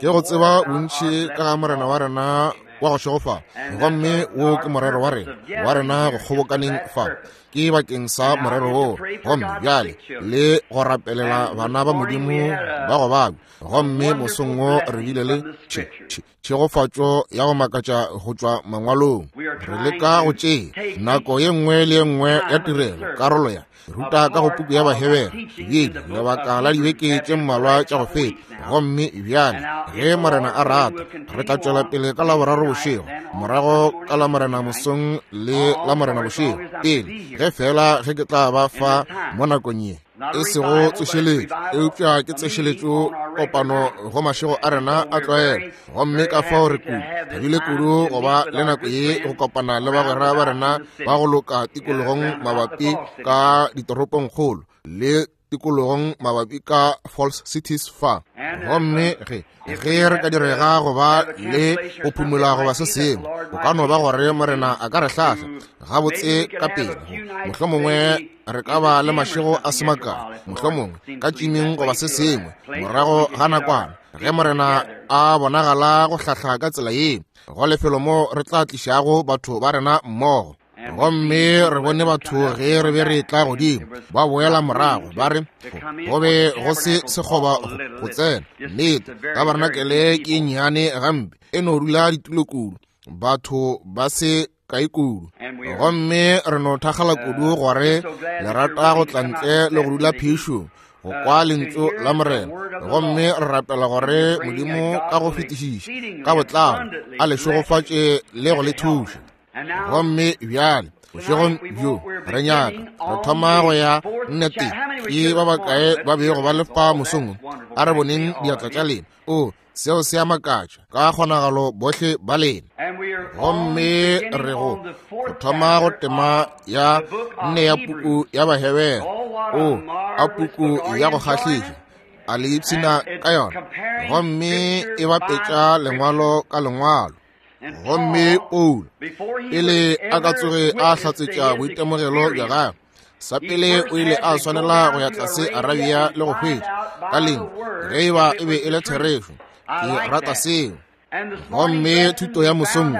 Ke go tseba bontši ka ga Morena wa rena wa go šegofala. Gomme wo ke morero wa rena, wa rena go kgobokaneng fa. Ke bakeng sa morero woo. Gomme bjale le go rapelela bana ba Modimo ba go babja. Gomme mosong wo re bile le tšhe, tšhe, tšhegofatšo ya go makatša go tšwa mangwalong. Re leka go tšea nako ye nngwe le ye nngwe ya tirelo karolo ya ruta ka go puku ya Bahebere bjele lebaka la dibeke tše mmalwa tša go feta. Gomme bjale ge Morena a rata re tla tšwela pele ka Laboraro bošego, morago ka Lamorena mosong le Lamorena bošego, pele ge fela ge ke tla ba fa mo nakong ye. E sego tsošeletšo, eupša ke tsošeletšo kopano go mašego a rena a tlwaelo. Gomme ka fao re kudu thabile kudu go ba le nako ye go kopana le bagwera ba rena ba go loka tikologong mabapi ka ditoropongkgolo le tikologong mabapi ka Falls Cities fa. Gomme ge ge re ka direga go ba le go phumola goba se sengwe, go ka no ba gore Morena a ka re hlahla gabotse ka pele. Mohlomongwe re ka ba le mašego a se makae, mohlomongwe ka tšimeng goba se sengwe morago ga nakwana, ge Morena a bonagala go hlahla ka tsela ye go lefelo mo re tla tlišago batho ba rena mmogo. Gomme re bone batho ge re be re tla godimo ba boela morago ba re go be go se sekgoba go tsena. Nnete, tabarenakele ke nnyane gampe, e no dula ditulo kudu, batho ba se kae kudu. Gomme re no thakgala kudu gore le rata go tla ntle le go dula phišong go kwa lentšu la Morena. Gomme re rapela gore Modimo ka go fetišiša ka botlalo a le šegofatše le go le thuša. Gomme bjale bošegong bjo re nyaka re thoma go ya nnete. Ke ba bakae ba bego ba le fa mosong? A re boneng diatla tša lena. O, seo se a makatša ka kgonagalo bohle ba lena. Gomme re go thoma go tema ya nne ya puku ya Bahebere. O, a puku ya go kgahliša, a le ipshina ka yona. Gomme e bapetša lengwalo ka lengwalo. Gomme Paulo, pele a ka tsoge a hlatsetša boitemogelo bja gagwe, sa pele o ile a swanela go ya tlase Arabia le go hwetša ka leng ge e ba e be e le therešo. Ke rata seo. Gomme thuto ya mosong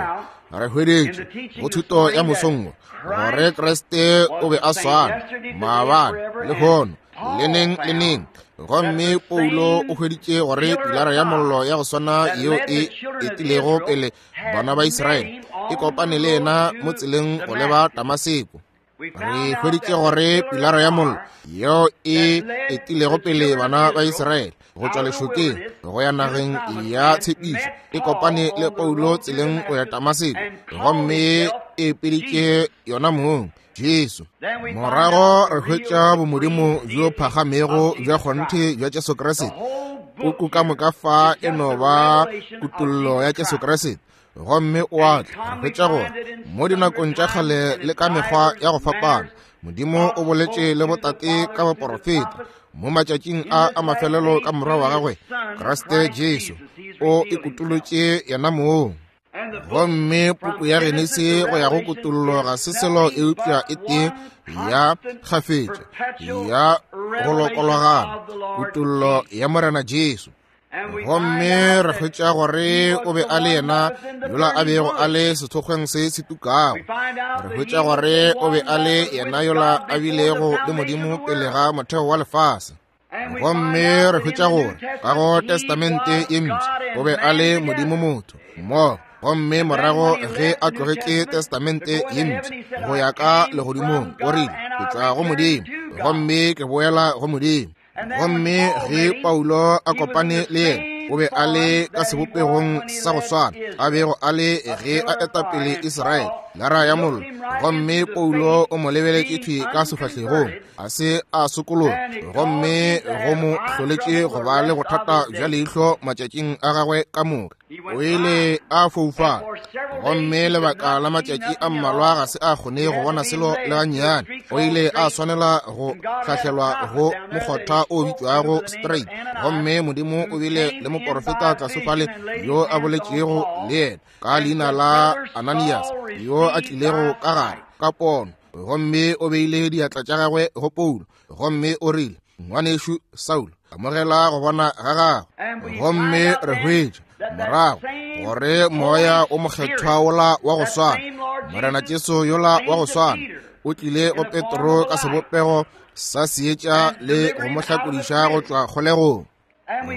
re hweditše go thuto ya mosong gore Kriste o be a swana maabane, lehono, le neng le neng. Gomme Paulo o hweditše gore pilara ya mollo ya go swana yeo e etilego pele bana ba Israele e kopane le yena mo tseleng go leba Damaseko. Re hweditše gore pilara ya mollo yeo e etilego pele bana ba Israele go tšwa lešokeng go ya nageng ya tshepišo e kopane le Paulo tseleng go ya Damaseko, gomme e epeditše yona mong Jesu. Morago re hwetša bomodimo bjo phagamego bja kgonthe bja Jesu Kriste. Puku ka moka fa e no ba kutollo ya Jesu Kriste. Gomme o a tla, re hwetša gore mo dinakong tša kgale le ka mekgwa ya go fapana, Modimo o boletše le botate ka baporofeta. Mo matšatšing a a mafelelo ka morwa wa gagwe Kriste Jesu o ikutolotše yena mong. Gomme puku ya Genesi go ya go Kutollo ga se selo eupša e tee ya kgafetša ya go lokologana, kutollo ya Morena Jesu. Gomme re hwetša gore o be a le yena yola a bego a le sethokgweng se se tukago. Re hwetša gore o be a le yena yola a bilego le Modimo pele ga motheo wa lefase. Gomme re hwetša gore ka go Testamente ye Mpsha o be a le Modimo motho mmogo. Gomme morago ge a tlogetše Testamente ye Mpsha go ya ka legodimong, o rile, Ke tšwa go Modimo, gomme ke boela go Modimo. Gomme ge Paulo a kopane le yena, o be a le ka sebopegong sa go swana a bego a le ge a eta pele Israele, lara ya mollo. Gomme Paulo o mo lebeletše thwi ka sefahlegong, a se a sokologa, gomme go mo hloletše go ba le bothata bja leihlo matšatšing a gagwe ka moka. O ile a foufala, gomme lebaka la matšatši a mmalwa ga se a kgone go bona selo le gannyane. O ile a swanela go hlahlelwa go mokgotha o bitšwago Straight, gomme Modimo o bile le moporofeta tlase fale yo a boletšego le yena ka leina la Ananias, yo a tlilego ka gare ka pono, gomme o beile diatla tša gagwe go Paulo, gomme o rile, Ngwanešu Saulo. Amogela go bona ga gago. Gomme re hwetša morago gore Moya o Mokgethwa wola wa go swana, Morena Jesu yola wa go swana, o tlile go Petro ka sebopego sa seetša le go mo hlakodiša go tšwa kgolegong.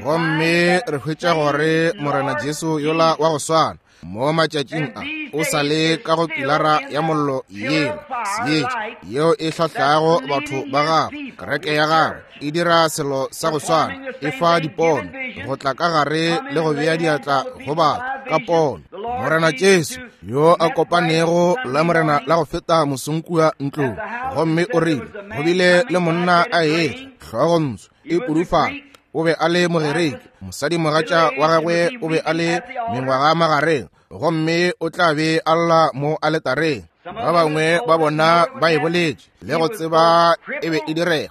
Gomme re hwetša gore Morena Jesu yola wa go swana mo matšatšing a o sa le ka go pilara ya mollo yela, seetša yeo e hlahlago batho ba gagwe, kereke ya gagwe e dira selo sa go swana, e fa dipono go tla ka gare le go bea diatla go batho ka pono. Morena Jesu yo a kopanego la Morena la go feta mosong kua ntlong, gomme o rile go bile le monna a etla hlogontsho e pudufala, o be a le Mogerike, mosadimogatša wa gagwe o be a le mengwaga magareng, gomme o tla be a lla mo aletareng. Ba bangwe ba bona ba e boletše le go tseba e be e direga.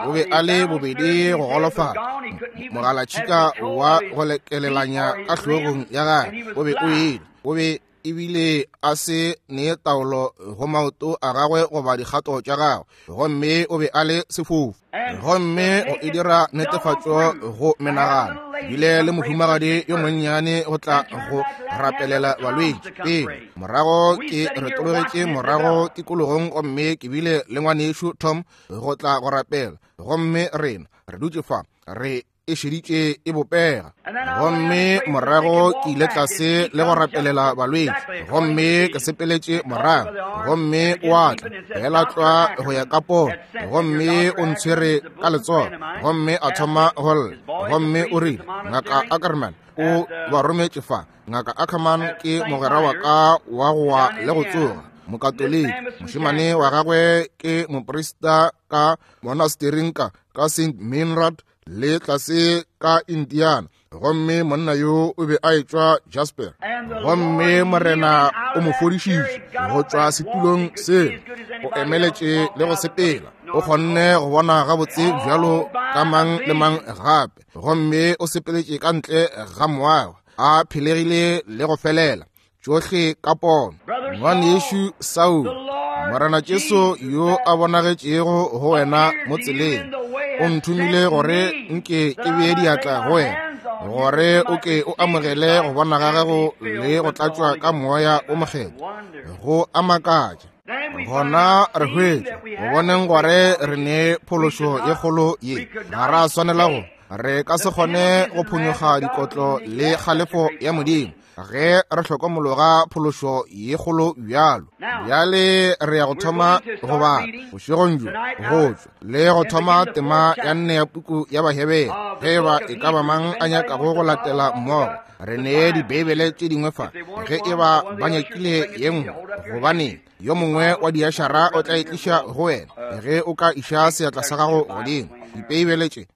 O be a le bobedi go golofala, mogalatšhika wa go lekelelanya ka hlogong ya gagwe o be o ile, o be ebile a se ne taolo go maoto a gagwe goba dikgato tša gagwe, gomme o be a le sefofu. Gomme go e dira netefatšo go menagano, bile le mohumagadi yo monnyane go tla go rapelela balwetši pele. Morago ke retologetše morago tikologong gomme ke bile le ngwanešu Tom go tla go rapela, gomme rena re dutše fa re e šeditše e bopega. Gomme morago ke ile tlase le go rapelela balwetši, gomme ke sepeletše morago, gomme o a tla fela tlwa go ya ka pono, gomme o ntshwere ka letsogo, gomme a thoma go lla, gomme o rile, Ngaka Ackerman o ba rometše fa. Ngaka Ackerman ke mogwera wa ka wa go wa le go tsoga, Mokatoliki. Mošemane wa gagwe ke moprista ka monastering ka St. Meinrad le tlase ka Indiana, gomme monna yo o be a etšwa Jasper. Gomme Morena o mo fodišitše go tšwa setulong seo, o emeletše le go sepela, o kgonne go bona gabotse bjalo ka mang le mang gape, gomme o sepeletše ka ntle ga moago a phelegile le go felela tšohle ka pono. Ngwanešu Saul, Morena Jesu yo a bonagetšego go wena mo tseleng o nthomile gore nke ke bee diatla go wena, gore o ke o amogele go bona ga gago le go tlatšwa ka Moya o Mokgethwa. Go a makatša. Gona re hwetša go boneng gore re ne phološo ye kgolo ye, ga ra swanela go, re ka se kgone go phonyokga dikotlo le kgalefo ya Modimo ge re hlokomologa phološo ye kgolo bjalo. Bjale re ya go thoma go bala bošegong bjo go tšwa le go thoma tema ya nne ya puku ya Bahebere. Ge eba e ka ba mang a nyakago go latela mmogo, re nee Dibeibele tše dingwe fa ge eba ba nyakile ye nngwe, gobane yo mongwe wa diašara o tla e tliša go wena ge o ka iša seatla sa gago godimo. Dibeibele tše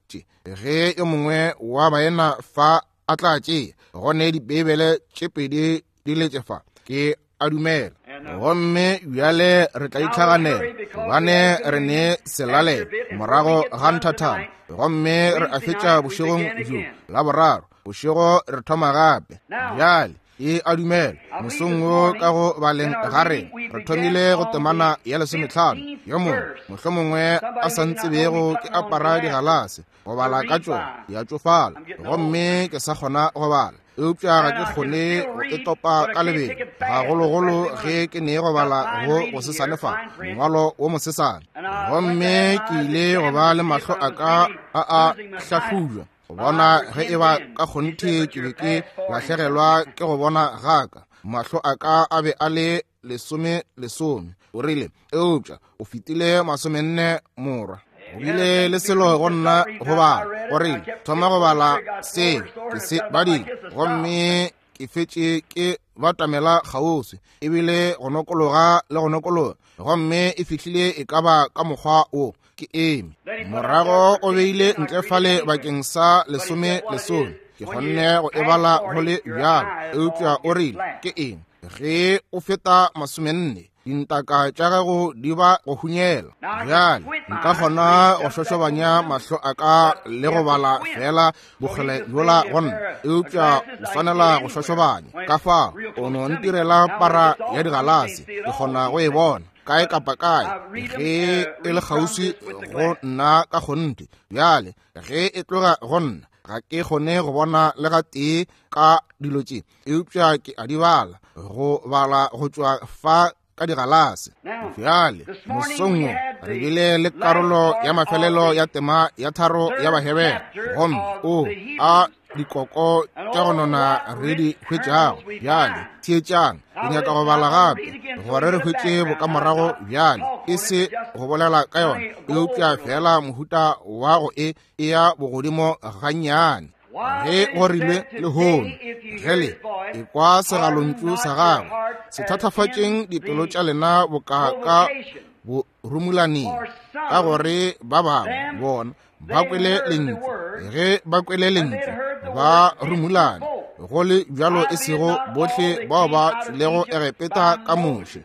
ge yo mongwe wa baena fa a tla tšea, go ne Dibeibele tše pedi di letše fa, ke a dumela. Gomme bjale re tla itlhaganela, gobane re ne selalelo morago ga nthathana, gomme re a fetša bošegong bjo la boraro bošego re thoma gape. Bjale e a dumela mosong wo ka go baleng ga rena re thomile go temana ya 15. Yo mongwe mohlomongwe a sa ntsebego ke apara digalase go bala ka tšona, di a tšofala, gomme ke sa kgona go bala, eupša ga ke kgone go e topa ka lebelo, gagologolo ge ke ne go bala go go sesane fa mongwalo wo mosesane. Gomme ke ile go ba le mahlo a ka a a hlahlujwa go bona ge e ba ka kgonthe ke be ke lahlegelwa ke go bona ga ka. Mahlo a ka a be a le 10, o rile, eupša o fetile 40 morwa. Go bile le selo go nna go bala, o rile, thoma go bala seo ke se badile, gomme ke fetše ke batamela kgauswi, ebile go nokologa le go nokologa, gomme e fihlile e ka ba ka mokgwa wo ke eme. Morago o beile ntle fale bakeng sa 10, ke kgonne go e bala go le bjalo, eupša o rile, ke eng ge o feta 40, dintaka tša gago di ba go hunyela. Bjale nka kgona go šošobanya mahlo a ka le go bala fela bokgole bjola go nna, eupša o swanela go šošobanya. Ka fao o no ntirela para ya digalase, ke kgona go e bona. kae kapa kae, ge e le kgauswi go nna ka kgonthe. Bjale ge e tloga go nna, ga ke kgone go bona le ga tee ka dilo tše, eupša ke a di bala, go bala go tšwa fa ka digalase. Bjale mosong wo re bile le karolo ya mafelelo ya tema ya 3 ya Bahebere, gomme o a dikoko tša go nona re di hwetšago. Bjale theetšang, ke nyaka go bala gape gore re hwetše bokamorago bjale, e se go bolela ka yona, eupša fela mohuta wa go e ya bogodimo gannyane. Ge go rilwe lehono, ge le ekwa segalontšu sa gagwe, se thathafatšeng dipelo tša lena boka ka borumulaneng, ka gore ba bangwe bona ba kwele lentšu, ge ba kwele lentšu ba rumulane, go le bjalo e sego bohle bao ba tšwilego Egepeta ka Moshe.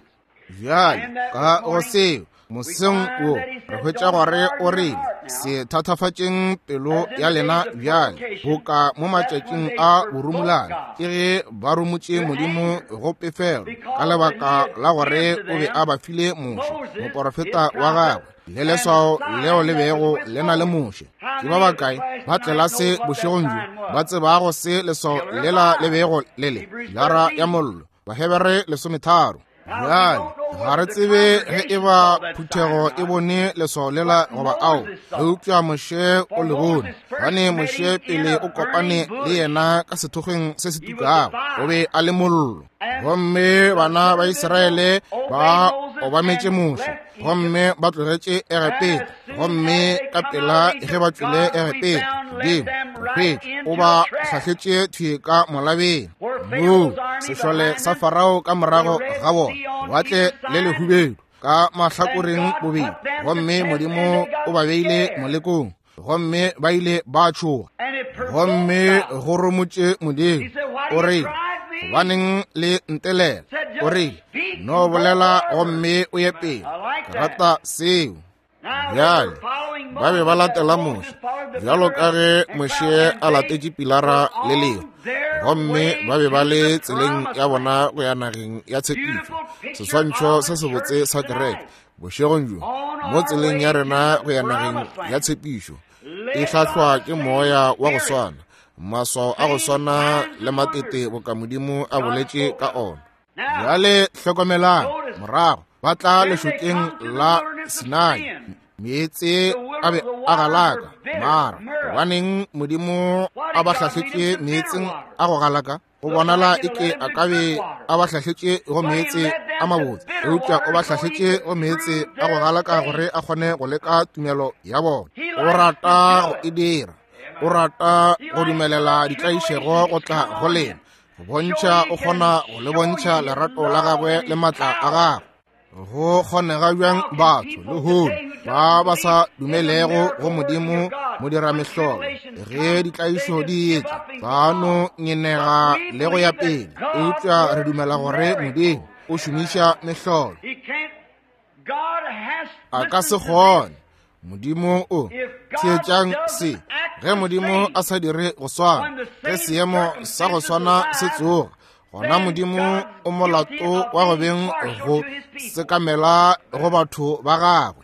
Bjale ka go seo moseng wo re hwetša gore o rile, se thathafatšeng pelo ya lena bjale, boka mo matšatšing a borumulane, ke ge ba rumotše Modimo go pefelo, ka lebaka la gore o be a ba file Moshe, moporofeta wa gagwe, le leswao leo le bego le na le Moshe. Ke ba bakae ba tlelase bošegong bjo ba tsebago se leswao lela le bego le le? Lara ya mollo, Bahebere 13. Bjale ga re tsebe ge e ba phuthego e bone leswao lela goba ao, eupša Moshe o le bone, gobane Moshe pele o kopane le yena ka sethokgweng se se tukago, o be a le mollo. Gomme bana ba Israele ba obametše Moshe, gomme ba tlogetše Egepeta, gomme ka pela ge ba tšwele Egepeta, Modimo re hwetše o ba hlahletše thwi ka molabeng, moo sešole sa Farao ka morago ga bona, lewatle le lehubedu ka mahlakoreng bobedi, gomme Modimo o ba beile molekong, gomme ba ile ba tšhoga, gomme go romotše Modimo. O rile, gobaneng le ntelela? O rile, no bolela gomme o ye pele. Ke rata seo. Bjale ba be ba latela Moshe, bjalo ka ge Moshe a latetše pilara le lengwe, gomme ba be ba le tseleng ya bona go ya nageng ya tshepišo. Seswantšho se sebotse sa kereke bošegong bjo, mo tseleng ya rena go ya nageng ya tshepišo, e hlahlwa ke moya wa go swana, maswao a go swana le matete boka Modimo a boletše ka ona. Bjale hlokomelang, morago ba tla lešokeng la Sinai, meetse a be a galaka. Mara gobaneng Modimo a ba hlahletše meetseng a go galaka? Go bonala eke a ka be a ba hlahletše go meetse a mabotse, eupša o ba hlahletše go meetse a go galaka gore a kgone go leka tumelo ya bona. O rata go e dira, o rata go dumelela ditlaišego go tla go lena, go bontšha o kgona go le bontšha lerato la gagwe le maatla a gagwe. Go kgonega bjang batho lehono ba ba sa dumelego go Modimo modiramehlolo, ge ditlaišo di etla ba no ngenega le go ya pele, eupša re dumela gore Modimo o šomiša mehlolo. A ka se kgone. Modimo o theetšang se, ge Modimo a sa dire go swana, ge seemo sa go swana se tsoga, gona Modimo o molato wa go beng go sekamela go batho ba gagwe.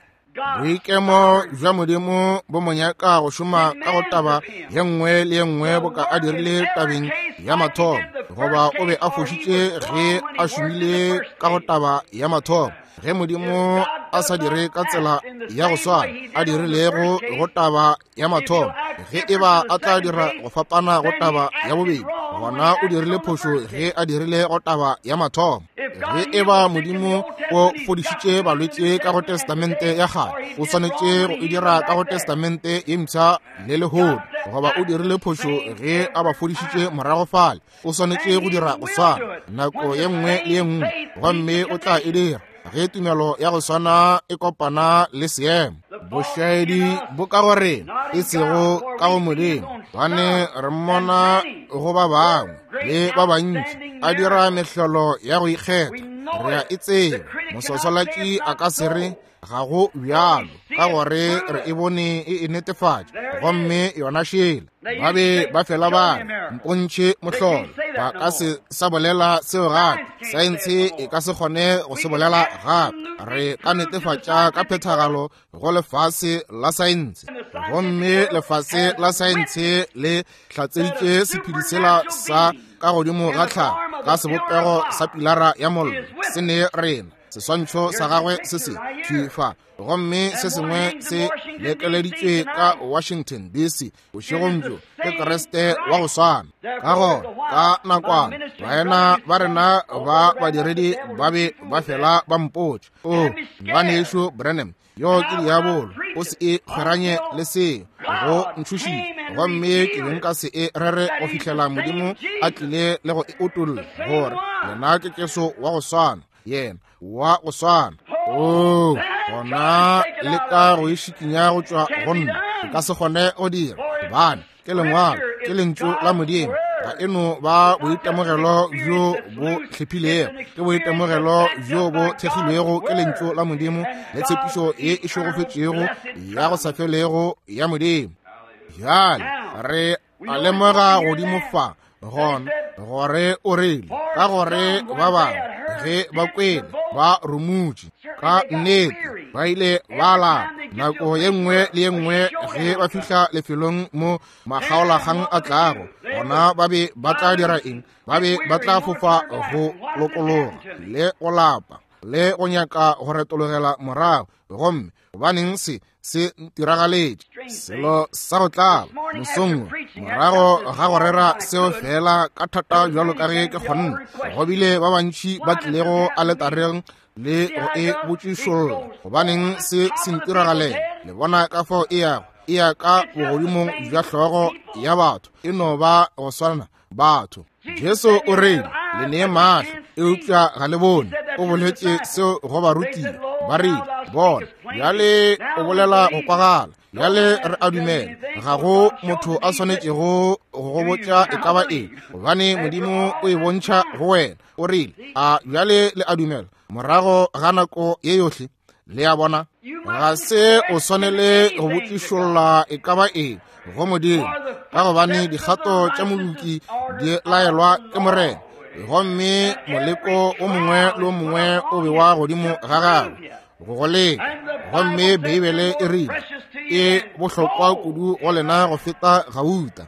Boikemo bja Modimo bo mo nyaka go šoma ka go taba ye nngwe le ye nngwe boka a dirile tabeng ya mathomo, goba o be a fošitše ge a šomile ka go taba ya mathomo. Ge Modimo a sa dire ka tsela ya go swana a dirilego go taba ya mathomo, ge e ba a tla dira go fapana go taba ya bobedi, gona o dirile phošo ge a dirile go taba ya mathomo. Ge e ba Modimo o fodišitše balwetši ka go Testamente ya kgale, o swanetše go e dira ka go Testamente ye mpsha le lehono, goba o dirile phošo ge a ba fodišitše morago fale, o swanetše go dira go swana nako ye nngwe le ye nngwe, gomme o tla e dira ge tumelo ya go swana e kopana le seemo. Bošaedi bo ka go rena, e sego ka go Modimo, gobane re mmona go ba bangwe le ba bantši a dira mehlolo ya go ikgetha. Re a e tseba. Moswaswalatši a ka se re, Ga go bjalo, ka gore re e bone e e netefatša, gomme yona šela. Ba be ba fela ba re, Mpontšhe mohlolo. Ba ka se sa bolela seo gape. Saense e ka se kgone go se bolela gape. Re ka netefatša ka phethagalo go lefase la saense. Gomme lefase la saense le hlatseditše sephedi sela sa ka godimo ga tlhago ka sebopego sa pilara ya mollo se ne rena. Seswantšho sa gagwe se se thwi fa, gomme se sengwe se lekeleditšwe ka Washington DC bošegong bjo ke Kriste wa go swana. Ka gona ka nakwana baena ba rena ba badiredi ba be ba fela ba mpotša, o ngwanešu Branham, yo ke diabolo, o se e kgweranye le seo, go ntšhošitše, gomme ke be nka se e rere go fihlela Modimo a tlile le go e utolla gore yena ke Jesu wa go swana, yena wa go swana. Oo, gona le ka go e šikinya go tšwa go nna, ke ka se kgone go dira, gobane ke lengwalo, ke lentšu la Modimo. Ga e no ba boitemogelo bjo bo hlephilego, ke boitemogelo bjo bo thekgilwego ke lentšu la Modimo le tshepišo ye e šegofetšego ya go sa felego ya Modimo. Bjale re a lemoga godimo fa gona gore o rile, ka gore ba bangwe ge ba kwele ba rumutše, ka nnete ba ile ba lapa. Nako ye nngwe le ye nngwe ge ba fihla lefelong mo makgaolakgang a tlago, gona ba be ba tla dira eng? Ba be ba tla fofa go lokologa le go lapa le go nyaka go retologela morago. Gomme gobaneng se se ntiragaletše? Selo sa go tlaba mosong morago ga go rera seo fela ka thata bjalo ka ge ke kgonne, go bile ba bantši ba tlilego aletareng le go e botšišolla, gobaneng se se ntiragalela? Le bona ka fao e yago, e ya ka bogodimong bja hlogo ya batho, e no ba go swana batho. Jesu o rile, le nee mahlo eupša ga le bone. O boletše seo go barutiwa. Ba rile, bona bjale o bolela go kwagala, bjale re a dumela. Ga go motho a swanetšego go go botša e ka ba eng, gobane Modimo o e bontšha go wena. O rile, a bjale le a dumela morago ga nako ye yohle? Le a bona, ga se o swanele go botšišolla e ka ba eng go Modimo, ka gobane dikgato tša moloki di laelwa ke Morena, gomme moleko o mongwe le o mongwe o bewa godimo ga gagwe go go leka. Gomme Beibele e rile e bohlokwa kudu go lena go feta gauta.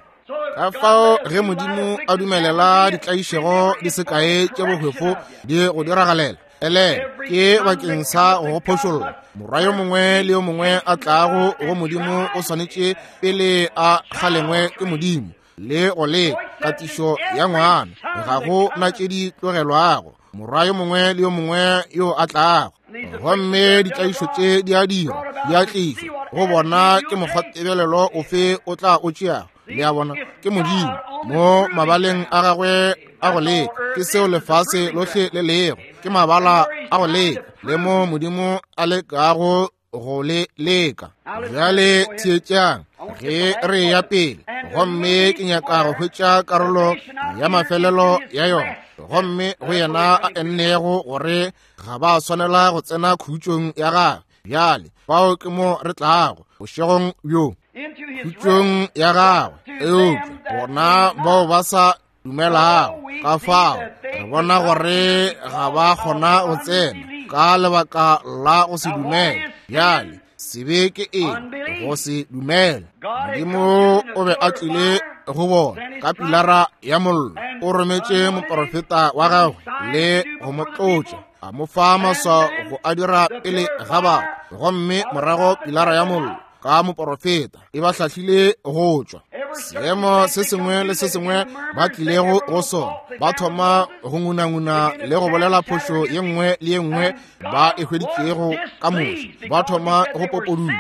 Ka fao ge Modimo a dumelela ditlaišego di se kae tše bohwefo di go diragalela, ele ke bakeng sa go go phošolla. Morwa yo mongwe le yo mongwe a tlago go Modimo o swanetše pele a kgalengwe ke Modimo le go leka katišo ya ngwana. Ga go na tše di tlogelwago morwa yo mongwe le yo mongwe yo a tlago. Gomme ditlaišo tše di a dirwa, di a tlišwa go bona ke mokgwatebelelo ofe o tla o tšeago. Le a bona, ke Modimo mo mabaleng a gagwe a go leka. Ke seo lefase lohle le lego, ke mabala a go leka, le mo Modimo a lekago go le leka. Bjale theetšang ge re ya pele, gomme ke nyaka go hwetša karolo ya mafelelo ya yona. Gomme go yena a ennego gore ga ba swanela go tsena khutšong ya gagwe. Bjale fao ke mo re tlago bošegong bjo, khutšong ya gagwe. Eupša bona bao ba sa dumelago, ka fao re bona gore ga ba kgona go tsena ka lebaka la go se dumele. Bjale sebe ke eng? Go se dumele. Modimo o be a tlile go bona ka pilara ya mollo, o rometše moprofeta wa gagwe le go mo tlotša, a mo fa maswao go a dira pele ga batho, gomme morago pilara ya mollo ka moprofeta e ba hlahlile go tšwa seemo se sengwe le se sengwe ba tlilego go sona. Ba thoma go ngunanguna le go bolela phošo ye nngwe le ye nngwe ba e hweditšego ka Moshe. Ba thoma go popoduma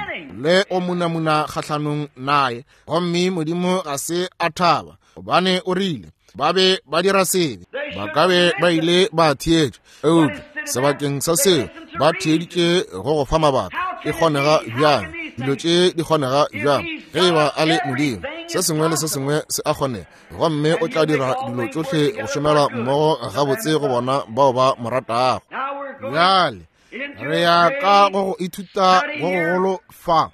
le go munamuna kgahlanong naye, gomme Modimo ga se a thaba, gobane o rile ba be ba dira sebe. Ba ka be ba ile ba theetša, eupša sebakeng sa seo ba theeditše go go fa mabaka. E kgonega bjang? Dilo tše di kgonega bjang ge e ba a le Modimo? Se sengwe le se sengwe se a kgonega, gomme o tla dira dilo tšohle go šomela mmogo gabotse go bona bao ba mo ratago. Bjale Re ya ka go go ithuta go gogolo fa,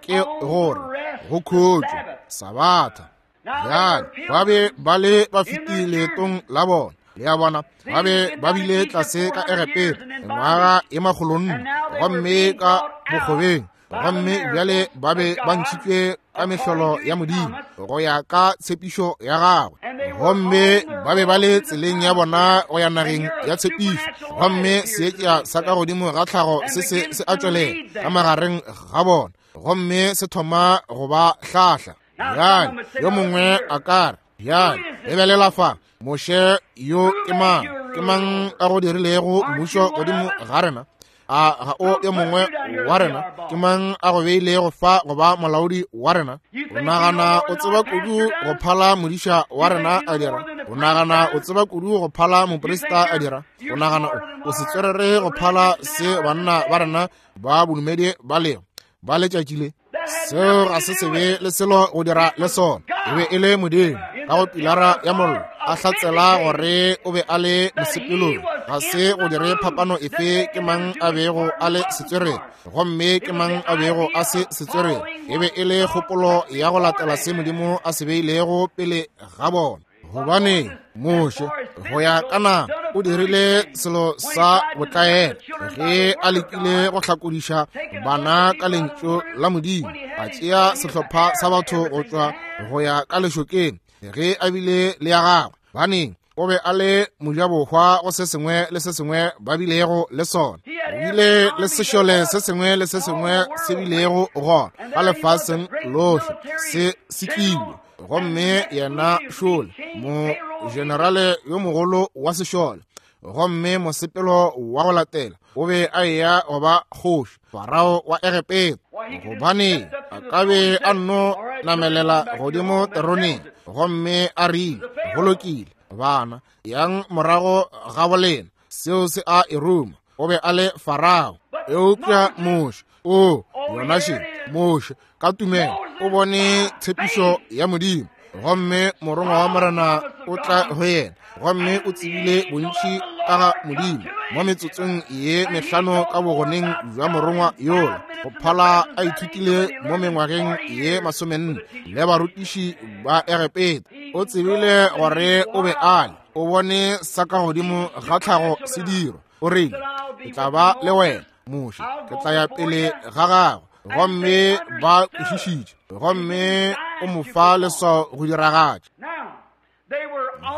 ke gore go khutšo Sabatha. Bjale ba be ba le ba fetile leetong la bona, le a bona, ba be ba bile tlase ka Egepeta ngwaga e makgolonne, gomme ka bokgobeng, gomme bjale ba be ba ntšhitšwe ka mehlolo ya Modimo go ya ka tshepišo ya gagwe, gomme ba be ba le tseleng ya bona go ya nageng ya tshepišo, gomme seetša sa ka godimo ga tlhago se se se a tšwelela ka magareng ga bona, gomme se thoma go ba hlahla. Bjale yo mongwe a ka re, bjale lebelela fa, Moshe yo ke mang? Ke mang a go dirilego mmušo godimo ga rena? A ga o yo mongwe wa rena? Ke mang a go beilego fa go ba molaodi wa rena? O nagana o tseba kudu go phala modiša wa rena a dira? O nagana o tseba kudu go phala moprista a dira? O nagana o setswerere go phala se banna ba rena ba bodumedi ba lego ba letšatši le? Seo ga se sebe le selo go dira le sona. E be e le Modimo ka go pilara ya mollo a hlatsela gore o be a le mosepelong. Ga se go dire phapano efe ke mang a bego a le setswerere gomme ke mang a bego a se setswerere. E be e le kgopolo ya go latela se Modimo a se beilego pele ga bona. Gobane Moshe go ya ka nama o dirile selo sa botlaela ge a lekile go hlakodiša bana ka lentšu la Modimo, a tšea sehlopha sa batho go tšwa go ya ka lešokeng ge a bile le ya gagwe. Baneng o be a le mojabohwa go se sengwe le se sengwe ba bilego le sona. O bile le sešole se sengwe le se sengwe se bilego gona ka lefaseng lohle se setlilwe, gomme yena šole mogenerale yo mogolo wa sešole, gomme mosepelo wa go latela o be a eya go ba kgoši Farao wa Egepeta, gobane a ka be a nno namelela godimo teroneng gomme a rile, go lokile bana, yang morago ga bolena, seo se a e ruma. O be a le Farao. Eupša Moshe, o yona še Moshe ka tumelo o bone tshepišo ya Modimo, gomme morongwa wa Morena o tla go yena, gomme o tsebile bontši ka ga Modimo mo metsotsong ye mehlano ka bogoneng bja morongwa yola, go phala a ithutile mo mengwageng ye 40 le barutiši ba Egepeta. O tsebile gore o be a le, o bone sa ka godimo ga tlhago se dirwa. O rile, ke tla ba le wena Moshe, ke tla ya pele ga gago. Gomme ba kwešišitše, gomme o mo fa leswao go diragatša.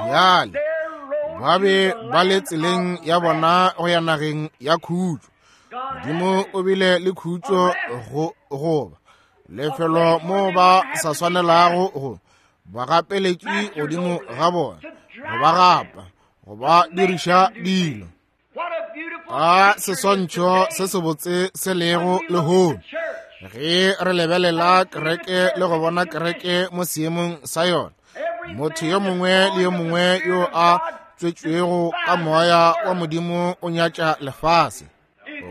Bjale ba be ba le tseleng ya bona go ya nageng ya khutšo. Modimo o bile le khutšo go goba lefelo mo ba sa swanelago go ba gapeletše godimo ga bona, go ba gapa, go ba diriša dilo. A seswantšho se sebotse se lego lehono ge re lebelela kereke le go bona kereke mo seemong sa yona. Motho yo mongwe le yo mongwe yo a tswetšwego ka moya wa Modimo o nyatša lefase.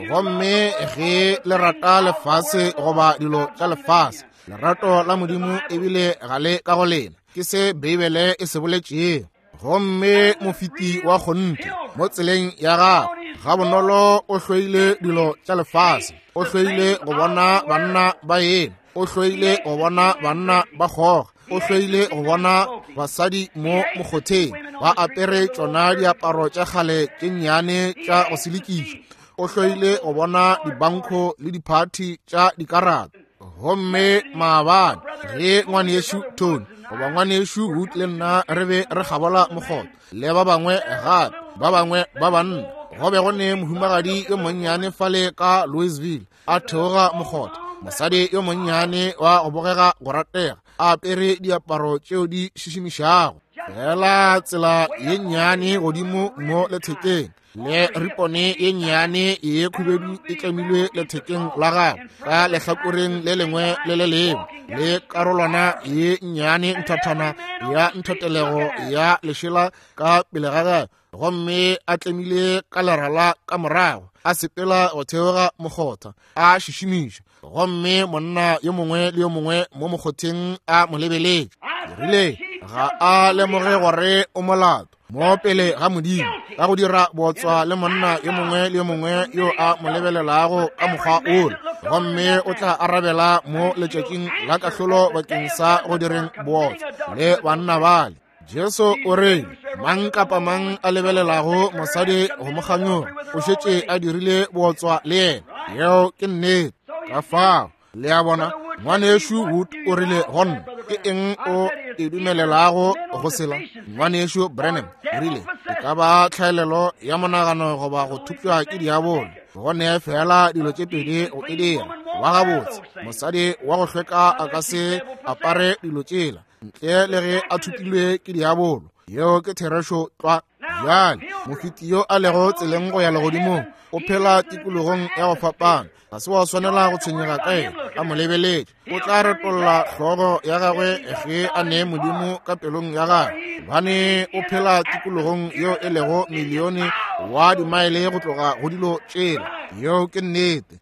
Gomme ge le rata lefase goba dilo tša lefase, lerato la Modimo ebile ga le ka go lena. Ke se Beibele e se boletšego. Gomme mofeti wa kgonthe mo tseleng ya gagwe gabonolo o hloile dilo tša lefase, o hloile go bona banna ba ena, o hloile go bona banna ba kgoga, o hloile go bona basadi mo mokgotheng ba apere tšona diaparo tša kgale tše nnyane tša go selekišwa, o hloile go bona dibankho le diphathi tša dikarata. Gomme maabane ge ngwanešu Tony goba ngwanešu Wood le nna re be re kgabola mokgotha le ba bangwe gape, ba bangwe ba banna, go be go ne mohumagadi yo monnyane fale ka Louisville a theoga mokgotha, mosadi yo monnyane wa go bogega go ratega, a apere diaparo tšeo di šišimišago, fela tsela ye nnyane godimo mo lethekeng, le ripone ye nnyane ye khubedu e tlemilwe lethekeng la gagwe ka lehlakoreng le lengwe le le lengwe, le karolwana ye nnyane nthathana ya nthotelego ya lešela ka pele ga gagwe, gomme a tlemile ka lerala ka morago, a sepela go theoga mokgotha a šišimiša. Gomme monna yo mongwe le yo mongwe mo mokgotheng a mo lebeletše. Ke rile, ga a lemoge gore o molato. mo pele ga Modimo ka go dira bootswa le monna yo mongwe le yo mongwe yo a mo lebelelago ka mokgwa ola, gomme o tla arabela mo letšatšing la kahlolo bakeng sa go direng bootswa le banna bale. Jesu o re mang kapa mang a lebelelago mosadi go mo kganyoga o šetše a dirile bootswa le yena. Yeo ke nnete. Ka fao le a bona, Ngwanešu Wood o rile go nna, ke eng o e dumelelago go sela? Ngwanešu Branham o rile, e ka ba tlhaelelo ya monagano goba go thupša ke diabolo. Go ne fela dilo tše pedi go e dira. Wa gabotse, mosadi wa go hlweka a ka se apare dilo tšela ntle le ge a thupilwe ke diabolo. Yeo ke therešo tlwa. Bjale mofeti yo a lego tseleng go ya legodimong o phela tikologong ya go fapana. Ga se wa swanela go tshwenyega ka yena, a mo lebeletše. O tla retolla hlogo ya gagwe ge a nee Modimo ka pelong ya gagwe, gobane o phela tikologong yeo e lego milione wa dimaele go tloga go dilo tšela. Yeo ke nnete.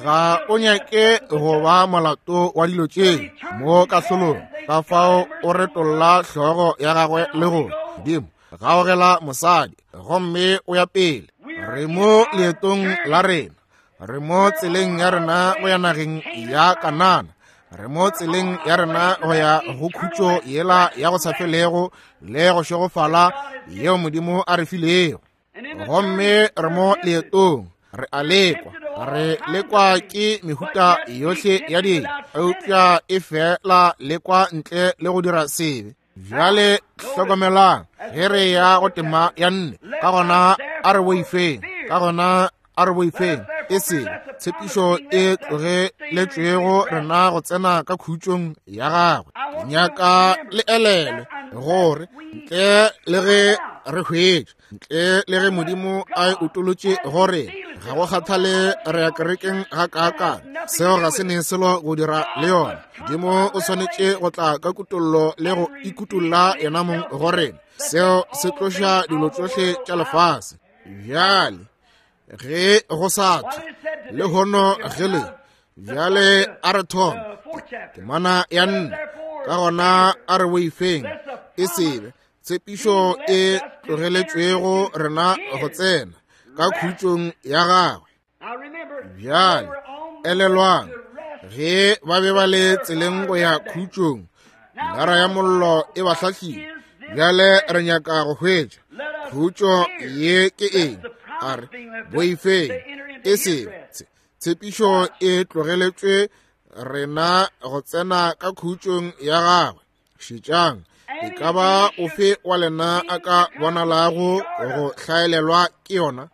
Ga o nyake go ba molato wa dilo tše mo kahlolong. Ka fao o retolla hlogo ya gagwe le go Modimo gaogela mosadi, gomme o ya pele. Re mo leetong la rena, re mo tseleng ya rena go ya nageng ya Kanana, re mo tseleng ya rena go ya go khutšo yela ya go sa felego le go šegofala yeo Modimo a re filego. Gomme re mo leetong, re a lekwa, re lekwa ke mehuta yohle ya dilo, eupša e fela lekwa ntle le go dira sebe. Bjale hlokomelang ge re ya go tema ya nne, ka gona a re boifeng, ka gona a re boifeng e se tshepišo e tlogeletšwego rena go tsena ka khutšong ya gagwe. Nyaka le elelwe gore ntle le ge re hwetša, ntle le ge Modimo a e utolotše gore ga go kgathale re ya kerekeng ga kaakang, seo ga se ne selo go dira le yona. Modimo o swanetše go tla ka kutollo le go ikutolla yena mong go rena. Seo se tloša dilo tšohle tša lefase. Bjale ge go sa thwe lehono ge le bjale a re thome temana ya nne, ka gona a re boifeng e sebe tshepišo e tlogeletšwego rena go tsena ka khutšong ya gagwe. Bjale elelwang, ge ba be ba le tseleng go ya khutšong, lara ya mollo e ba hlahlile. Bjale re nyaka go hwetša khutšo ye ke eng. A re boifeng e se tshepišo e tlogeletšwe rena go tsena ka khutšong ya gagwe. Šetšang, e ka ba ofe wa lena a ka bonalago go hlaelelwa ke yona.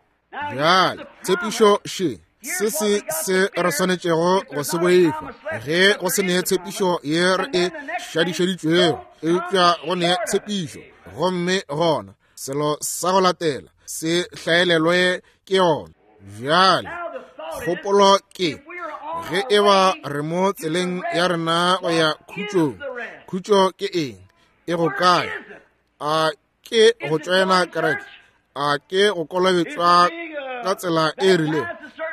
Bjale tshepišo še, se se se re swanetšego go se boifa ge go se ne tshepišo ye re e šadišeditšwego, eupša go ne tshepišo, gomme gona selo sa go latela se hlaelelwe ke yona. Bjale kgopolo ke ge e ba re mo tseleng ya rena go ya khutšong, khutšo ke eng? E go kae? A ke go tšoena kereke? A ke go kolobetšwa ka tsela e rilego?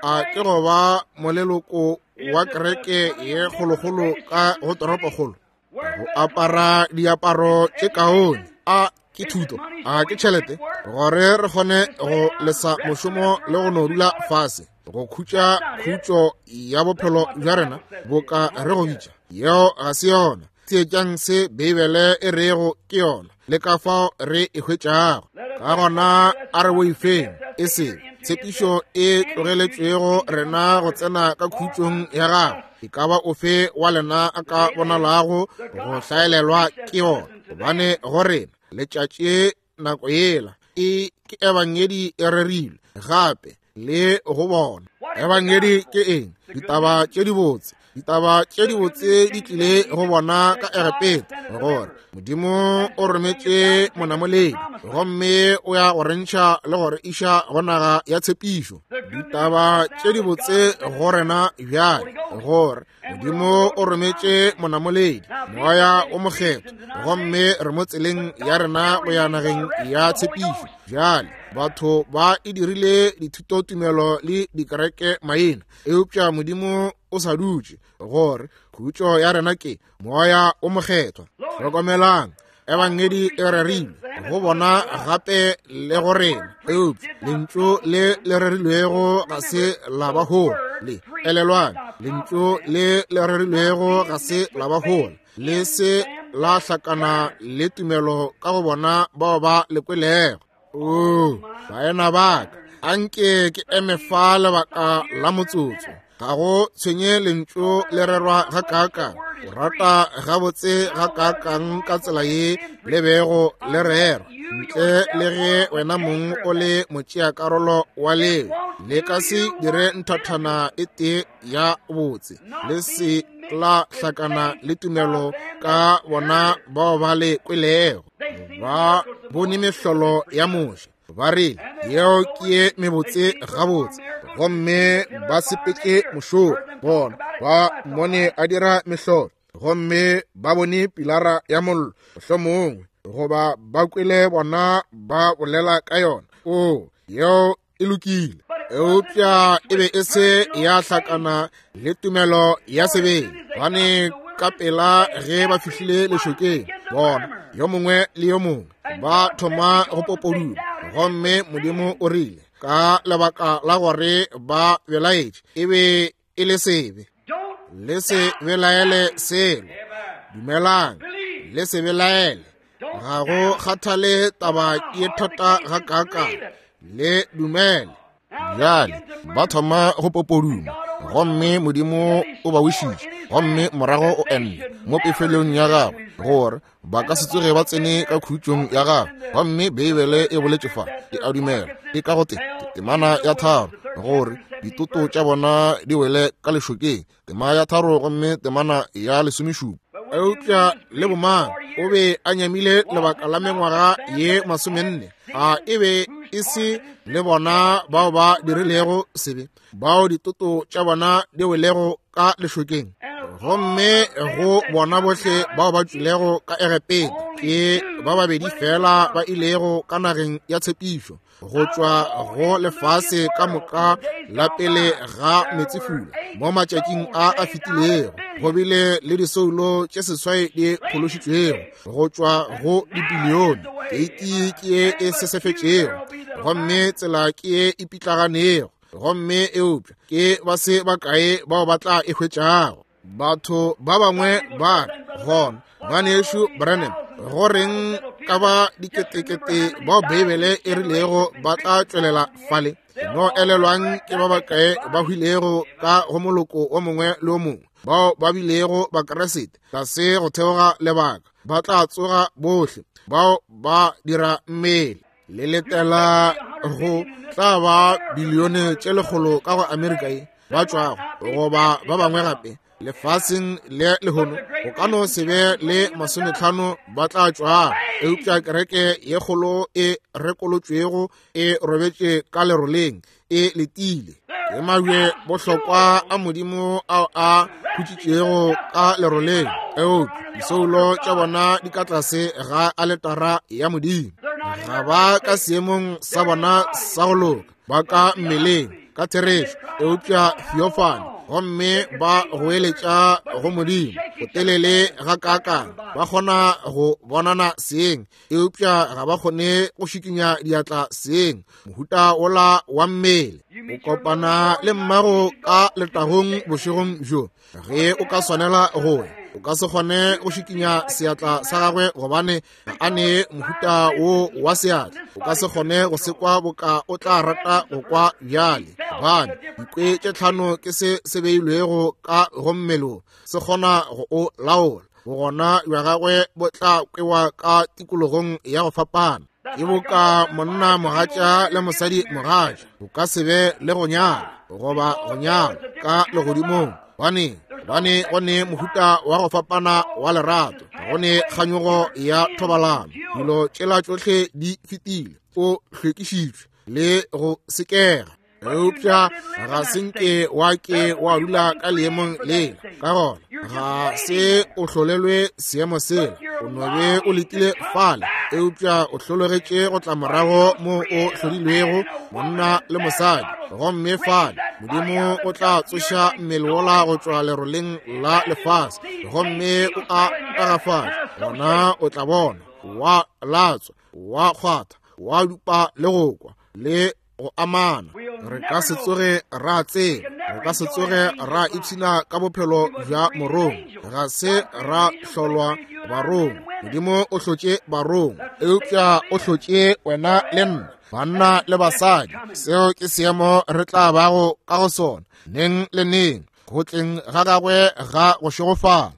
A ke go ba moleloko wa kereke ye kgolokgolo ka go toropokgolo? Go apara diaparo tše kaone? A ke thuto? A ke tšhelete gore re kgone go lesa mošomo le go no dula fase go khutša khutšo ya bophelo bja rena boka re go bitša? Yeo ga se yona. Theetšang se Beibele e rego ke yona le ka fao re e hwetšago. Ka gona a re boifeng e se tshepišo e tlogeletšwego rena go tsena ka khutšong ya gagwe. E ka ba ofe wa lena a ka bonalago go hlaelelwa ke yona, gobane go rena letšatši nako yela e ke ebangedi e rerilwe gape le go bona. Ebangedi ke eng? Ditaba tše dibotse. Ditaba tše dibotse di tlile go bona ka Egepeta, gore Modimo o rometše monamoledi gomme o ya go re ntšha le go re iša go naga ya tshepišo. Ditaba tše dibotse go rena bjale, gore Modimo o rometše monamoledi, moya o mokgethwa, gomme re mo tseleng ya rena go ya nageng ya tshepišo. Bjale batho ba e dirile dithutotumelo le dikereke maina, eupša Modimo o sa dutše gore khutšo ya rena ke moya o mokgethwa. Hlokomelang, Ebangedi e rerilwe go bona gape le go rena, eupša lentšu le le rerilwego ga se la ba hola. Le elelwang, lentšu le le rerilwego ga se la ba hola, le se la hlakana le tumelo ka go bona bao ba le kwelego. Oo, baena ba ka, anke ke eme fa lebaka la motsotso. Ga go tshwenye lentšu le rerwa ga kaakang, o rata gabotse ga kaakang ka tsela ye le bego le rerwa, ntle le ge wena mong o le motšeakarolo wa leo, le ka se dire nthathana e tee ya botse, le se la hlakana le tumelo ka bona bao ba le kwelego. Ba bone mehlolo ya Moshe, ba rile yeo ke ye mebotse gabotse, gomme ba sepetše mošomo. Bona ba mmone a dira mehlolo, gomme ba bone pilara ya mollo, mohlomongwe goba ba kwele bona ba bolela ka yona. O, yeo e lokile, eupša e be e se ya hlakana le tumelo ya sebele, gobane ka pela ge ba fihlile lešokeng, bona yo mongwe le yo mongwe ba thoma go popoduma, gomme Modimo o rile ka lebaka la gore ba belaetše e be e le sebe. Le se belaele selo, dumelang, le se belaele. Ga go kgathale taba ye thata ga kaakang, le dumele. Bjale ba thoma go popoduma, gomme Modimo o ba wišitše, gomme morago o enne mo pefelong ya gagwe gore ba ka se tsoge ba tsene ka khutšong ya gagwe. Gomme Beibele e boletše fa, ke a dumela e ka go te temana ya 3, gore ditoto tša bona di wele ka lešokeng, tema ya 3 gomme temana ya 17. Eupša le bomang o be a nyamile lebaka la mengwaga ye 40, a e be e se le bona bao ba dirilego sebe, bao ditoto tša bona di welego ka lešokeng? Gomme go bona bohle bao ba tšwilego ka Egepeta, ke ba babedi fela ba ilego ka nageng ya tshepišo, go tšwa go lefase ka moka la pele ga meetsefula. Mo matšatšing a a fetilego go bile le disoulo tše 8 di phološitšwego go tšwa go dibilione. Keiti ke ye e sesefetšego, gomme tsela ke ye e pitlaganego, gomme eupša ke ba se bakae bao ba tla e hwetšago. Batho ba bangwe ba re, gona ngwanešu Branham, go reng ka ba diketekete bao Beibele e rilego ba tla tšwelela fale? No elelwang ke ba bakae ba hwilego ka go moloko o mongwe le o mongwe, bao ba bilego Bakriste tlase go theoga lebaka, ba tla tsoga bohle bao ba dira mmele. Le letela go tla ba bilione tše 100 ka go Amerika ye ba tšwago, goba ba bangwe gape lefaseng le lehono go ka no se be le 50 ba tla tšwago, eupša kereke ye kgolo e rekolotšwego e robetše ka leroleng e letile. Ke mabje bohlokwa a Modimo ao a khutšitšego ka leroleng, eupša disoulo tša bona di ka tlase ga aletara ya Modimo. Ga ba ka seemong sa bona sa go loka, ba ka mmeleng ka therešo, eupša theophany, gomme ba goeletša go Modimo go telele ga kaakang. Ba kgona go bonana seeng, eupša ga ba kgone go šikinya diatla seeng, mohuta wola wa mmele. O kopana le mmago ka letagong bošegong bjo, ge o ka swanela go ya, o ka se kgone go šikinya seatla sa gagwe gobane ga a ne mohuta wo wa seatla. O ka se kgone go se kwa boka o tla rata go kwa bjale, gobane dikwe tše 5 ke se se beilwego ka go mmele, se kgona go o laola. Bogona bja gagwe bo tla kwewa ka tikologong ya go fapana. Ke boka monna mogatša le mosadi mogatša, o ka se be le go nyala goba go nyala ka legodimong, gobane go ne mohuta wa go fapana wa lerato, go ne kganyogo ya thobalano. Dilo tšela tšohle di fetile, o hlwekišitšwe le go sekega. Eupša ga se nke wa ke wa dula ka leemong lela, ka gona ga se o hlolelwe seemo sela. O no be o letile fale, eupša o hlologetše go tla morago mo o hlodilwego, monna le mosadi. Gomme fale Modimo o tla tsoša mmele wola go tšwa leroleng la lefase, gomme o a tagafatša, gona o tla bona. wa latswa, wa kgwatha, wa dupa le go kwa, le go amana. Re ka se tsoge ra tseba, re ka se tsoge ra ipshina ka bophelo bja morongwa. Ga se ra hlolwa barongwa. Modimo o hlotše barongwa, eupša o hlotše wena le nna, banna le basadi. Seo ke seemo re tla bago ka go sona neng le neng, go tleng ga gagwe ga go šegofala.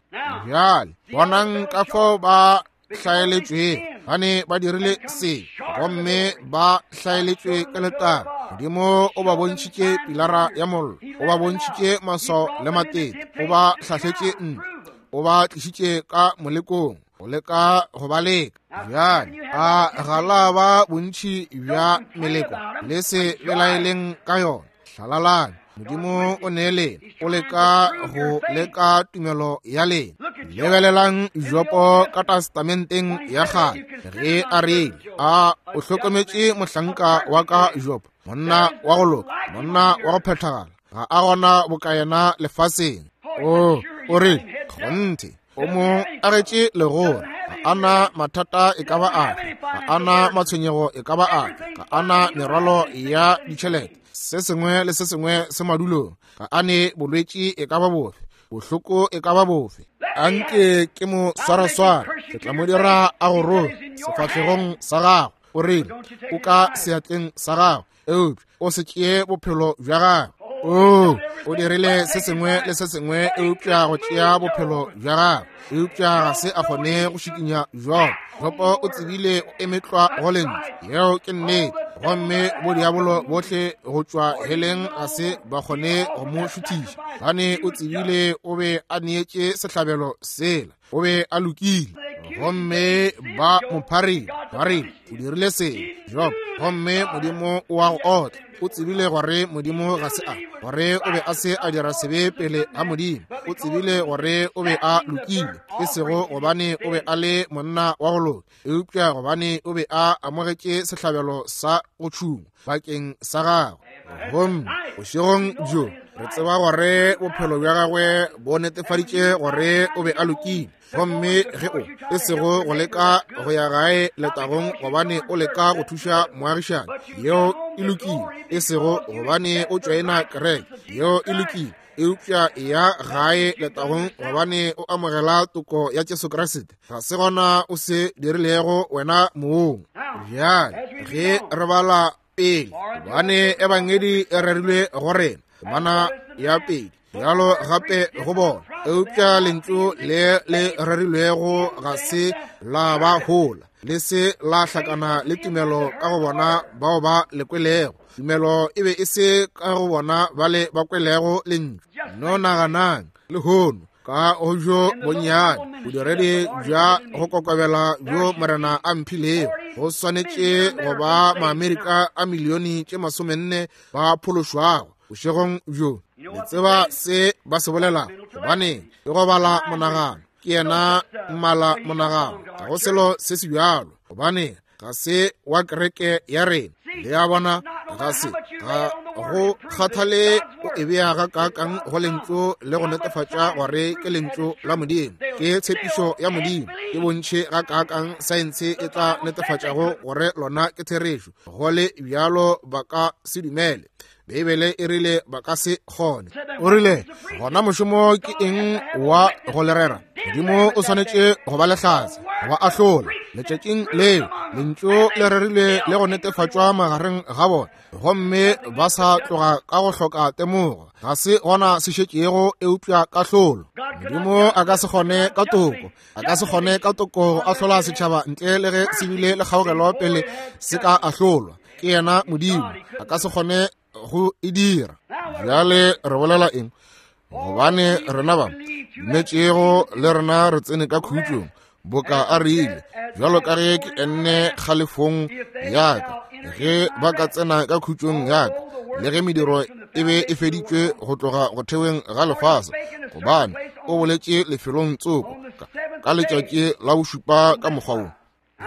Bjale bonang ka fao ba hlaeletšwego, gane ba dirile se gomme ba hlaeletšwe ke letaba. Modimo o ba bontšhitše pilara ya mollo, o ba bontšhitše maswao le matete, o ba hlahletše ntlo, o ba tlišitše ka molekong, go leka go ba leka. Bjale a ga la ba bontši bja meleko, le se belaeleng ka yona. Hlalalang, Modimo o ne lena, o leka go leka tumelo ya lena. Lebelelang Jopo ka testamenteng ya kgale, ge a rile, a o hlokometše mohlanka wa ka Jopo, monna wa go loka, monna wa go phethagala, ga a gona boka yena lefaseng. O, o rile, kgonthe, o mo agetše legora, ga a na mathata e ka ba afe, ga a na matshwenyego e ka ba afe, ga a na merwalo ya ditšhelete, se sengwe le se sengwe se madulong, ga a ne bolwetši e ka ba bofe, bohloko e ka ba bofe. Anke ke mo swaraswara, ke tla mo dira a go roge sefahlegong sa gago. O rile, o ka seatleng sa gago, eupša o se tšee bophelo bja gagwe. O, o dirile se sengwe le se sengwe eupša go tšea bophelo bja gagwe, eupša ga se a kgone go šikinya Jobo. Jobo o tsebile o emetlwa go lentšu, yeo ke nnete, gomme bodiabolo bohle go tšwa heleng ga se ba kgone go mo šuthiša, gane o tsebile o be a neetše sehlabelo sela, o be a lokile. Gomme ba mo pharile, ba re o dirile sebe Job, gomme Modimo o a go otla. O tsebile gore Modimo ga se a, gore o be a se a dira sebe pele ga Modimo. O tsebile gore o be a lokile, e sego gobane o be a le monna wa go loka, eupša gobane o be a amogetše sehlabelo sa go tšhungwa bakeng sa gagwe. Gomme bošegong bjo re tseba gore bophelo bja gagwe bo netefaditše gore o be a lokile. Gomme ge o e sego go leka go ya gae letagong gobane o leka go thuša moagišani, yeo e lokile, e sego gobane o tšoena kereke, yeo e lokile, eupša ya gae letagong gobane o amogela toko ya Jesu Kriste, ga se gona o se dirilego wena mong. Bjale ge re bala pele, gobane ebangedi e rerilwe go rena, temana ya pedi, bjalo gape go bona, eupša lentšu le le rerilwego ga se la ba hola, le se la hlakana le tumelo ka go bona bao ba le kwelego. Tumelo e be e se ka go bona bale ba kwelego lentšu. No naganang lehono ka go bjo bonnyane bodiredi bja go kokobela bjo Morena a mphilego, go swanetše go ba Maamerika a milione tše 40 ba phološwago bošegong bjo. Le tseba se ba se bolelago, gobane ke go bala monagano. Ke yena mmala monagano, ga go selo se se bjalo, gobane ga se wa kereke ya rena. Le a bona, ga se, ga go kgathale o e bea ga kaakang go lentšu le go netefatša gore ke lentšu la Modimo, ke tshepišo ya Modimo, ke bontši ga kaakang saense e tla netefatšago gore lona ke therešo, go le bjalo ba ka se dumele. Beibele e rile ba ka se kgone. O rile, gona mošomo ke eng wa go le rera? Modimo o swanetše go ba lehlatse, go ba ahlola. Letšatšing leo lentšu le rerile le go netefatšwa magareng ga bona, gomme ba sa tloga ka go hloka temogo. Ga se gona se šetšego eupša kahlolo. Modimo a ka se kgone ka toko, a ka se kgone ka toko go ahlola setšhaba ntle le ge se bile le kgaogelo pele se ka ahlolwa. Ke yena Modimo, a ka se kgone go e dira. Bjale re bolela eng? Gobane rena ba dumetšego le rena re tsene ka khutšong, boka a rile, bjalo ka ge ke enne kgalefong ya ka, ge ba ka tsena ka khutšong ya ka, le ge mediro e be e feditšwe go tloga go theweng ga lefase, gobane o boletše lefelong tsoko ka letšatši la bošupa ka mokgwa wo.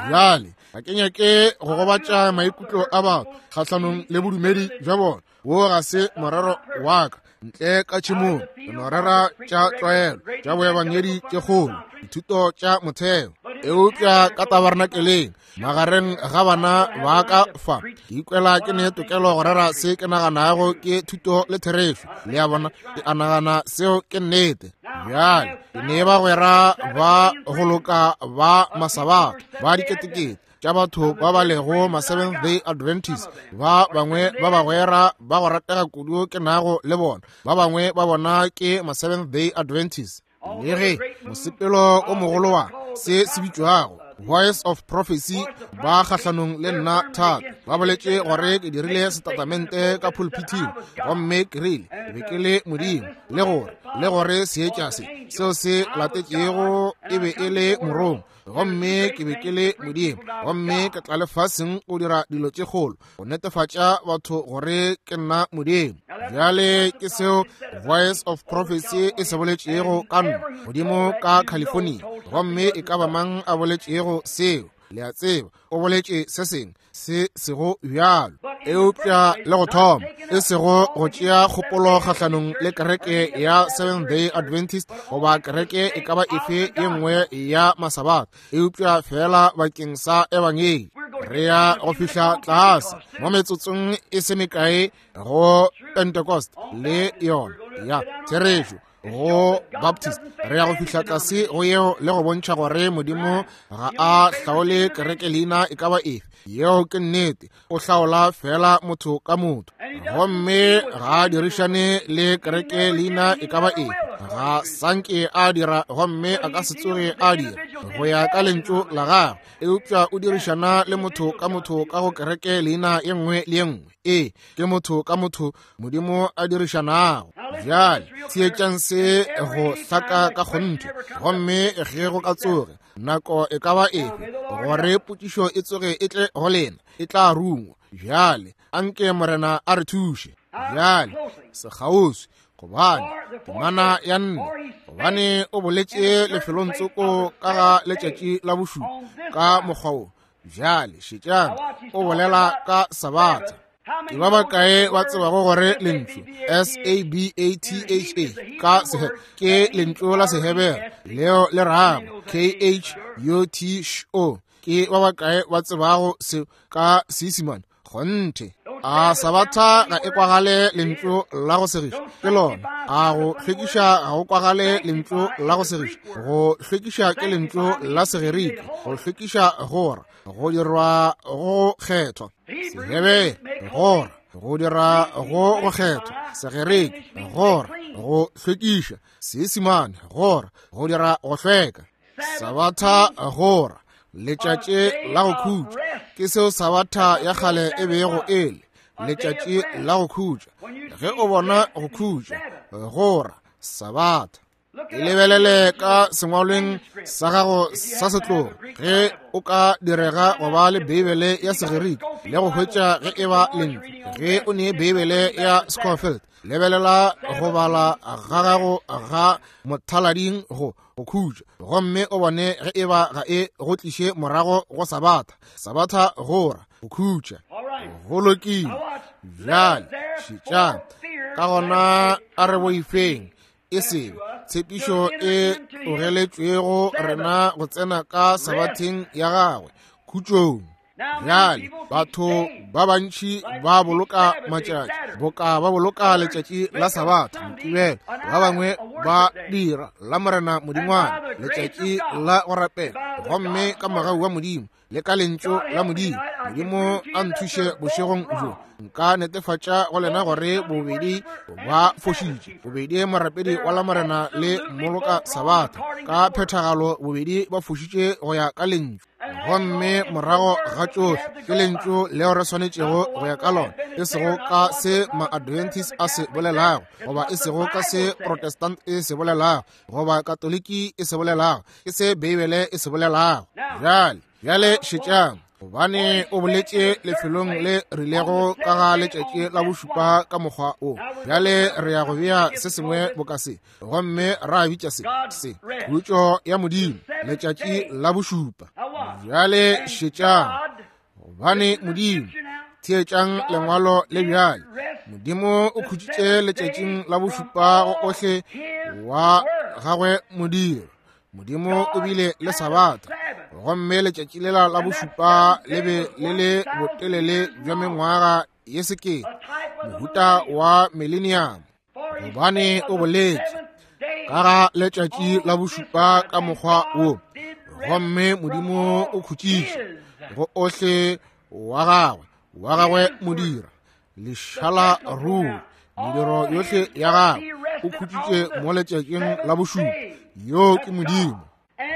Bjale ga ke nyake go gobatša maikutlo a batho kgahlanong le bodumedi bja bona, wo ga se morero wa ka. Ntle ka tšhemong re no rera tša tlwaelo tša boebangedi tše kgolo. Dithuto tša motheo. Eupša ka tabernakeleng, magareng ga bana ba ka fa, ke ikwela ke ne tokelo go rera se ke naganago ke thuto le therešo. Le a bona, ke a nagana seo ke nnete. Bjale, ke ne bagwera ba go loka ba Masabatha ba diketekete tša batho ba ba lego ma Seventh Day Adventist, ba bangwe ba bagwera ba go ratega kudu ke nago le bona, ba bangwe ba bona ke ma Seventh Day Adventist. Le ge mosepelo o mogolo wa se se bitšwago Voice of Prophecy ba kgahlanong le nna thata, ba boletše gore ke dirile setatamente ka pulpiting gomme ke rile ke be ke le Modimo, le gore le gore seetša se seo se latetšego e be e le morongwa, gomme ke be ke le Modimo, gomme ke tla lefaseng go dira dilo tše kgolo go netefatša batho gore ke nna Modimo. Bjale ke seo Voice of Prophecy e se boletšego ka nna godimo ka California, gomme e ka ba mang a boletšego seo, le a tseba, o boletše se sengwe se sego bjalo. Eupša le go thoma e sego go tšea kgopolo kgahlanong le kereke ya Seventh Day Adventist goba kereke e ka ba efe ye nngwe ya Masabatha, eupša fela bakeng sa ebangedi. Re ya go fihla tlase mo metsotsong e se mekae go Pentecost le yona ya therešo go Baptist. Re ya go fihla tlase go yeo le go bontšha gore Modimo ga a hlaole kereke leina e ka ba efe. Yeo ke nnete. O hlaola fela motho ka motho, gomme ga a dirišane le kereke leina e ka ba efe. Ga sanke a dira, gomme a ka se tsoge a dira go ya ka lentšu la gagwe, eupša o dirišana le motho ka motho ka go kereke leina ye nngwe le ye nngwe. Ee, ke motho ka motho Modimo a dirišanago. Bjale theetšang se go hlaka ka kgonthe, gomme ge go ka tsoge nako e ka ba efe gore potšišo e tsoge e tle go lena, e tla rungwa. Bjale anke Morena a re thuše. Bjale sekgauswi, gobane temana ya nne, gobane o boletše lefelong tsoko ka ga letšatši la bošupa ka mokgwa wo. Bjale šetšang, o bolela ka Sabatha. Ke ba bakae ba tsebago gore lentšu S-A-B-A-T-H-A ka sehe ke lentšu la Sehebere leo le rago K-H-U-T-H-O? Ke ba bakae ba tsebago se ka Seisemane? Kgonthe. A Sabatha ga e kwagale lentšu la go segiša? Ke lona. A go hlwekiša ga go kwagale lentšu la go segiša? Go hlwekiša ke lentšu la Segerike. Go hlwekiša gora go dirwa go kgethwa. Sehebere gora go dira go go kgethwa. Segerike gora go hlwekiša. Seisemane gora go dira go hlweka. Sabatha gora letšatši la go khutša. Ke seo Sabatha ya kgale e bego e le, letšatši la go khutša. Ge o bona go khutša, gora Sabatha. E lebelele ka sengwalweng sa gago sa setlogo ge o ka direga go ba le Beibele ya Segerike le go hwetša ge e ba lentšu. Ge o ne Beibele ya Scofield, lebelela go bala ga gago ga mothalading go go khutša, gomme o bone ge e ba ga e go tliše morago go Sabatha. Sabatha gora go khutša. Go lokile. Bjale šetšang. Ka gona a re boifeng e sego tshepišo e tlogeletšwego rena go tsena ka Sabatheng ya gagwe, khutšong. Bjale batho ba bantši ba boloka matšatši boka ba boloka letšatši la Sabatha, Mokibelo, ba bangwe ba dira la Morena Modingwana, letšatši la go rapela, gomme ka mogau wa Modimo le ka lentšu la Modimo, Modimo a nthuše bošegong bjo, nka netefatša go lena gore bobedi ba fošitše, bobedi morapedi wa la Morena le mmoloka Sabatha ka phethagalo, bobedi ba fošitše go ya ka lentšu. Gomme morago ga tšohle ke lentšu leo re swanetšego go ya ka lona, e sego ka se ma-Adventist a se bolelago, goba e sego ka se Protestant e se bolelago, goba Katoliki e se bolelago, ke se Beibele e se bolelago. Bjale, bjale šetšang, gobane o boletše lefelong le rilego ka ga letšatši la bošupa ka mokgwa o. Bjale re ya go bea se sengwe boka se, gomme ra bitša se se khutšo ya Modimo, letšatši la bošupa. Bjale šetšang, gobane Modimo, theetšang lengwalo le bjale, Modimo o khutšitše letšatšing la bošupa go ohle wa gagwe modiro. Modimo o bile le Sabatha, gomme letšatši lela la bošupa le be le le botelele bja mengwaga ye sekete, mohuta wa millennium, gobane o boletše ka ga letšatši la bošupa ka mokgwa wo, gomme Modimo o khutšiše go ohle wa gagwe, wa gagwe modira lešala ruri mediro yohle ya gagwe o khutšitše mo letšatšing la bošupa. Yo ke Modimo.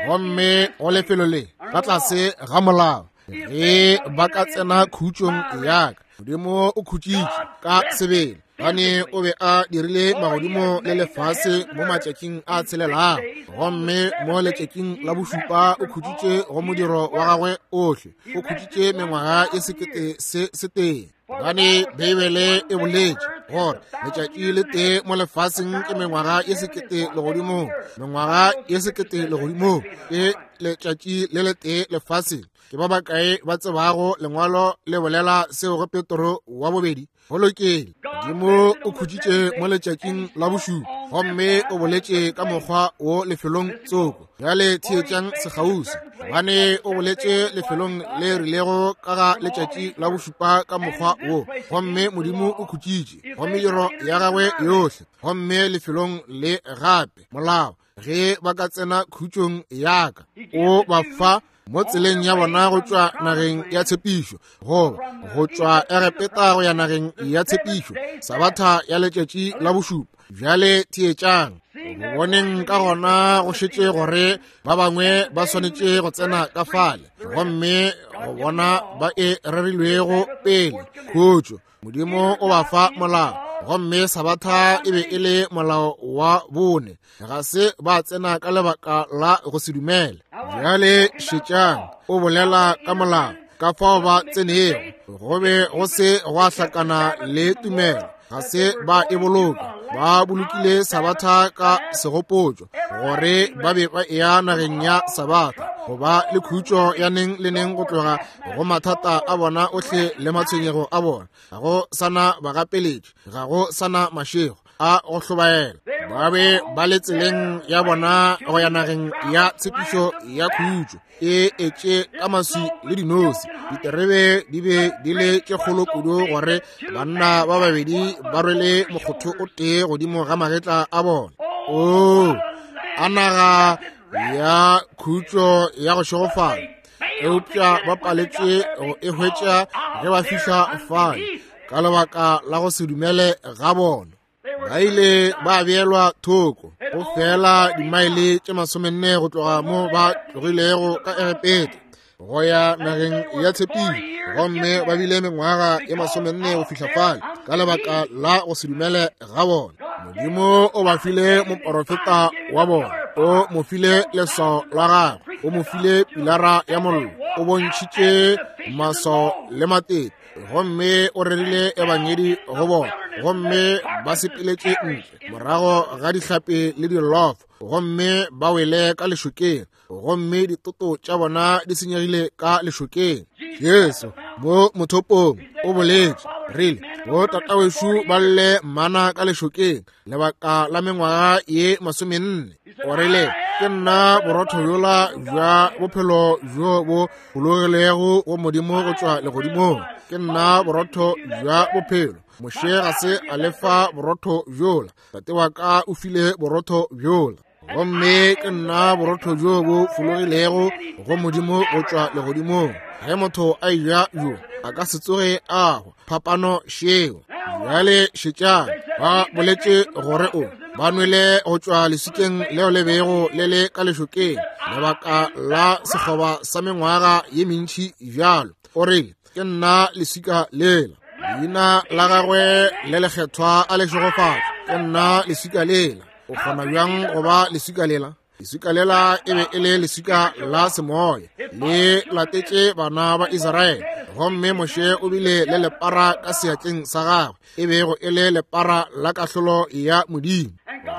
Gomme go lefelo le ka tlase ga molao, ge ba ka tsena khutšong ya ka, Modimo o khutšitše ka sebele, gane o be a dirile magodimo le lefase mo matšatšing a tshelelago, gomme mo letšatšing la bošupa o khutšitše go modiro wa gagwe ohle, o khutšitše mengwaga e sekete se setee. Gane Beibele e boletše gore letšatši le tee mo lefaseng ke mengwaga ye sekete legodimong, mengwaga ye sekete legodimong ke letšatši le letee lefaseng. Ke ba bakae ba tsebago lengwalo le bolela seo go Petro wa bobedi? Go lokile. Modimo o khutšitše mo letšatšing la bošupa, gomme o boletše ka mokgwa wo lefelong tsoko. Bjale theetšang sekgauswi, gobane o boletše lefelong le rilego ka ga letšatši la bošupa ka mokgwa wo, gomme Modimo o khutšitše go mediro ya gagwe yohle, gomme lefelong le gape molao, ge ba ka tsena khutšong ya ka, o ba fa mo tseleng ya bona go tšwa nageng ya tshepišo, goba go tšwa Egepeta go ya nageng ya tshepišo, sabatha ya letšatši la bošupa. Bjale theetšang, go boneng ka gona go šetše gore ba bangwe ba swanetše go tsena ka fale, gomme go bona ba e rerilwego pele khutšo. Modimo o ba fa molao, gomme sabatha e be e le molao wa bone. Ga se ba tsena ka lebaka la go se dumele. Bjale šetšang, o bolela ka molao, ka fao ba tsenego, go be go se gwa hlakana le tumelo, ga se ba e boloka. Ba bolokile sabatha ka segopotšo, gore ba be ba eya nageng ya sabatha, go ba le khutšo ya neng le neng go tloga go mathata a bona ohle le matshwenyego a bona. Ga go sana bagapeletši, ga go sana mašego a go hlobaela. Ba be ba le tseleng ya bona go ya nageng ya tshepišo ya khutšo, e etše ka maswi le dinosi. Diterebe di be di le tše kgolo kudu gore banna ba babedi ba rwele mokgotho o tee godimo ga magetla a bona. Oo, a naga ya khutšo ya go šegofala! Eupša ba paletše go e hwetša ge ba fihla fale ka lebaka la go se dumele ga bona. Ba ile ba beelwa thoko go fela dimaele tše masomenne go tloga mo ba tlogilego ka Egepeta go ya nageng ya tshepišo, gomme ba bile mengwaga ye masomenne go fihla fale ka lebaka la go se dumele ga bona. Modimo o ba file moporofeta wa bona, o mo file leswao la gagwe, o mo file pilara ya mollo, o bontšhitše maswao le matete, gomme o rerile ebangedi go bona, gomme ba sepeletše ntle morago ga dihlapi le dilofo, gomme ba wele ka lešokeng, gomme ditoto tša bona di senyegile ka lešokeng. Jesu mo mothopong o boletše rile, bo tatawešu ba lle mana ka lešokeng lebaka la mengwaga ye masomenne. O rile, ke nna borotho bjola bja bophelo bjo bo bologilego go Modimo go tšwa legodimong. Ke nna borotho bja bophelo. Moshe ga se a lefa borotho bjola, tate wa ka o file borotho bjola. Gomme ke nna borotho bjo bo fologilego go Modimo go tšwa legodimong. Ge motho a eja bjo, a ka se tsoge a hwa. Phapano šeo. Bjale šetšang, ba boletše gore o ba nwele go tšwa leswikeng leo le bego le le ka lešokeng lebaka la sekgoba sa mengwaga ye mentši bjalo. O rile, ke nna leswika lela. Leina la gagwe le lekgethwa a le šegofatšwe. Ke nna leswika lela. O kgona bjang go ba leswika lela? Leswika lela e be e le leswika la semoya, le latetše bana ba Israele. Gomme Moshe o bile le lepara ka seatleng sa gagwe, e bego e le lepara la kahlolo ya Modimo.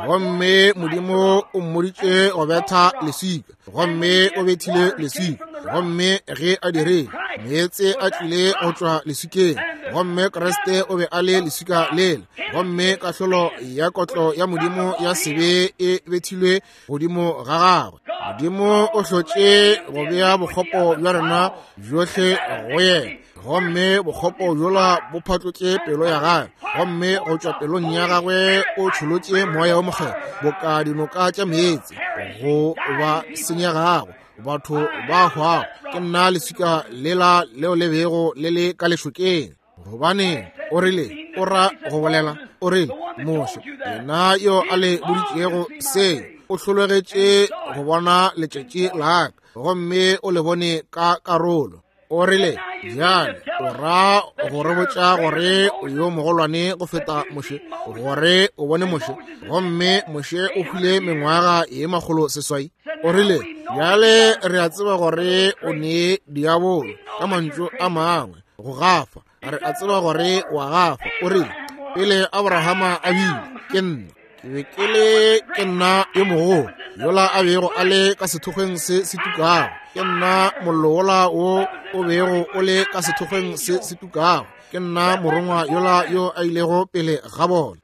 Gomme Modimo o mmoditše go betha leswika, gomme o bethile leswika. Gomme ge a dirile, meetse a tlile go tšwa leswikeng, gomme Kriste o be a le leswika lela. Gomme kahlolo ya kotlo ya Modimo ya sebe e bethilwe godimo ga gagwe. Modimo o hlotše go bea bokgopo bja rena bjohle go yena, gomme bokgopo bjola bo phatlotše pelo ya gagwe, gomme go tšwa pelong ya gagwe o tšholotše moya wo mokgethwa boka dinoka tša meetse go ba senyegago, batho ba hwago. Ke nna leswika lela leo le bego le le ka lešokeng. Gobane o rile, o ra go bolela, o rile, Moshe, yena yo a le boditšego se, o hlologetše go bona letšatši la ka, gomme o le bone ka karolo. O rile, bjale o ra go re botša gore o yo mogolwane go feta Moshe, gore o bone Moshe, gomme Moshe o hwile mengwaga ye 600. O rile, bjale re a tseba gore o ne diabolo, ka mantšu a mangwe, go gafa. Re a tseba gore wa gafa. O rile, pele Abrahama a bile, ke nna. Ke be ke le, ke nna yo mogolo yola a bego a le ka sethokgweng se se tukago. Ke nna mollo wola wo o bego o le ka sethokgweng se se tukago. Ke nna morongwa yola yo a ilego pele ga bona.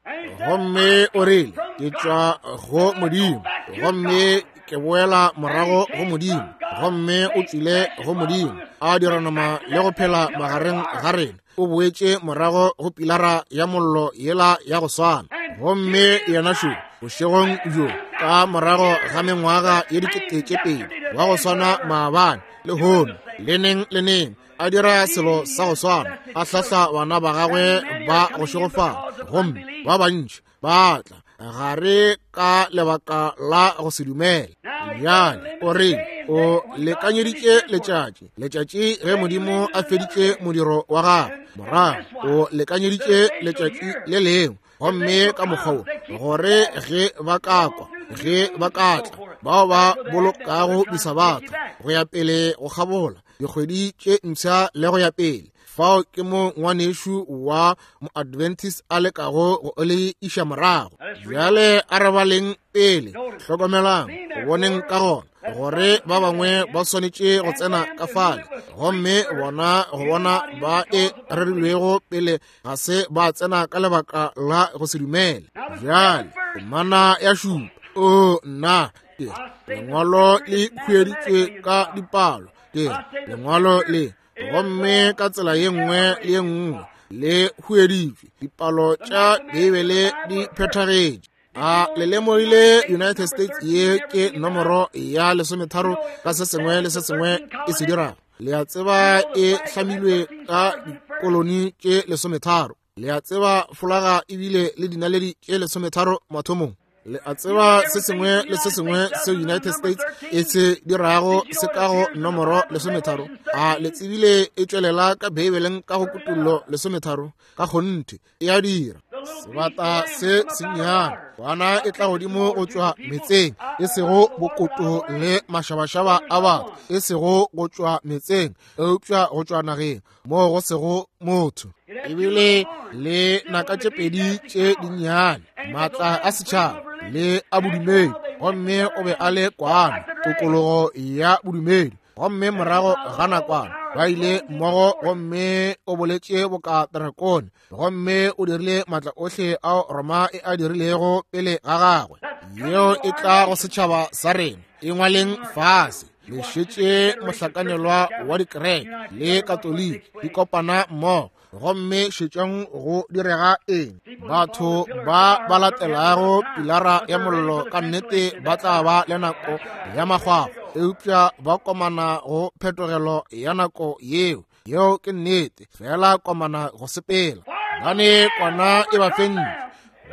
Gomme o rile, ke tšwa go Modimo, gomme ke boela morago go Modimo. Gomme o tšwile go Modimo, a dira nama le go phela magareng ga rena. O boetše morago go pilara ya mollo yela ya go swana. Gomme yena šo bošegong bjo, ka morago ga mengwaga ye 2000, wa go swana maabane, lehono, le neng le neng, a dira selo sa go swana, a hlahla bana ba gagwe ba go šegofala, gomme ba bantši ba tla gare ka lebaka la go se dumele. Bjale o re o lekanyeditše letšatši, letšatši ge Modimo a feditše modiro wa gagwe, morago o lekanyeditše letšatši le lengwe, gomme ka mokgwa wo gore ge ba ka kwa, ge ba ka tla, bao ba bolokago disabatha go ya pele go kgabola dikgwedi tše mpsha le go ya pele. Fao ke mo ngwanešu wa moadventist a lekago go le iša morago. Bjale a re baleng pele, hlokomelang go boneng ka gona gore ba bangwe ba swanetše go tsena ka fale, gomme bona go bona ba e rerilwego pele ga se ba tsena ka lebaka la go se dumele. Bjale temana ya šupa, o nna ke lengwalo le hueditšwe ka dipalo, ke lengwalo le, gomme ka tsela ye nngwe le ye nngwe le hueditšwe. Dipalo tša Beibele di phethagetše. A le lemogile United States ye ke nomoro ya 13 ka se sengwe le se sengwe e se dirago? Le a tseba e hlamilwe ka dikoloni tše 13. Le a tseba folaga ebile le dinaledi tše 13 mathomong. Le a tseba se sengwe le se sengwe seo United States e se dirago se ka go nomoro 13. A le tsebile e tšwelela ka Beibeleng ka go Kutullo 13? Ka kgonthe e a dira. Sebata se sennyane, kwana e tla godimo go tšwa metseng, e sego bokoto le mašabašaba a batho, e sego go tšwa metseng, eupša go tšwa nageng moo go sego motho. Ebile le naka tše pedi tše dinnyane, maatla a setšhaba le a bodumedi, gomme o be a le kwana, tokologo ya bodumedi. Gomme morago ga nakwana ba ile mmogo, gomme o boletše boka drakone, gomme o dirile maatla ohle ao Roma e a dirilego pele ga gagwe. Yeo e tla go setšhaba sa rena. E ngwaleng fase. Le šetše mohlakanelwa wa dikereke le Katoliki di kopana mmogo, gomme šetšang go direga eng. Batho ba ba latelago pilara ya mollo ka nnete ba tla ba le nako ya makgwakgwa, eupša ba komana go phetogelo ya nako yeo. Yeo ke nnete, fela komana go sepela, gobane kwana e ba fentše,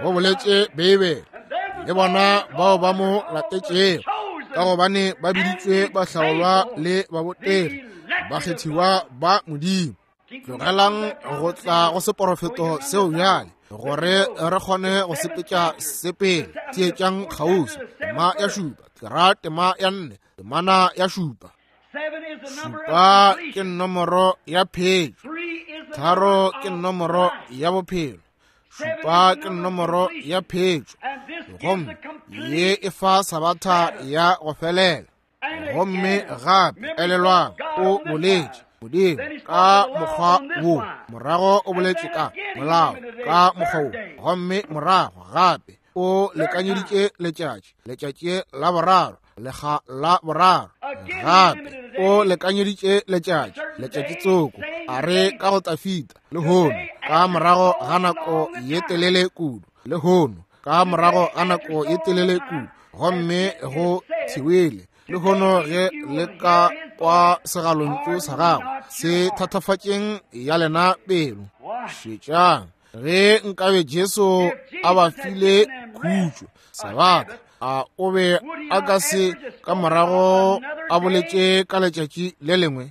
go boletše Beibele, le bona bao ba mo latetšego, ka gobane ba biditšwe bahlaolwa le babotegi, bakgethiwa ba Modimo. Tlogelang go tla go seporofeto seo bjale, gore re kgone go sepetša se pele. Theetšang kgauswi. Tema ya šupa, ke ra tema ya 4, temana ya šupa. Šupa ke nomoro ya phetšo, 3 ke nomoro ya bophelo, šupa ke nomoro ya phetšo, gomme ye e fa sabatha ya go felela. Gomme gape elelwang, o boletše Modimo ka mokgwa wo, morago o boletše ka molao ka mokgwa wo, gomme morago gape o lekanyeditše letšatši, letšatši la boraro. Lekga la boraro gape o lekanyeditše letšatši, letšatši tsoko, a re ka go Tafita, lehono, ka morago ga nako ye telele kudu, lehono, ka morago ga nako ye telele kudu, gomme go thiwele lehono ge le ka kwa segalontšu sa gago se thatafatšeng ya lena pelo. Šetšang, ge nkabe Jesu a ba file khutšo Sabatha, a o be a ka se ka morago a boletše ka letšatši le lengwe?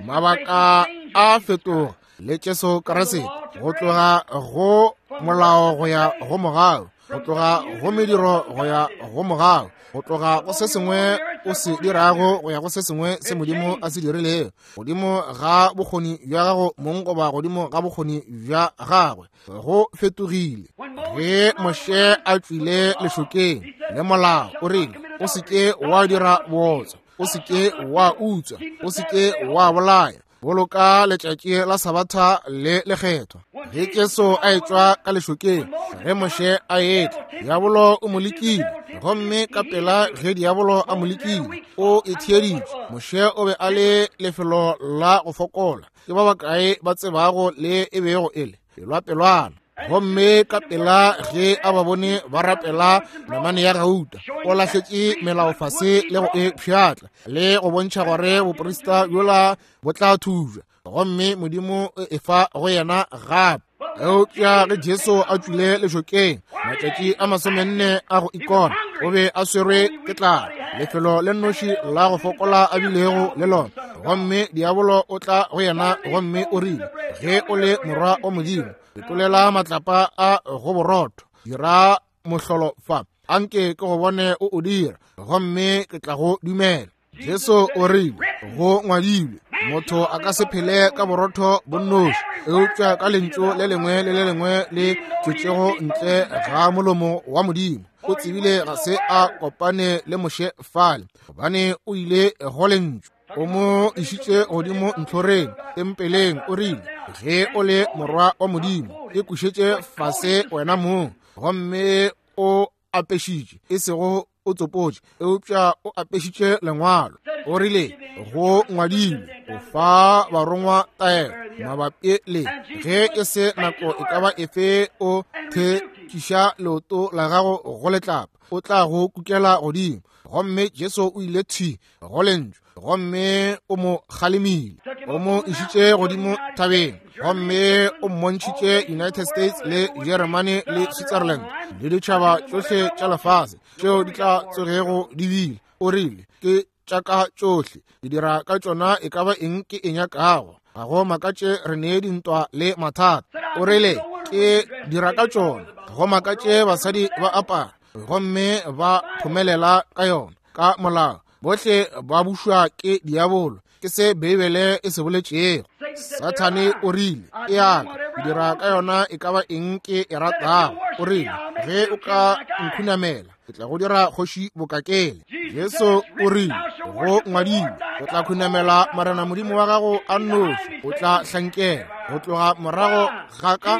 Mabaka a fetoga le Jesu Kriste, go tloga go molao go ya go mogau, go tloga go mediro go ya go mogau, go tloga go se sengwe o se dirago go ya go se sengwe se Modimo a se dirilego, godimo ga bokgoni bja gago mong goba godimo ga bokgoni bja gagwe. Go fetogile. Ge Moshe a tšwile lešokeng le molao, o rile, o se ke wa dira bootswa, o se ke wa utswa, o se ke wa bolaya, boloka letšatši la Sabatha le lekgethwa. Ge Jesu a etšwa ka lešokeng, ge Moshe a etla, diabolo o mo lekile, gomme ka pela ge diabolo a mo lekile, o itheeditše. Moshe o be a le lefelo la go fokola. Ke ba bakae ba tsebago le e bego e le pelwapelwana? Gomme ka pela ge a ba bone ba rapela namane ya gauta, o lahletše melao fase le go e pšhatla, le go bontšha gore boprista bjola bo tla thubja, gomme Modimo o e fa go yena gape. Eupša ge Jesu a tšwile lešokeng matšatši a 40 a go ikona, o be a swerwe ke tlala, lefelo le nnoši la go fokola a bilego le lona. Gomme diabolo o tla go yena gomme o rile, ge o le morwa wa Modimo, fetolela matlapa a go borotho, dira mohlolo fa, anke ke go bone o o dira, gomme ke tla go dumela. Jesu o rile, go ngwadilwe, motho a ka se phele ka borotho bo nnoši, eupša ka lentšu le lengwe le le lengwe le tšwetšego ntle ga molomo wa Modimo. O tsebile ga se a kopane le Moshe fale, gobane o ile go lentšu. O mo išitše godimo ntlhoreng tempeleng, o rile, ge o le morwa wa Modimo, e kušetše fase wena mong. Gomme o apešitše, e sego o tsopotše, eupša o apešitše lengwalo. O rile, go ngwadilwe, o fa barongwa taelo mabapi le ge e se nako e ka ba efe o thetšiša leoto la gago go letlapa, o tla go kukela godimo. Gomme Jesu o ile thwi go lentšu, gomme o mo kgalemile, o mo išitše godimo thabeng, gomme o mmontšhitše United States le Germany le Switzerland le ditšhaba tšohle tša lefase tšeo di tla tsogego di bile. O rile, ke tša ka tšohle, ke dira ka tšona e ka ba eng ke e nyakago. Ga go makatše re ne dintwa le mathata. O rile, ke dira ka tšona. Ga go makatše basadi ba apara gomme ba phomelela ka yona ka molao. Bohle ba bušwa ke diabolo. Ke se Beibele e se boletšego. Sathane o rile, e ya ka, ke dira ka yona e ka ba eng ke e ratago. O rile, ge o ka nkhunamela, ke tla go dira kgoši bokakele. Jesu o rile, go ngwadilwe, o tla khunamela Morena Modimo wa gago a nnoši, o tla hlankela go tloga morago ga ka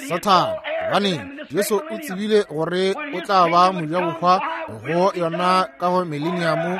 Sathane. Gobaneng? Jesu o tsebile gore o tla ba mojabohwa go yona ka go mileniamo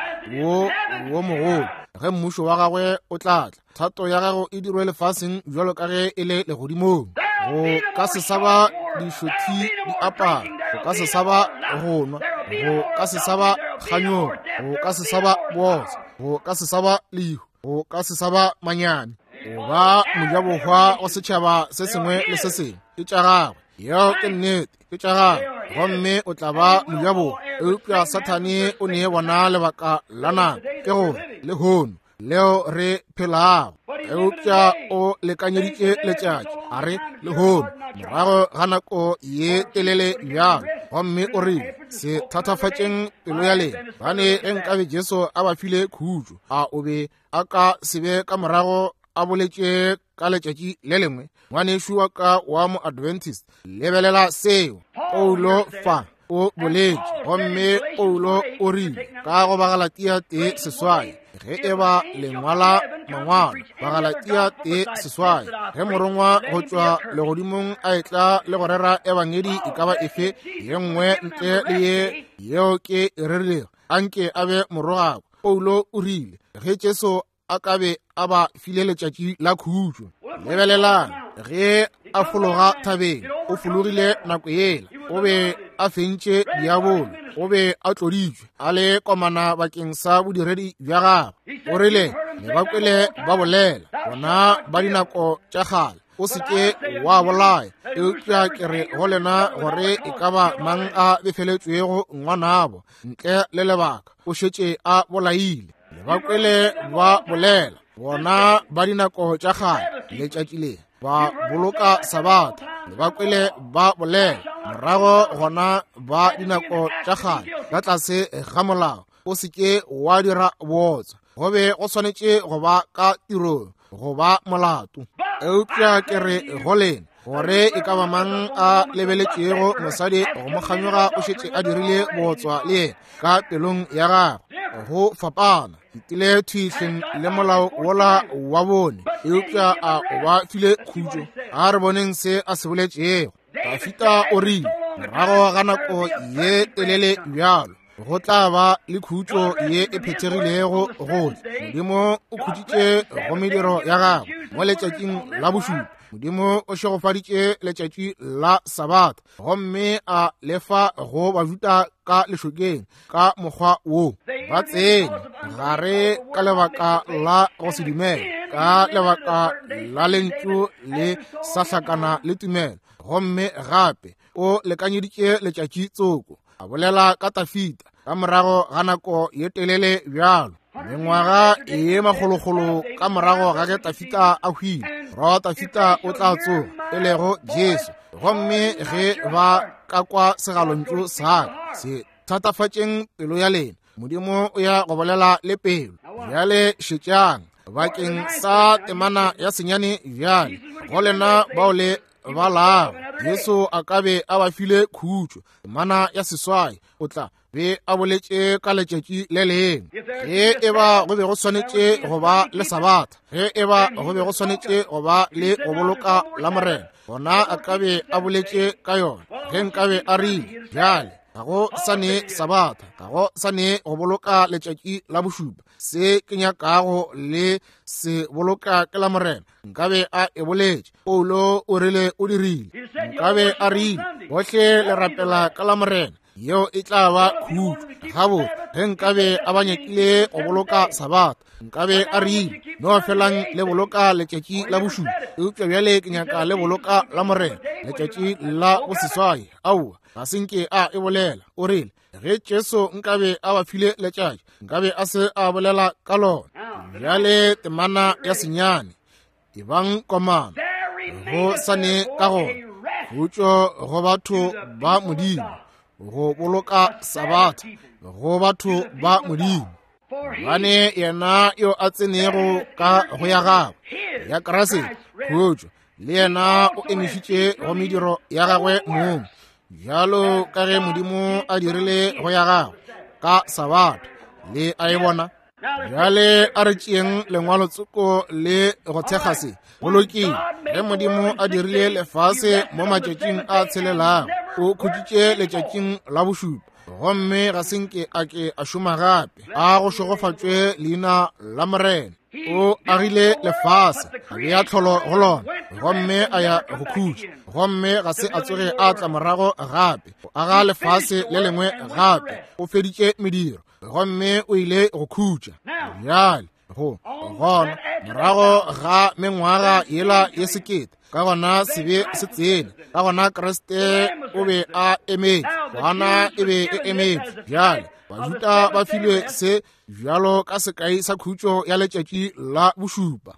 wo wo mogolo, ge mmušo wa gagwe o tla tla. Thato ya gago e dirwe lefaseng bjalo ka ge e le legodimong. Go ka se sa ba dišothi di apara, go ka se sa ba go nwa, go ka se sa ba kganyogo, go ka se sa ba bootswa, go ka se sa ba lehu, go ka se sa ba manyami. O ba mojabohwa wa setšhaba se sengwe le se sengwe. Ke tša gagwe. Yeo ke nnete, ke tša gagwe, gomme o tla ba mojabohwa. Eupša Sathane o ne bona lebaka la nako, ke gore lehono leo re phelago. Eupša o lekanyeditše letšatši, a re lehono, morago ga nako ye telele bjalo, gomme o rile, se thatafatšeng pelo ya lena, gobane ge nkabe Jesu a ba file khutšo, a o be a ka se be ka morago a boletše ka letšatši le lengwe? Ngwanešu wa ka wa mo-Adventist, lebelela seo Paulo fa o boletše. Gomme Paulo o rile ka go Bagalatia 1:8, ge e ba lengwala mangwalo, Bagalatia 1:8, ge morongwa go tšwa legodimong a etla le go rera ebangedi e ka ba efe ye nngwe ntle le ye yeo ke e rerilego, Anke a be morogako. Paulo o rile, ge Jesu a ka be a ba file letšatši la khutšo. Lebelelang, ge a fologa thabeng, o fologile nako yela, o be a fentše diabolo, o be a tloditšwe, a le komana bakeng sa bodiredi bja gagwe. O rile, ne ba kwele ba bolela, bona ba dinako tša kgale, o se ke wa bolaya, eupša ke re go lena gore e ka ba mang a befeletšwego ngwanabo ntle le lebaka, o šetše a bolaile. Le ba kwele ba bolela, bona ba dinako tša kgale, letšatši le ba boloka sabatha. Le ba kwele ba bolela, morago gona ba dinako tša kgale, ka tlase ga molao, o se ke wa dira bootswa. Go be go swanetše go ba ka tirong, go ba molato. Eupša ke re go lena gore e ka ba mang a lebeletšego mosadi go mo kganyoga o šetše a dirile bootswa le yena ka pelong ya gagwe. Go fapana ntile thwihleng le molao wola wa bone, eupša a o ba file khutšo. A re boneng se a se boletšego. Dafita o rile, morago ga nako ye telele bjalo go tla ba le khutšo ye e phethegilego gohle. Modimo o khutšitše go mediro ya gagwe mo letšatšing la bošupa. Modimo o šegofaditše letšatši la Sabatha gomme a lefa go Bajuda ka lešokeng ka mokgwa wo. Ba tsene gare ka lebaka la go se dumele, ka lebaka la lentšu le sa hlakana le tumelo, gomme gape o lekanyeditše letšatši tsoko. A bolela ka Dafita ka morago ga nako ye telele bjalo, mengwaga ye makgolokgolo ka morago ga ge Dafita a hwile, morwa wa Dafita o tla tsoga, e lego Jesu. Gomme ge ba ka kwa segalontšu sa ka, se thatafatšeng pelo ya lena. Modimo o ya go bolela le pelo. Bjale šetšang bakeng sa temana ya senyane bjale, go lena bao le balago. Jesu a ka be a ba file khutšo. Temana ya seswai, o tla be a boletše ka letšatši le lengwe. Ge e ba go be go swanetše go ba le Sabatha, ge e ba go be go swanetše go ba le go boloka la Morena, gona a ka be a boletše ka yona. Ge nkabe a rile, bjale ga go sa ne Sabatha, ga go sa ne go boloka letšatši la bošupa, se ke nyakago le se boloka ke la Morena, nkabe a e boletše. Paulo o rile o dirile. Nkabe a rile, bohle le rapela ka la Morena, yeo e tla ba khutšo. Gabotse, ge nkabe a ba nyakile go boloka Sabatha, nkabe a rile, no felang le boloka letšatši la bošupa, eupša bjale ke nyaka le boloka la Morena, letšatši la boseswai. Aowa, ga se nke a e bolela. O rile, ge Jesu nkabe a ba file letšatši, nkabe a se a bolela ka lona. Bjale temana ya senyane, ebang komana, go sa ne ka gona khutšo go batho ba Modimo, go boloka Sabatha go batho ba Modimo. Gobane yena yo a tsenego ka go ya gagwe ya Kriste khutšo, le yena o emišitše go mediro ya gagwe mong, bjalo ka ge Modimo a dirile go ya gagwe ka Sabatha. Le a e bona? Bjale a re tšeeng lengwalo tsoko le go thekga se. Go lokile. Ge Modimo a dirile lefase mo matšatšing a tshelelago, o khutšitše letšatšing la bošupa, gomme ga se nke a ke a šoma gape. A go šegofatšwe leina la Morena. O agile lefase, a bea tlholo go lona, gomme a ya go khutša, gomme ga se a tsoge a tla morago gape go aga lefase le lengwe gape. O feditše mediro gomme o ile go khutša. Bjale go gona morago ga mengwaga yela ye sekete, ka gona sebe se tsene, ka gona Kriste o be a emetše, kwana e be e emetše. Bjale Bajuda ba filwe se bjalo ka sekai sa khutšo ya letšatši la bošupa.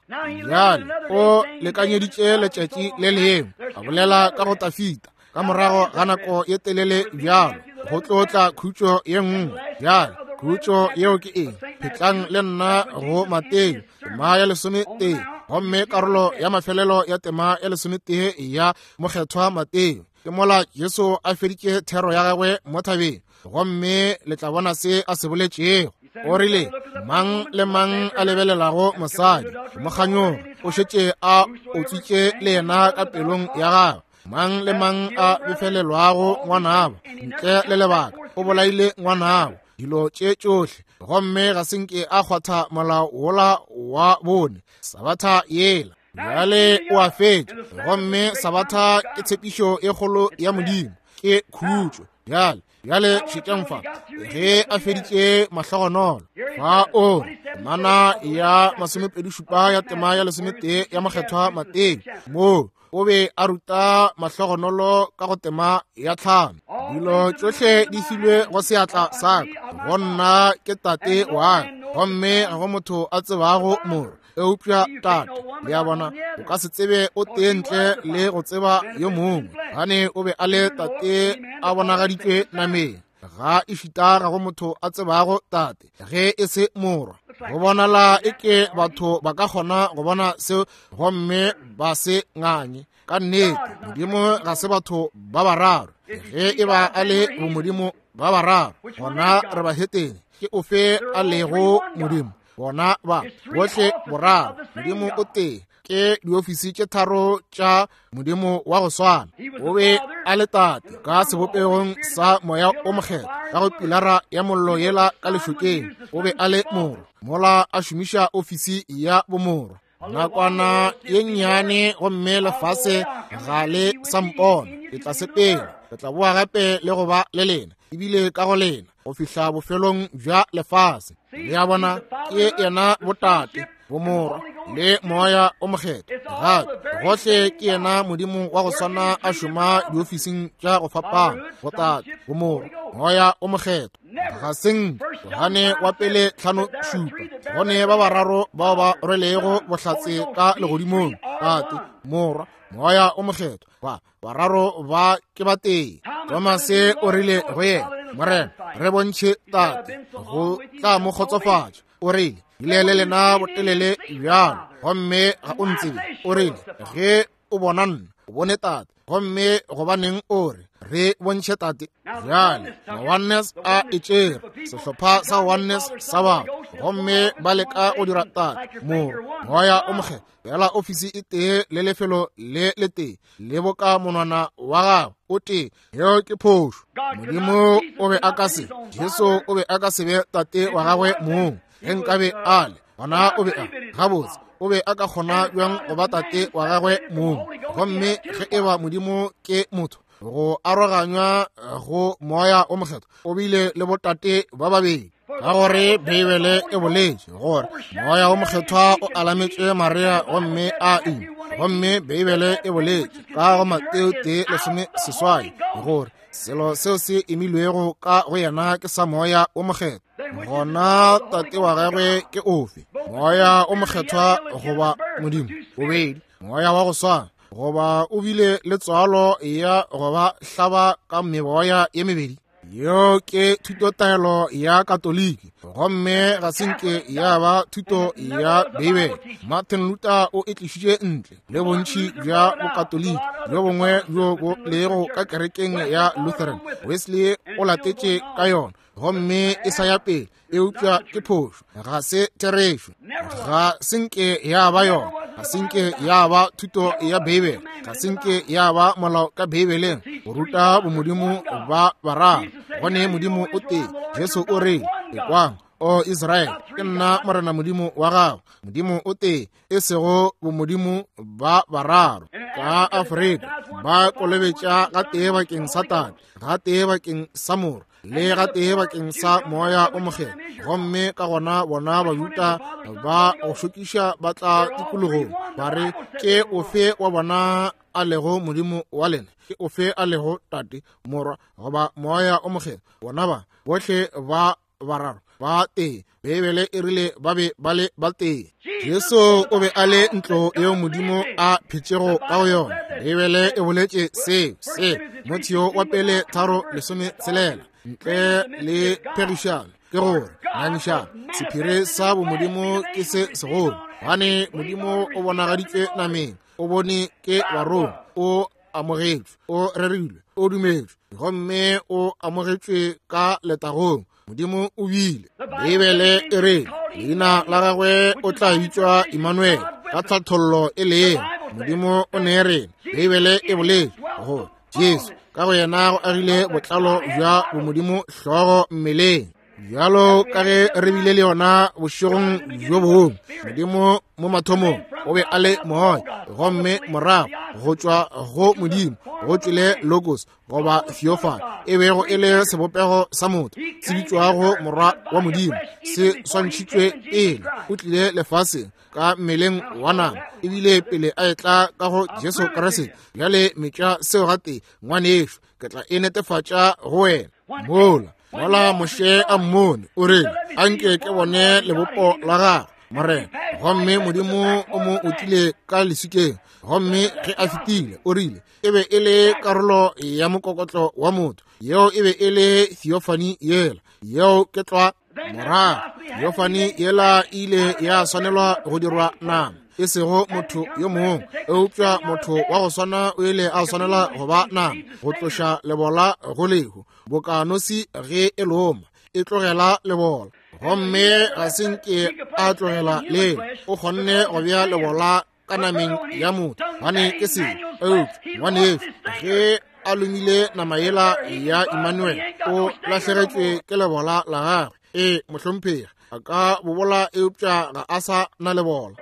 Bjale o lekanyeditše letšatši le lengwe, a bolela ka go Dafita ka morago ga nako ye telele bjalo, go tlo tla khutšo ye nngwe. Bjale khutšo yeo ke eng? Phetlang le nna go Mateo tema ya 11, gomme karolo ya mafelelo ya tema ya 11 ya mokgethwa Mateo. Ke mola Jesu a feditše thero ya gagwe mo thabeng, gomme le tla bona se a se boletšego. O rile, mang le mang a lebelelago mosadi mo kganyoga, o šetše a otswitše le yena ka pelong ya gagwe. Mang le mang a befelelwago ngwanabo ntle le lebaka, o bolaile ngwanabo. dilo tše tšohle, gomme ga se nke a kgwatha molao wola wa bone, Sabatha yela. Bjale o a fetša, gomme Sabatha ke tshepišo e kgolo ya Modimo, ke khutšo. Bjale, bjale šetšang fa, ge a feditše mahlogonolo fa o mana ya 27 ya tema ya 11 ya Mokgethwa Mateo, moo o be a ruta mahlogonolo ka go tema ya 5. Dilo tšohle di filwe go seatla sa ka, go nna ke Tate wa ka, gomme ga go motho a tsebago Morwa eupša Tate. Le a bona, o ka se tsebe o tee ntle le go tseba yo mongwe, gane o be a le Tate a bonagaditšwe nameng. Ga ešita ga go motho a tsebago Tate ge e se Morwa. Go bonala e ke batho ba ka kgona go bona seo gomme ba se nganye. Ka nnete, Modimo ga se batho ba bararo. Ge e ba a le bomodimo ba bararo, gona re bahetene. Ke ofe a lego Modimo? Bona ba bohle boraro. Modimo o tee, ke diofisi tše tharo tša Modimo wa go swana. O be a le Tate ka sebopegong sa Moya o Mokgethwa, ka go pilara ya mollo yela ka lešokeng. O be a le Morwa, mola a šomiša ofisi ya bomorwa. Nakwana ye nnyane gomme lefase ga le sa mpona. Ke tla sepela, ke tla boa gape le go ba le lena, ebile ka go lena, go fihla bofelong bja lefase. Le a bona, ke yena botate, bomorwa le Moya o Mokgethwa. Gape gohle ke yena Modimo wa go swana a šoma diofising tša go fapana, botate, bomorwa, Moya o Mokgethwa. Ga seng Johane wa pele 5:7, go ne ba bararo bao ba rwelego bohlatse ka legodimong, Tate, Morwa, Moya o Mokgethwa. Ba bararo ba ke batee. Tomase o rile go yena, Morena, re bontšhe Tate, go tla mo kgotsofatša. O rile, bile le lena botelele bjalo, gomme ga o ntsebe. O rile, ge o bona nna, o bone Tate. Gomme gobaneng o re, re bontšhe Tate? Bjale ma-Oneness a e tšere, sehlopha sa Oneness sa batho, gomme ba leka go dira Tate, Morwa, Moya o Mokgethwa fela ofisi e tee le lefelo le le tee le boka monwana wa gago o tee. Yeo ke phošo. Modimo o be a ka se, Jesu o be a ka se be Tate wa gagwe mong. Ge nkabe a le, gona o be a, gabotse, o be a ka kgona bjang go ba Tate wa gagwe mong? Gomme ge e ba Modimo ke motho, go aroganywa go Moya o Mokgethwa, o bile le botate ba babedi. Ka gore Beibele e boletše gore Moya o Mokgethwa o alametše Maria gomme a ima. Gomme Beibele e boletše ka go Mateo 1:18 gore selo seo se imilwego ka go yena ke sa Moya o Mokgethwa. Gona Tate wa gagwe ke ofe? Moya o Mokgethwa goba Modimo? Bobedi Moya wa go swana, goba o bile le tswalo ya go ba hlaba ka meboya ye mebedi? Yeo ke thutotaelo ya Katoliki, gomme ga se nke ya ba thuto ya Beibele. Martin Luther o e tlišitše ntle le bontši bja Bokatoliki bjo bongwe bjo bo lego ka kerekeng ya Lutheran. Wesley o latetše ka yona, gomme e sa ya pele, eupša ke phošo, ga se therešo, ga se nke ya ba yona, ga se nke ya ba thuto ya Beibele, ga se nke ya ba molao ka Beibeleng go ruta bomodimo ba bararo. Gone Modimo o tee. Jesu o re, ekwang, o Israele, ke nna Morena Modimo wa gago, Modimo o tee, e sego bomodimo ba bararo. Ka Afrika ba kolobetša ga tee bakeng sa Tate, ga tee bakeng sa Morwa, le ga tee bakeng sa Moya o Mokgethwa. Gomme ka gona bona Bajuda ba go šokiša ba tla tikologong ba re, ke ofe wa bona a lego Modimo wa lena? Ke ofe a lego Tate, Morwa, goba Moya o Mokgethwa? Bona ba bohle ba bararo ba tee. Beibele e rile ba be ba le ba tee. Jesu o be a le ntlo yeo Modimo a phetšego ka go yona. Beibele e boletše seo, se Timotheo wa pele 3:16, ntle le phegišano, ke gore ngangišano, sephiri sa bomodimo ke se segolo, gobane Modimo o bonagaditšwe nameng, o bone ke barongwa, o amogetšwe, o rerilwe, o dumetšwe, gomme o amogetšwe ka letagong. Modimo o bile. Beibele e re leina la gagwe o tla bitšwa Emmanuel, ka tlhathollo e leng Modimo o ne rena. Beibele e boletše gore Jesu ka go yena go agile botlalo bja bomodimo hlogo mmeleng. Bjalo ka ge re bile le yona bošegong bjo bongwe, Modimo mo mathomong o be a le moya, gomme morago go tšwa go Modimo go tšwele Logos goba Theophany, e bego e le sebopego sa motho se bitšwago Morwa wa Modimo, se swantšhitšwe pele o tlile lefaseng ka mmeleng wa nama, ebile pele a etla ka go Jesu Kriste. Bjale metša seo gatee, ngwanešo, ke tla e netefatša go wena. Mola mola Moshe a mmone, o rile, anke ke bone lebopo la gagwe, Morena. Gomme Modimo o mo otlile ka leswikeng, gomme ge a fetile, o rile, e be e le karolo ya mokokotlo wa motho. Yeo e be e le theophany yela. Yeo ke tlwa. Morago theophany yela e ile ya swanelwa go dirwa nama, e sego motho yo mongwe, eupša motho wa go swana o ile a swanela go ba nama, go tloša lebola go lehu, boka nosi ge e loma e tlogela lebola. Gomme ga se nke a tlogela leo, o kgonne go bea lebola ka nameng ya motho, gane ke selo. Eupša ngwanešu, ge a lomile nama yela ya Emmanuel, o lahlegetšwe ke lebola la gagwe. Ee, mohlomphegi, a ka bobola, eupša ga a sa na lebola.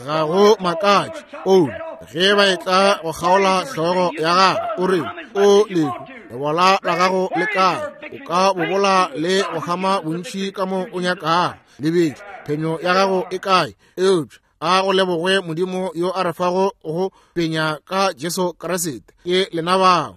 Ga go makatše o ge ba etla go kgaola hlogo ya gagwe, o re, o lehu, lebola la gago le kae? O ka bobola le go gama bontši ka mo o nyakago, lebetše phenyo ya gago e kae? Eupša a go lebogwe Modimo yo a re fago go penya ka Jesu Kriste. Ke lena bao.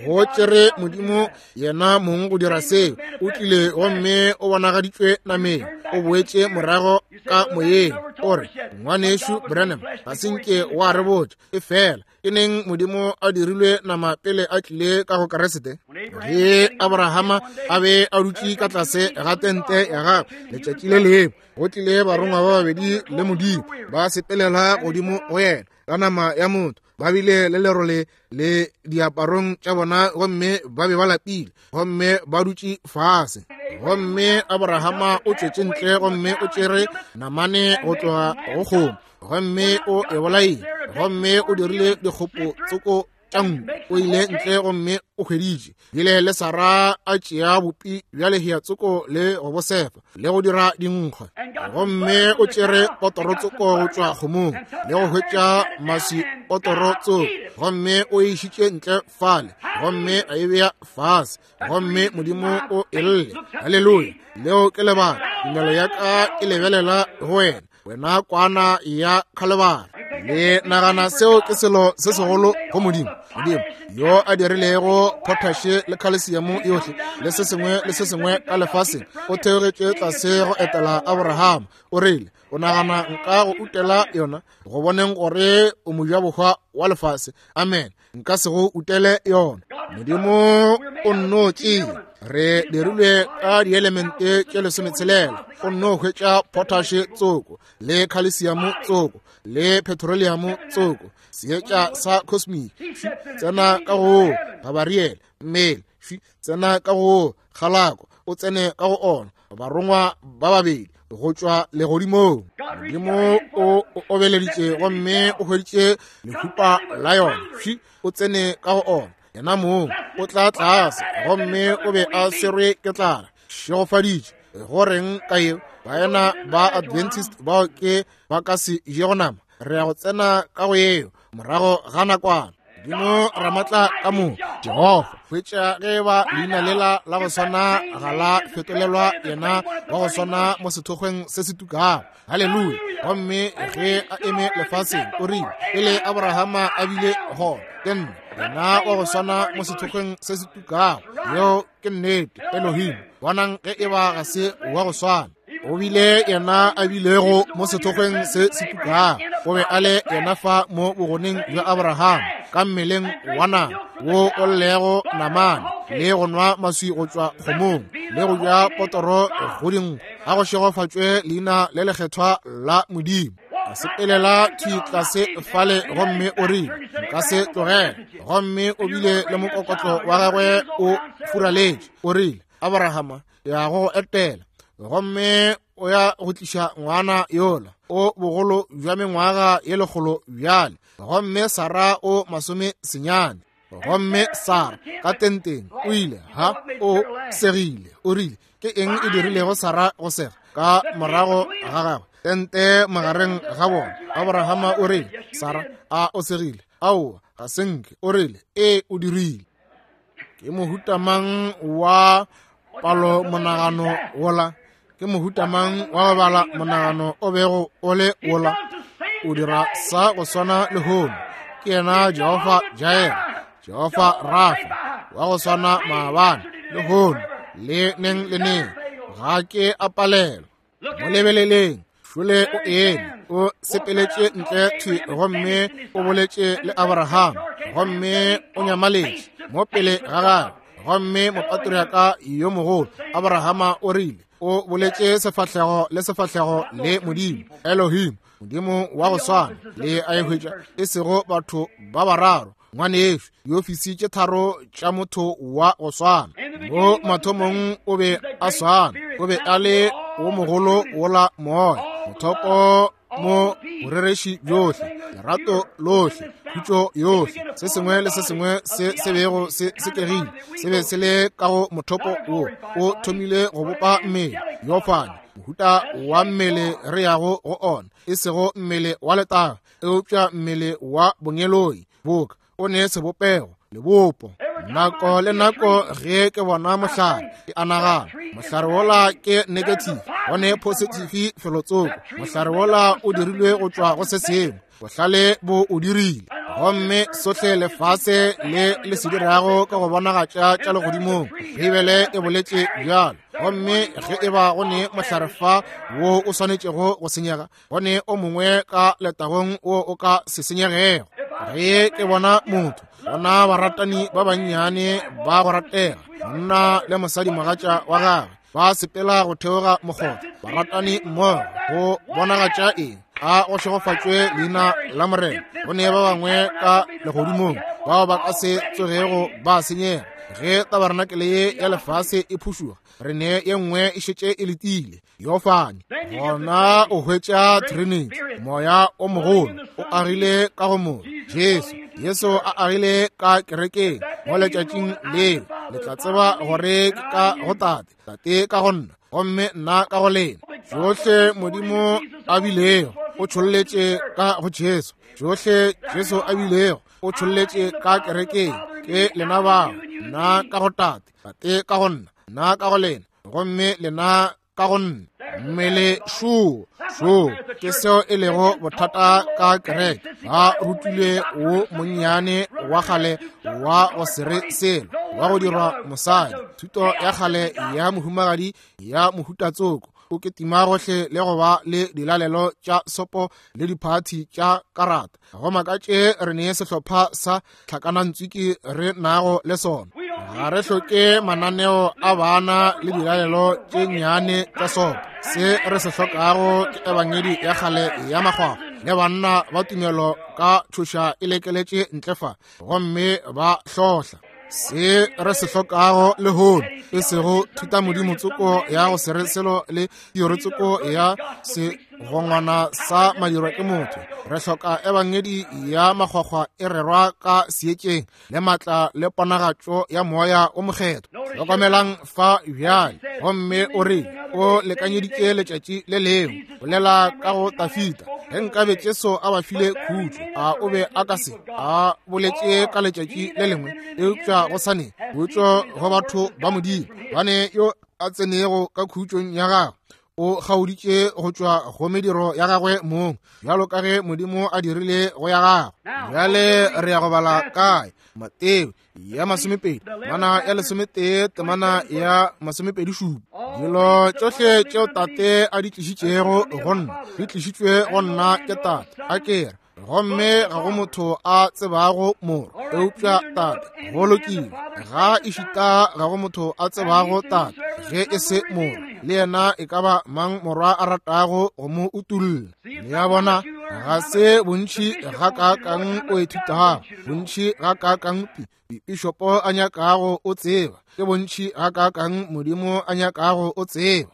Go tšere Modimo yena mong go dira seo. O tlile gomme o bonagaditšwe nameng, o boetše morago ka moyeng. O re, Ngwanešu Branham, ga se nke wa re botša, e fela ke neng Modimo a dirilwe nama pele a tlile ka go Kriste? Ge Abrahama a be a dutše ka tlase ga tente ya gagwe letšatši le lengwe, go tlile barongwa ba babedi le Modimo ba sepelela godimo go yena ka nama ya motho, ba bile le lerole le diaparong tša bona, gomme ba be ba lapile, gomme ba dutše fase. Gomme Abrahama o tšwetše ntle gomme o tšere namane go tloga go kgomo, gomme o e bolaile, gomme o dirile dikgopo tsoko tša nku. O ile ntle gomme o hweditše bile le Sara a tšea bopi bja lehea tsoko le go bosefa le go dira dinkgwa, gomme o tšere potoro tsoko go tšwa kgomong le go hwetša maswi potoro tsoko, gomme o e išitše ntle fale gomme a e bea fase, gomme Modimo o e lle. Haleluya! Leo ke lebaka tumelo ya ka e lebelela go wena, wena kwana ya Khalebara. Le nagana seo ke selo se segolo go Modimo? Modimo yo a dirilego potashe le calcium yohle le se sengwe le se sengwe ka lefaseng, o theogetše tlase go etela Abraham. O rile, o nagana nka go utela yona go boneng gore o mojabohwa wa lefase? Amen. Nka se go utele yona. Modimo o nno tšea, re dirilwe ka dielemente tše 16, o nno hwetša potashe tsoko le calcium tsoko le petroleum tsoko, seetša sa cosmic tsena ka go Gabariele, mmele tsena ka go kgalako, o tsene ka go ona, barongwa ba babedi go tšwa legodimong. Modimo o obeleditše gomme o hweditše lehupa la yona, o tsene ka go ona, yena mong o tla tlase, gomme o be a swerwe ke tlala. Šegofaditše go reng ka yeo? Baena ba Adventist bao ke ba ka se jego nama, re ya go tsena ka go yeo morago ga nakwana. Modimo Ramatla ka mo Jehofa hwetša ge ba leina lela la go swana ga la fetolelwa yena wa go swana mo sethokgweng se se tukago. Haleluya! Gomme ge a eme lefaseng, o rile, pele Abrahama a bile gona, ke nna yena wa go swana mo sethokgweng se se tukago. Yeo ke nnete. Elohim, bonang ge e ba ga se wa go swana. O bile yena a bilego mo sethokgweng se se tukago. O be a le yena fa mo bogoneng bja Abraham, ka mmeleng wa nama wo o llego namane, le go nwa maswi go tšwa kgomong, le go ja potoro go dinkgwa. A go šegofatšwe leina le lekgethwa la Modimo. A sepelela thwi tlase fale, gomme o rile, nka se tlogele. Gomme o bile le mokokotlo wa gagwe o furaletše. O rile, Abrahama, ya go go etela, gomme o ya go tliša ngwana yola o bogolo bja mengwaga ye 100 bjale, gomme Sara o 90. Gomme Sara ka tenteng o ile, ha, o segile, o rile, ke eng e dirilego Sara go sega ka morago ga gagwe tente magareng ga bona? Abrahama o rile, Sara, a o segile? Aowa, ga se nke. O rile, ee, o dirile. Ke mohuta mang wa palo monagano wola? Ke mohuta mang wa go bala monagano o bego o le wola? O dira sa go swana lehono. Ke yena Jehofa Jair, Jehofa Rafa, wa go swana maabane, lehono, le neng le neng. Ga ke a palelwa. Mo lebeleleng, šole o eme, o sepeletše ntle thwi gomme o boletše le Abraham, gomme o nyamaletše mo pele ga gagwe. Gomme mopatriaka yo mogolo Abrahama o rile, o boletše sefahlego le sefahlego le Modimo, Elohim, Modimo wa go swana le a e hwetša, e sego batho ba bararo, ngwanešu, diofisi tše tharo tša motho wa go swana. Mo mathomong o be a swana, o be a le wo mogolo wola moya, mothopo mo borereši bjohle, lerato lohle, khutšo yohle, se sengwe le se sengwe se se bego se sekegile se be se le ka go mothopo wo. O thomile go bopa mmele, yofane, mohuta wa mmele re yago go ona, e sego mmele wa letago, eupša mmele wa bongeloi, boka o ne sebopego lebopo. Nako le nako ge ke bona mohlare, ke a nagana, mohlare wola ke negative, go ne positive felotsoko. Mohlare wola o dirilwe go tšwa go se sengwe, bohlale bo o dirile. Gomme sohle lefase le le se dirago ke go bonagatša tša legodimong. Beibele e boletše bjalo. Gomme ge e ba go ne mohlare fa wo o swanetšego go senyega, go ne o mongwe ka letagong wo o ka se senyegego. Ge ke bona motho, bona baratani ba bannyane ba go ratega, monna le mosadi mogatša wa gagwe, ba sepela go theoga mokgotha, baratani mmogo, go bonagatša eng? A go šegofatšwe leina la Morena. Go ne ba bangwe ka legodimong bao ba ka se tsogego ba senyega. Ge tabarenakele ye ya lefase e phušuga, re ne ye nngwe e šetše e letile. Yofane, gona o hwetša Trinity, moya o mogolo o agile ka go motho, Jesu. Jesu a agile ka kerekeng mo letšatšing leo. Le tla tseba gore ke ka go Tate, Tate ka go nna, gomme nna ka go lena. Tšohle Modimo a bilego o tšholletše ka go Jesu, tšohle Jesu a bilego o tšholletše ka kerekeng. Ke lena bao, nna ka go Tate, Tate ka go nna, nna ka go lena, gomme lena ka go nna. Mmele šo, šo ke seo e lego bothata ka kereke. Ba rutilwe wo monnyane wa kgale wa go se re selo, wa go dirwa mosadi, thuto ya kgale ya mohumagadi ya mohutatsoko, o ketima gohle le go ba le dilalelo tša sopo le diphathi tša karata. Go makatše re ne sehlopha sa tlhakanantswiki re nago le sona. Ga re hloke mananeo a bana le dilalelo tše nnyane tša sopo. Se re se hlokago ke ebangedi ya kgale ya makgwakgwa le banna ba tumelo ka tšhoša e lekeletše ntle fa gomme ba hlohla. Se re se hlokago lehono e sego thutamodimo tsoko ya go se re selo le teori tsoko ya segongwana sa madirwa ke motho. Re hloka ebangedi ya makgwakgwa e rerwa ka seetšeng le matla le ponagatšo ya moya o mokgethwa. Hlokomelang fa bjale. Gomme o re o lekanyeditše letšatši le lengwe, bolela ka go Tafita, ge nkabe Jesu a ba file khutšo, a o be a ka se a boletše ka letšatši le lengwe, eupša go sa ne khutšo go batho ba Modimo. Bane yo a tsenego ka khutšong ya gagwe o kgaoditše go tšwa go mediro ya gagwe mong, bjalo ka ge Modimo a dirile go ya gagwe. Bjale re ya go bala kae? Mateo ya 20, temana ya 11, temana ya 27. Dilo tšohle tšeo Tate a di tlišitšego go nna, di tlišitšwe go nna ke Tate. A ke re, gomme ga go motho a tsebago Morwa eupša Tate. Go lokile, ga ešita ga go motho a tsebago Tate ge e se Morwa, le yena e ka ba mang Morwa a ratago go mo utolla. Le a bona, ga se bontši gakaakang o ithutago, bontši gakaakang pišopo a nyakago o tseba, ke bontši gakaakang Modimo a nyakago o tseba.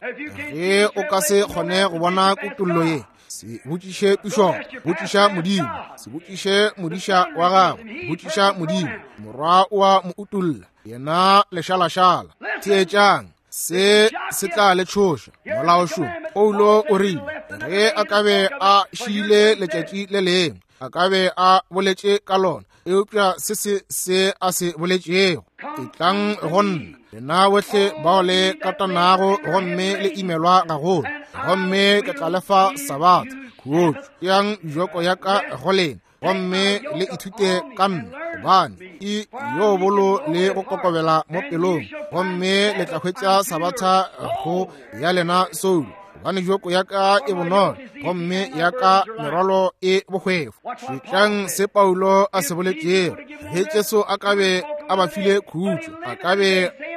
Ge o ka se kgone go bona kutollo ye, Se botšiše pišopo, botšiša Modimo. Se botšiše modiša wa gago, botšiša Modimo. Morwa o a mo utolla, yena lešalašala. Theetšang, se se tla le tšhoša. Molaošo Paulo o rile ge a ka be a šiile letšatši le lengwe, a ka be a boletše ka lona, eupša se se se a se boletšego. Etlang go nna, lena bohle bao le katanago gomme le imelwa gagolo, gomme ke tla le fa sabatha. Khutšo, tšeang joko ya ka go lena gomme le ithute ka nna, gobane ke yo bolo le go kokobela mo pelong, gomme le tla hwetša sabatha go ya lena soulo, gobane joko ya ka e bonolo gomme ya ka merwalo e bohwefo. Šetšang se Paulo a se boletšego. Ge Jesu a ka be a ba file khutšo, a ka be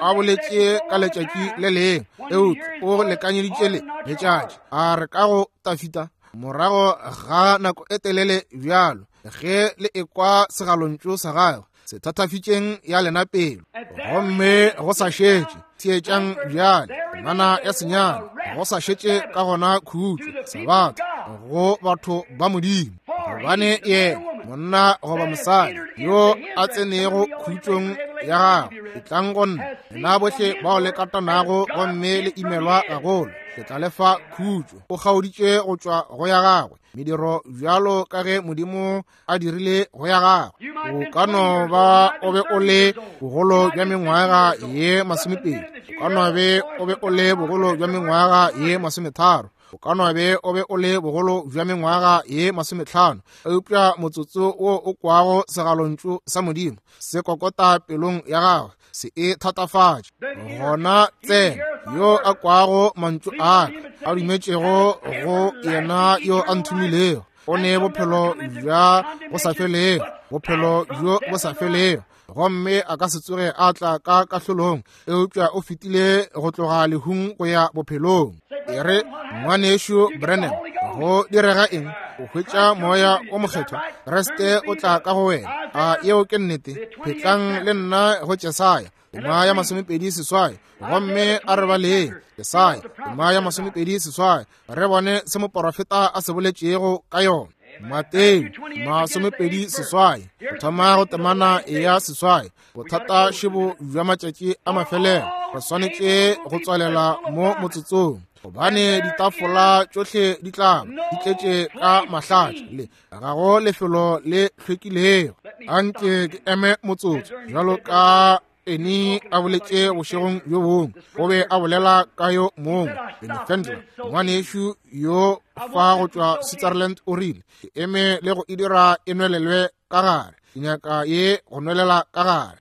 a boletše ka letšatši le lengwe, eupša o lekanyeditše le letšatši. A re ka go Tafita, morago ga nako e telele bjalo, ge le ekwa segalontšu sa gagwe, se thathafitšeng ya lena pelo. Gomme go sa šetše, theetšang bjale, temana ya senyane, go sa šetše ka gona khutšo, sabatha go batho ba Modimo, gobane yena monna goba mosadi yo a tsenego khutšong ya gagwe, etlang go nna, lena bohle bao le katanago gomme le imelwa gagolo, ke tla le fa khutšo. O kgaoditše go tšwa go ya gagwe mediro bjalo ka ge Modimo a dirile go ya gagwe. O ka no ba o be o le bogolo bja mengwaga ye 20, o ka no be o be o le bogolo bja mengwaga ye 30, o ka no be o be o le bogolo bja mengwaga ye 50, eupša motsotso wo o kwago segalontšu sa Modimo se kokota pelong ya gagwe, se e thatafatše. Gona tsena, yo a kwago mantšu a ka, a dumetšego go yena yo a nthomilego, o ne bophelo bja go sa felego, bophelo bjo bo sa felego, gomme a ka se tsoge a tla ka kahlolong, eupša o fetile go tloga lehung go ya bophelong. E re, Ngwanešu Branham, go direga eng? O hwetša Moya o Mokgethwa, Kriste o tla ka go wena. A yeo ke nnete? Phetlang le nna go Jesaya tema ya 28, gomme a re baleng Jesaya tema ya 28, re bone se moporofeta a se boletšego ka yona. Mateo 28, go thoma go temana ya 8. Bothata šebo bja matšatši a mafelelo, re swanetše go tswalela mo motsotsong, gobane ditafola tšohle di tla di tletše ka mahlatša, le ga go lefelo le hlwekilego. Anke ke eme motsotso, bjalo ka Eni a boletše bošegong bjo bongwe, o be a bolela ka yo mongwe, Benny Fendler, ngwanešu yo fa go tšwa Switzerland, o rile, ke eme le go e dira e nwelelwe ka gare, ke nyaka ye go nwelela ka gare.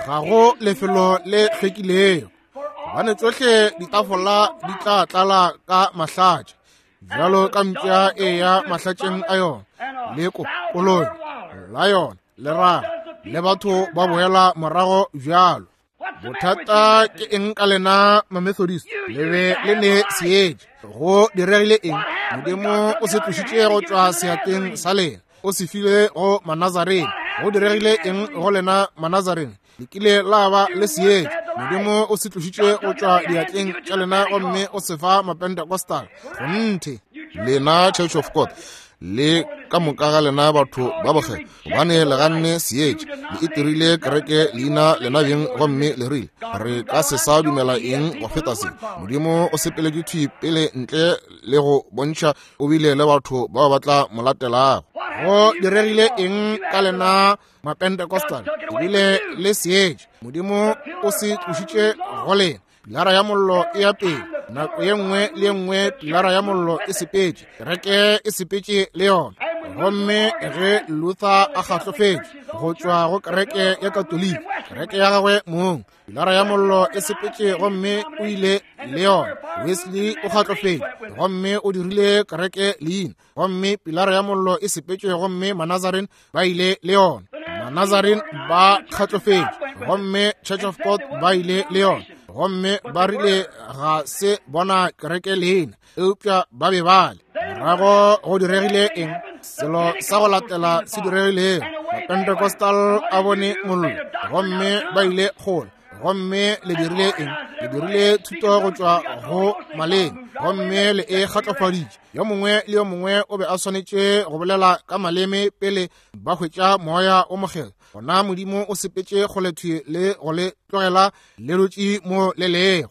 Ga go lefelo le hlwekilego, gobane tšohle ditafola di tla tlala ka mahlatša, bjalo ka mpša e ya mahlatšeng a yona, le koloi la yona le raga, le batho ba boela morago bjalo. Bothata ke eng ka lena Mamethodist? Le be le ne seetša. Go diregile eng? Modimo o se tlošitše go tšwa seatleng sa lena, o se file go Manazarene. Go diregile eng go lena Manazarene? Le kile la ba le seetša. Modimo o se tlošitše go tšwa diatleng tša lena gomme o se fa Mapentecostal. Kgonthe. Lena Church of God, le ka moka ga lena batho ba bokgethwa, gobane le ganne seetša, le itirile kereke leina lena beng, gomme le rile, re ka se sa dumela eng go feta se. Modimo o sepeletše thwi pele ntle le go bontšha o bile le batho bao ba tla mo latelago. Go diregile eng ka lena Mapentecostal? Ebile le seetša, Modimo o se tlošitše go lena. Pilara ya mollo e ya pele, nako ye nngwe le ye nngwe pilara ya mollo e sepetše, kereke e sepetše le yona. Gomme ge Luther a kgahlofetše go tšwa go kereke ya Katoliki, kereke ya gagwe mong, pilara ya mollo e sepetše gomme o ile le yona. Wesley o kgahlofetše gomme o dirile kereke leina, gomme pilara ya mollo e sepetše gomme Manazarene ba ile le yona. Manazarene ba kgatlofetše gomme Church of God ba ile le yona, gomme ba rile ga se bona kereke leina, eupša ba be ba le. Morago go diregile eng? Selo sa go latela se diregilego, Mapentecostal a bone mollo gomme ba ile kgole. Gomme le dirile eng? Le dirile thuto go tšwa go maleme, gomme le e kgatlofaditše. Yo mongwe le yo mongwe o be a swanetše go bolela ka maleme pele ba hwetša Moya o Mokgethwa. Gona Modimo o sepetše kgolethwi le go le tlogela le dutše mo le lego.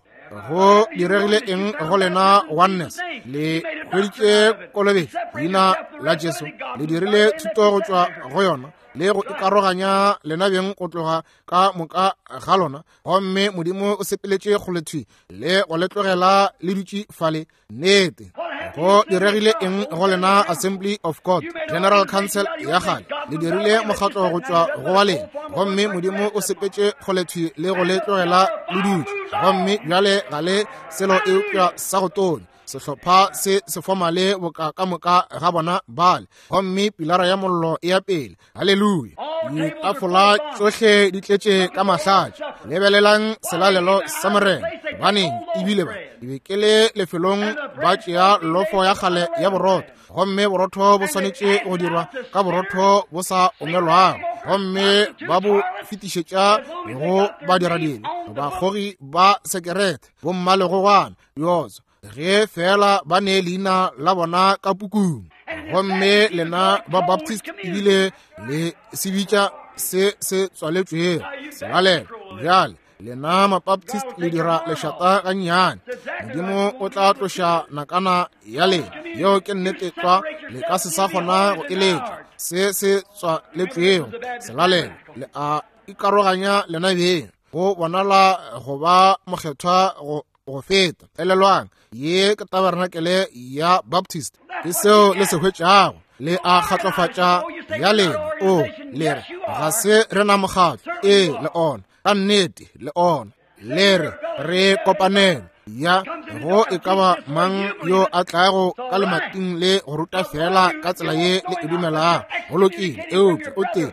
Go diregile eng go lena Oneness? Le hweditše kolobetšo leina la Jesu, le dirile thuto go tšwa go yona le go ikaroganya lena beng go tloga ka moka ga lona, gomme Modimo o sepeletše kgolethwi le go le tlogela le dutše fale. Nnete. Go diregile eng go lena Assembly of God, General Council ya kgale? Le dirile mokgatlo go tšwa go wa lena, gomme Modimo o sepetše kgolethwi le go le tlogela le dutše, gomme bjale ga le selo eupša sa go tonya, sehlopha se se fomale boka ka moka ga bona bale, gomme pilara ya mollo e ya pele. Haleluya! Ditafola tšohle di tletše ka mahlatša. Lebelelang selalelo sa Morena. Gobaneng, ebile ba ke be ke le lefelong ba tšea lofo ya kgale ya borotho, gomme borotho bo swanetše go dirwa ka borotho bo sa omelwago, gomme ba bo fetišetša go badiradile, bakgogi ba sekerete, bommalegogwana, diotso, ge fela ba ne leina la bona ka pukung. Gomme lena ba Baptist ebile le se bitša se se tswaletšwego selalelo. Bjale lena Mabaptist le dira lešata gannyane. Modimo o tla tloša nakana ya lena. Yeo ke nnete tlwa. Le ka se sa kgona go eletša se se tswaletšwego selalelo. Le a ikaroganya lena beng go bonala go ba mokgethwa go go feta. Elelwang, ye ke tabernacle ya Baptist. Ke seo le se hwetšago. Le a kgatlofatša ya lena. O le re ga se re na mokgatlo. Ee, le ona. Ka nnete, le ona. Le re re kopanelo ya go e ka ba mang yo a tlago ka lemating le go ruta fela ka tsela ye le e dumelago. Go lokile, eupša o tee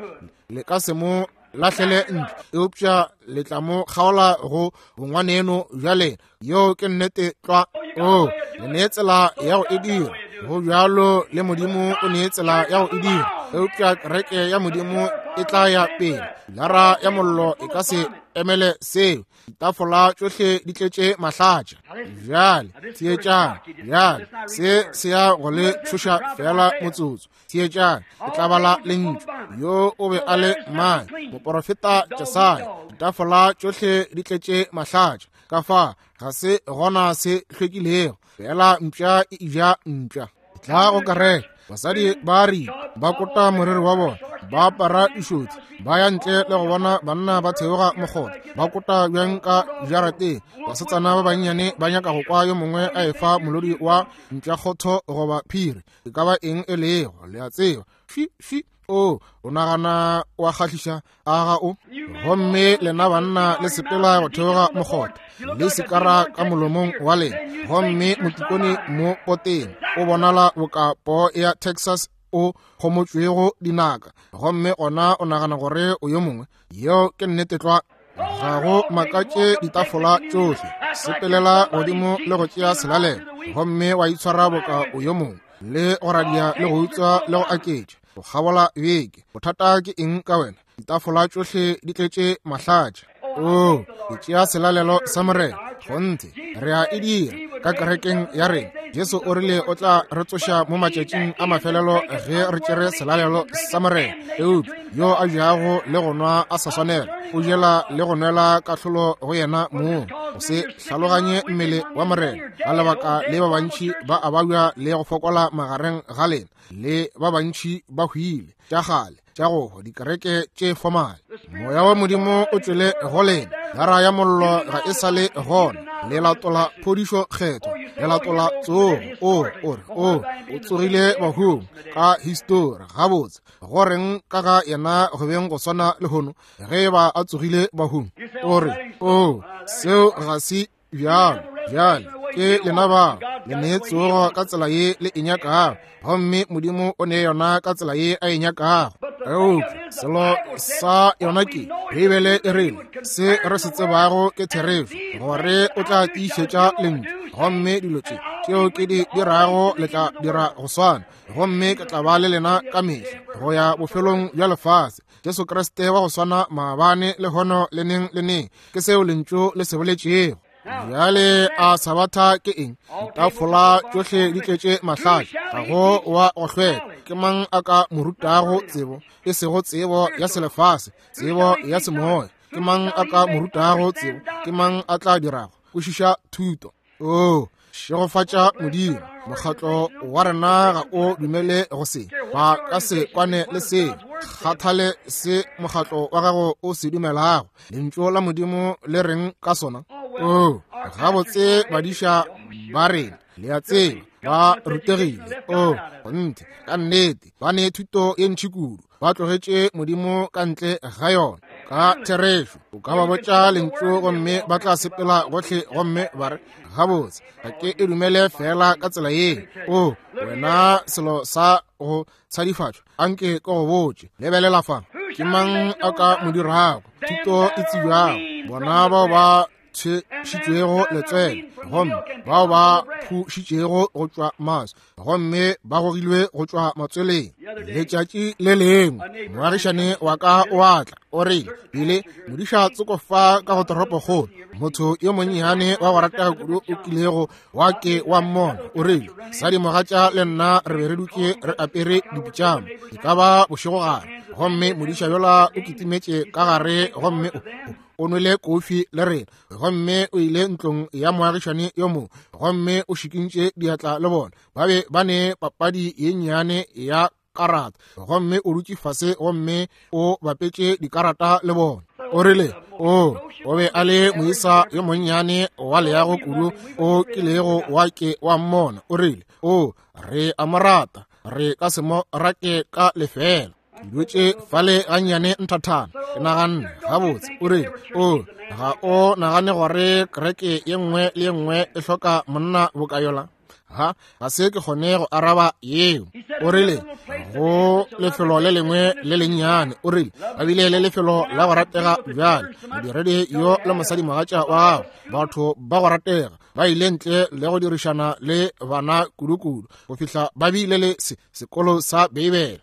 le ka se mo lahlele ntle, eupša le tla mo kgaola go bongwaneno bja lena. Yeo ke nnete tlwa. O le nee tsela ya go e dira. Go bjalo le Modimo o nee tsela ya go e dira, eupša kereke ya Modimo e tla ya pele. Lara ya mollo e ka se emele seo. Ditafola tšohle di tletše mahlatša. Bjale theetšang. Bjale se se ya go le tšhoša feela motsotso. Theetšang, ke tla bala lentšu. Yo o be a le mang? Moporofeta Jesaya. Ditafola tšohle di tletše mahlatša. Ka fa ga se gona se hlwekilego, fela mpša e ja mpša. Tla go kereke, basadi ba ri ba kota moriri wa bona, ba apara dišothi, ba ya ntle le go bona banna ba theoga mokgotha, ba kota bjang ka jarateng. Basetsana ba bannyane ba nyaka go kwa yo mongwe a efa molodi wa mpšakgotho goba phiri, e ka ba eng e lego, le a tseba. Fi, fi, o, o nagana wa kgahliša, a ga o? Gomme lena banna le sepela go theoga mokgotha le sikara ka molomong wa lena, gomme motikone mo poteng o bonala boka poo ya Texas o kgomotšwego dinaka, gomme gona o nagana gore o yo mongwe. Yeo ke nnete tlwa. Ga go makatše ditafola tšohle. Sepelela godimo le go tšea selalelo, gomme wa itshwara boka o yo mongwe, le go radia le go utswa le go aketša go kgabola beke. Bothata ke eng ka wena? Ditafola tšohle di tletše mahlatša. O, ke tšea selalelo sa Morena. Kgonthe, re a e dira ka kerekeng ya rena. Jesu o rile o tla re tsoša mo matšatšing a mafelelo ge re tšere selalelo sa Morena. Eupša yo a jago le go nwa a sa swanela, o jela le go nwela kahlolo go yena mong. Go se hlaloganye mmele wa Morena, ka lebaka le ba bantši ba a babja le go fokola magareng ga lena, le ba bantši ba hwile. Tša kgale tša go hwa, dikereke tše fomale. Moya wa Modimo o tšwele go lena, lara ya mollo ga e sa le gona. Le latola phodišo kgethwa, le latola tsogo. O, o re, o, o tsogile bahung ka histori. Gabotse, go reng ka ga yena go beng go swana lehono ge e ba a tsogile bahung? O re, o, seo ga se bjalo. Bjale ke lena bao le ne tsogo ka tsela ye le e nyakago, gomme Modimo o ne yona ka tsela ye a e nyakago. Eupša selo sa yona ke Beibele e rile se re se tsebago ke therešo, gore o tla tiišetša lentšu, gomme dilo tše tšeo ke di dirago le tla dira go swana, gomme ke tla ba le lena ka mehla go ya bofelong bja lefase. Jesu Kriste wa go swana maabane, lehono, le neng le neng. Ke seo Lentšu le se boletšego. Bjale a Sabatha ke eng? Ditafola tšohle di tletše mahlatša, ga go wa go hlweka. Ke mang a ka mo rutago tsebo? E sego tsebo ya selefase, tsebo ya semoya. Ke mang a ka mo rutago tsebo? Ke mang a tla dirago kwešiša thuto? Oo, šegofatša Modimo, mokgatlo wa rena ga o dumele go se. Ba ka se kwane le se. Kgathale se mokgatlo wa gago o se dumelago. Lentšu la Modimo le reng ka sona? Oo, gabotse badiša ba rena, le a tseba, ba rutegile. Oo, kgonthe, ka nnete, ba ne thuto ye ntši kudu. Ba tlogetše Modimo ka ntle ga yona. Ka therešo, o ka ba botša lentšu gomme ba tla sepela gohle gomme ba re, gabotse, ga ke e dumele fela ka tsela ye. O, wena selo sa go tshadifatšwa, anke ke go botše. Lebelela fa, ke mang a ka mo dirago thuto e tsebjago? Bona bao ba tshwešitšwego letswele gomme bao ba phušitšego go tšwa maswi gomme ba gogilwe go tšwa matsweleng. Letšatši le lengwe moagišane wa ka o a tla, o rile, Bile modiša tsoko fa ka go toropokgolo, motho yo monnyane wa go ratega kudu o kilego wa ke wa mmona. O rile, Sadimogatša le nna re be re dutše re apere dipitšama, e ka ba bošegogare, gomme modiša yola o kitimetše ka gare gomme o nwele kofi le rena, gomme o ile ntlong ya moagišane yo mongwe gomme o šikintše diatla le bona. Ba be ba ne papadi ye nnyane ya karata, gomme o dutše fase gomme o bapetše dikarata le bona. O rile, o o be a le moisa yo monnyane wa leago kudu o kilego wa ke wa mmona. O rile, o re a mo rata, re ka se mo rake ka lefeela. Ke dutše fale gannyane nthathana, ke naganne, gabotse, o rile, o ga o nagane gore kereke ye nngwe le ye nngwe e hloka monna boka yola? Ha, ga se ke kgone go araba yeo. O rile, go lefelo le lengwe le lennyane, o rile, ba bile le lefelo la go ratega bjale, modiredi yo le mosadimogatša wa gagwe, batho ba go ratega, ba ile ntle le go dirišana le bana kudu-kudu go fihla ba bile le sekolo sa Beibele.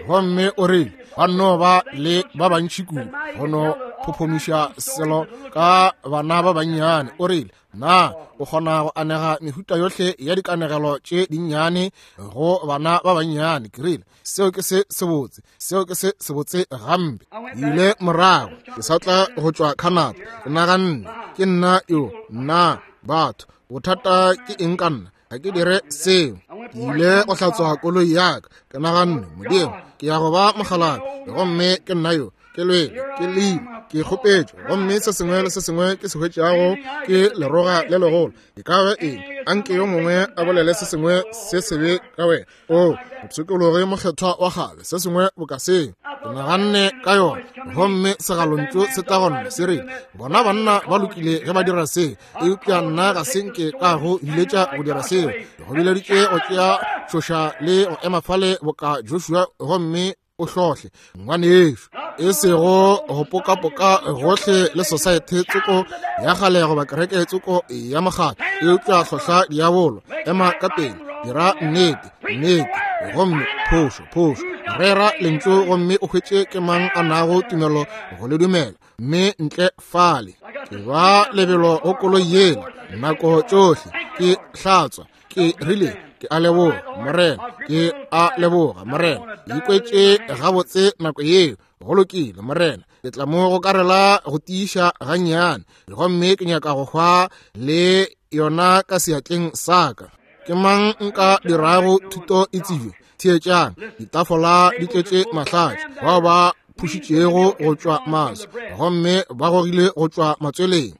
Gomme o rile, ba nno ba le ba bantši kudu go no phophomiša selo ka bana ba bannyane. O rile, na o kgona go anega mehuta yohle ya dikanegelo tše dinnyane go bana ba bannyane? Ke rile, seo ke se sebotse, seo ke se sebotse gampe. Ile morago, ke sa tla go tšwa Canada, ke naganne, ke nna yo, nna batho, bothata ke eng ka nna? Ga ke dire seo. Ke ile go hlatswa koloi ya ka, ke naganne, Modimo, ke ya go ba mokgalabje, gomme ke nna yo, ke lwele, ke lile, ke kgopetšwe, gomme se sengwe le se sengwe ke se hwetšago ke leroga le legolo. E ka ba eng? Anke yo mongwe a bolele se sengwe se sebe ka wena. O mopshikologi mokgethwa wa kgale, se sengwe boka seo. Ke naganne ka yona, gomme segalontšu se tla go nna se rile, bona banna ba lokile ge ba dira seo, eupša nna ga se nke ka go biletša go dira seo. Ke go bileditše go tšea tšhoša le go ema fale boka Joshua gomme o hlohle ngwanešu, e sego go pokapoka gohle le society tsoko ya kgale goba kereke tsoko ya mokgatlo, eupša hlohla diabolo, ema ka pele, dira nnete, nnete, gomme phošo, phošo, rera lentšu gomme o hwetše ke mang a nago tumelo go le dumela, mme ntle fale ke ba lebelo go koloi yela nako tšohle ke hlatswa. Ke rile, ke a leboga Morena, ke a leboga Morena. Ke ikwetše gabotse nako yeo. Go lokile Morena, ke tla mo go karela go tiiša gannyane, gomme ke nyaka go hwa le yona ka seatleng sa ka. Ke mang nka dirago thuto e tsebje? Theetšang, ditafola di tletše mahlatša, bao ba phušitšego go tšwa maswi gomme ba gogile go tšwa matsweleng.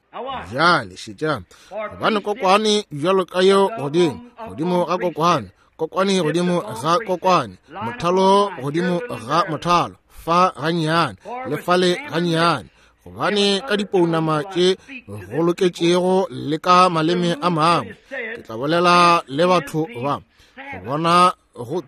Bjale šetšang, gobane kokwane bjalo ka yeo godimo, godimo ga kokwane, kokwane godimo ga kokwane, mothalo godimo ga mothalo, fa gannyane le fale gannyane, gobane ka dipounama tše go loketšego le ka maleme a mangwe ke tla bolela le batho ba, go bona go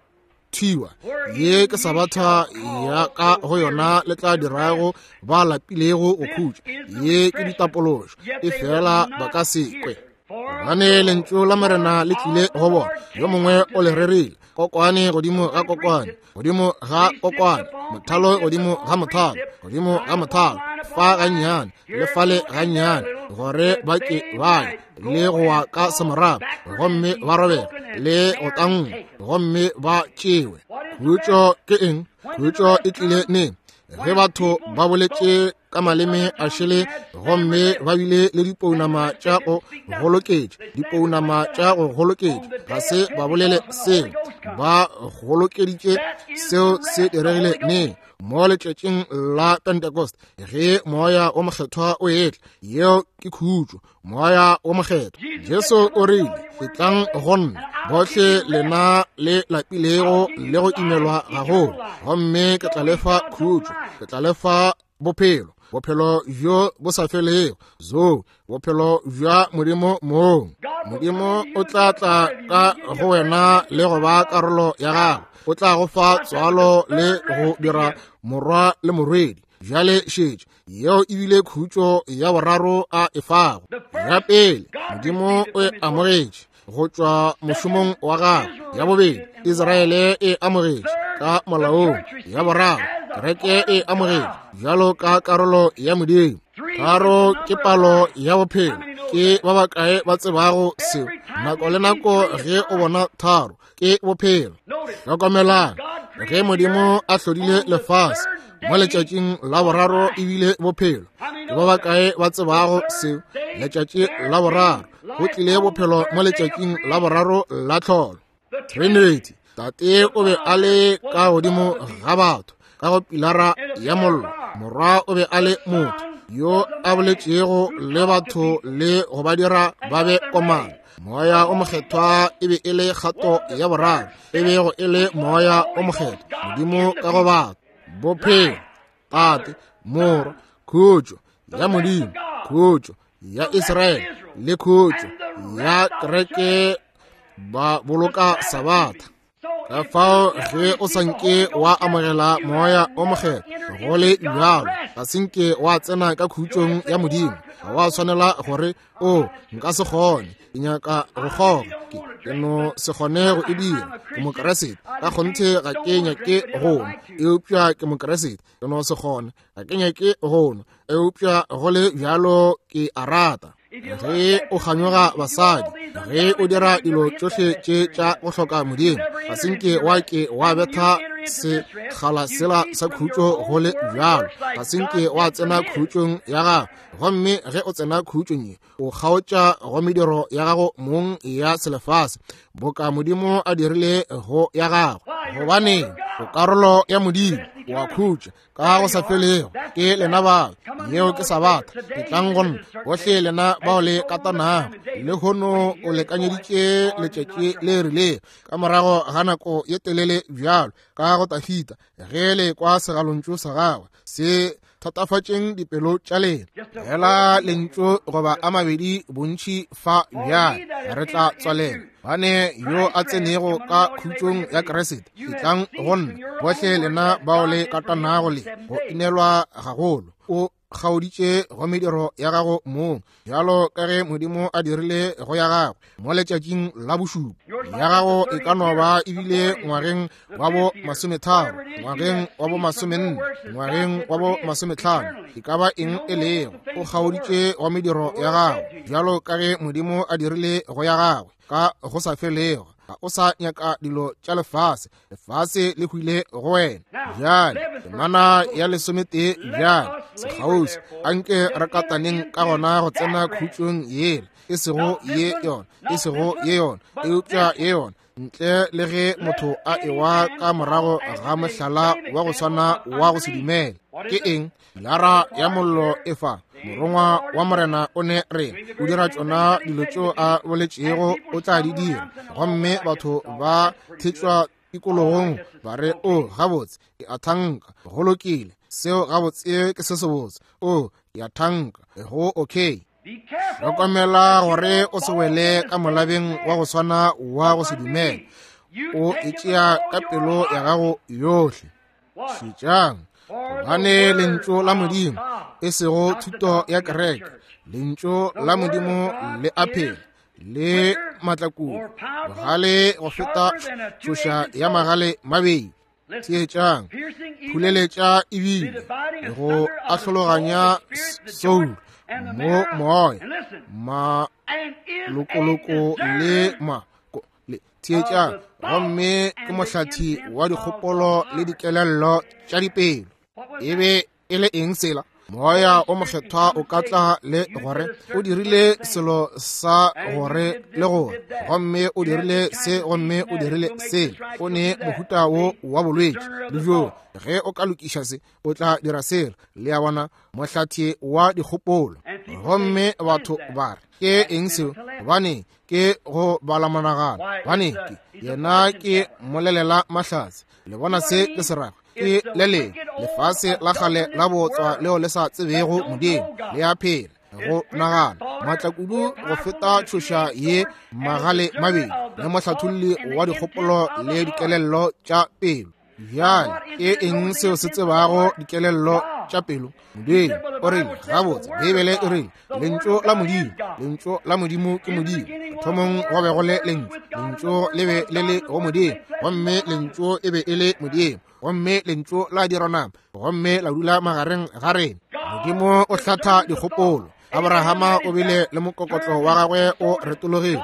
thiwa. Ye ke sabatha ya ka go yona le tla dirago ba lapilego go khutša. Ye ke ditapološo, e fela ba ka se kwe. Gobane lentšu la Morena le tlile go bona, yo mongwe o le rerile, kokwane godimo ga kokwane, godimo ga kokwane, mothalo godimo ga mothalo, godimo ga mothalo, fa gannyane le fale gannyane, gore ba ke ba ye le go wa ka semorago, gomme ba robega le go tangwa, gomme ba tšewe. Khutšo ke eng? Khutšo e tlile neng? Ge batho ba boletše ka maleme a šele gomme ba bile le dipounama tša go goloketša, dipounama tša go goloketša, ga se ba bolele seo, ba golokeditše. Seo se diregile neng? Mo letšatšing la Pentecost, ge Moya o Mokgethwa o etla. Yeo ke khutšo, Moya o Mokgethwa. Jesu o rile, etlang go nna bohle lena le lapilego le go imelwa gagolo, gomme ke tla lefa khutšo, ke tla lefa bophelo, bophelo bjo bo sa felego, zo bophelo bja Modimo mong. Modimo o tla tla ka go wena le go ba karolo ya gago, o tla go fa tswalo le go dira morwa le morwedi. Bjale šetše, yeo e bile khutšo ya boraro a e fago. Ya pele, Modimo o e amogetše go tšwa mošomong wa gagwe. Ya bobedi, Israele e amogetše ka molaong. Ya boraro, kereke e amogetše bjalo ka karolo ya Modimo. Tharo ke palo ya bophelo. Ke ba bakae ba tsebago seo? Nako le nako ge o bona tharo, ke bophelo. Hlokomelang, ge Modimo a hlodile lefase mo letšatšing la boraro, ebile bophelo. Ke ba bakae ba tsebago seo? Letšatši la boraro, go tlile bophelo mo letšatšing la boraro la tlholo. Trinity, Tate o be a le ka godimo ga batho ka go pilara ya mollo, Morwa o be a le motho yo a boletšego le batho le go ba dira ba be komana. Moya o Mokgethwa e be e le kgato ya boraro, e bego e le Moya o Mokgethwa, Modimo ka go batho. Bophelo, Tate, Morwa, khutšo ya Modimo, khutšo ya Israele le khutšo ya kereke, ba boloka Sabatha. Ka fao ge o sa nke wa amogela Moya o Mokgethwa go le bjalo, ga se nke wa tsena ka khutšong ya Modimo. Ga wa swanela gore, o nka se kgone, ke nyaka go kgoga, ke no se kgone go e dira, ke Mokeresete, ka kgonthe ga ke nyake go nwa, eupša ke Mokeresete, ke no se kgone, ga ke nyake go nwa, eupša go le bjalo ke a rata. Ge o kganyoga basadi, ge o dira dilo tšohle tše tša go hloka Modimo, ga se nke wa ke wa betha sekgala sela sa khutšo go le bjalo, ga se nke wa tsena khutšong ya gago. Gomme ge o tsena khutšong ye, o kgaotša go mediro ya gago mong ya selefase, boka Modimo a dirile go ya gago. Gobane o karolo ya Modimo, wa khutša ka go sa felego. Ke lena bao, yeo ke Sabatha. Etlang go nna bohle lena bao le katanago. Lehono o lekanyeditše letšatši le rilego ka morago ga nako ye telele bjalo ka go Tafita, ge le kwa segalontšu sa gagwe, se thatafatšeng dipelo tša lena. Fela lentšu goba a mabedi bontši fa bjale, re tla tswalela. Bane yo a tsenego ka khutšong ya Kriste, etlang go nna bohle lena bao le katanago le go inelwa gagolo. O kgaoditše go mediro ya gago mong, bjalo ka ge Modimo a dirile go ya gagwe mo letšatšing la bošupa. Ya gago e ka no ba ebile ngwageng wa bo 30, ngwageng wa bo 40, ngwageng wa bo 50, e ka ba eng e lego, o kgaoditše go mediro ya gago, bjalo ka ge Modimo a dirile go ya gagwe ka go sa felego. Ga o sa nyaka dilo tša lefase, lefase le hwile go wena. Bjale temana ya 11, bjale sekgauswi, anke re kataneng ka gona go tsena khutšong yela, e sego ye yona, e sego ye yona, eupša ye yona, ntle le ge motho a ewa ka morago ga mohlala wa go swana wa go se dumele. Ke eng? Pilara ya mollo e fa. Morongwa wa Morena o ne re o dira tšona dilo tšeo a boletšego o tla di dira, gomme batho ba thetšwa tikologong ba re, o gabotse, ke a thanka go lokile, seo gabotse ke se sebotse, o ke a thanka go okay. Hlokomela gore o se wele ka molabeng wa go swana wa go se dumele. O e tšea ka pelo ya gago yohle. Šetšang, gobane lentšu la Modimo, e sego thuto ya kereke, lentšu la Modimo le a phela. Le matlakudu, bogale go feta tšhoša ya magale mabedi. Theetšang, phuleletša ebile go ahlologanya soul mo moya malokoloko le ma le theetšang, gomme ke mohlathi wa dikgopolo le dikelello tša dipelo. E be e le eng sela? Moya o mokgethwa o ka tla le gore o dirile selo sa gore le gore, gomme o dirile se, gomme o dirile se, o ne mohuta wo wa bolwetši le bjo. Ge o ka lokiša se, o tla dira sela. Le a bona, mohlathi wa dikgopolo. Gomme batho ba re, ke eng seo? Gobane ke go bala monagano, gobane ke yena ke mmolelela mahlatse. Le bona se ke se rago? Ke le lengwe lefase la kgale la botswa leo le sa tsebego Modimo, le a phela go nagana matlakudu go feta tšhoša ye magale mabedi, le mohlatholli wa dikgopolo le dikelello tša pelo. Bjale ke eng seo se tsebago dikelello tša pelo? Modimo. O rile, gabotse, Beibele e rile, Lentšu la Modimo, Lentšu la Modimo ke Modimo. Thomong go be go le Lentšu, Lentšu le be le le go Modimo, gomme Lentšu e be e le Modimo, gomme Lentšu la dirwa nama, gomme la dula magareng ga rena. Modimo o hlatha dikgopolo. Abrahama o bile le mokokotlo wa gagwe o retologile,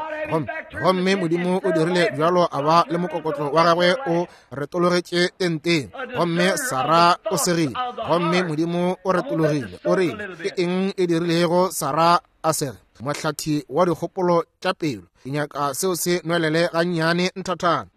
gomme Modimo o dirile bjalo a ba le mokokotlo wa gagwe o retologetše tenteng, gomme Sara o segile, gomme Modimo o retologile. O rile, ke eng e dirilego Sara a sege? Mohlathi wa dikgopolo tša pelo. Ke nyaka seo se nwelele gannyane nthathana.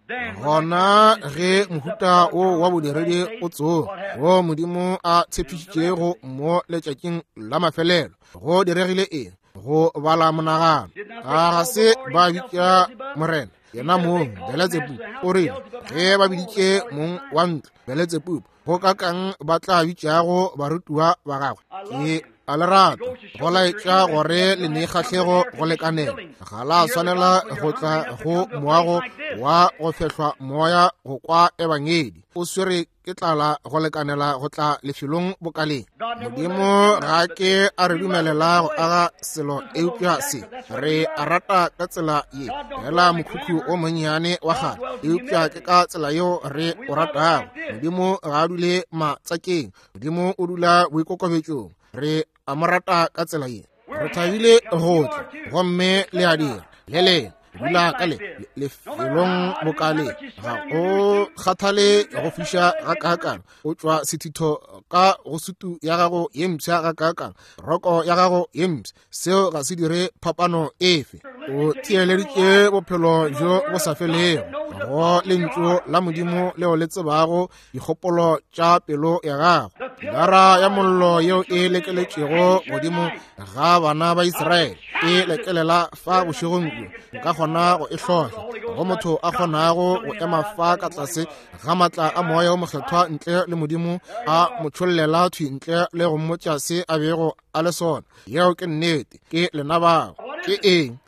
Gona ge mohuta wo wa bodiredi o tsoga, wo Modimo a tshepišitšego mo letšatšing la mafelelo, go diregile eng? Go bala monagano. A ga se ba bitša Morena yena mong Beletsebubu? O rile ge ba biditše mong wa ntlo Beletsebubu, go ka kang ba tla bitšago barutiwa ba gagwe? Ke a le rata go laetša gore le ne kgahlego go lekanela. Ga la swanela go tla go moago wa go fehlwa moya go kwa ebangedi. O swere ke tlala go lekanela go tla lefelong bokaleng. Modimo ga ke a re dumelela go aga selo eupša se re a rata ka tsela ye, fela mokhukhu o monnyane wa kgale, eupša ke ka tsela yeo re o ratago. Modimo ga a dule matsakeng, Modimo o dula boikokobetšong. Re a mo rata ka tsela ye. Re thabile go tla, gomme le a dira le leng dula ka le lefelong bokale. Ga o kgathale go fiša ga kaakang, o tšwa sethitho ka go sutu ya gago ye mpsha ga kaakang, roko ya gago ye mpsha, seo ga se dire phapano efe. O theeleditše bophelo bjo bo sa felego go lentšu la Modimo leo le tsebago dikgopolo tša pelo ya gago. Pilara ya mollo yeo e lekeletšego godimo ga bana ba Israele e lekelela fa bošegong bjo, nka kgona go e hlohla go motho a kgonago go ema fa ka tlase ga matla a moya o mokgethwa ntle le Modimo a mo tšhollela thwi ntle le go mmotša se a bego a le sona. Yeo ke nnete. Ke lena bao. Ke eng?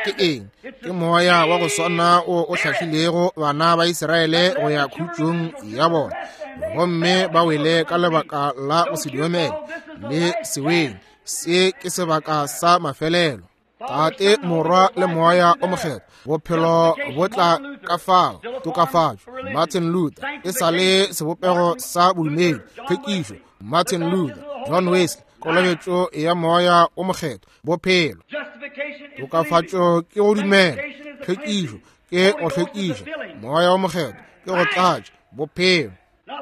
Ke eng? Ke moya wa go swana o o hlahlilego bana ba Israele go ya khutšong ya bona, gomme ba wele ka lebaka la go se dumele le seweng. Se ke sebaka sa mafelelo. Tate, Morwa le Moya o Mokgethwa, bophelo bo tla ka fao tokafatšo. Martin Luther e sa le sebopego sa bodumedi, tlhwekišo. Martin Luther, John Wesley, kolobetšo ya Moya o Mokgethwa, bophelo. Tokafatšo ke go dumela, tlhwekišo ke go hlwekiša, Moya o Mokgethwa ke go tlatša, bophelo.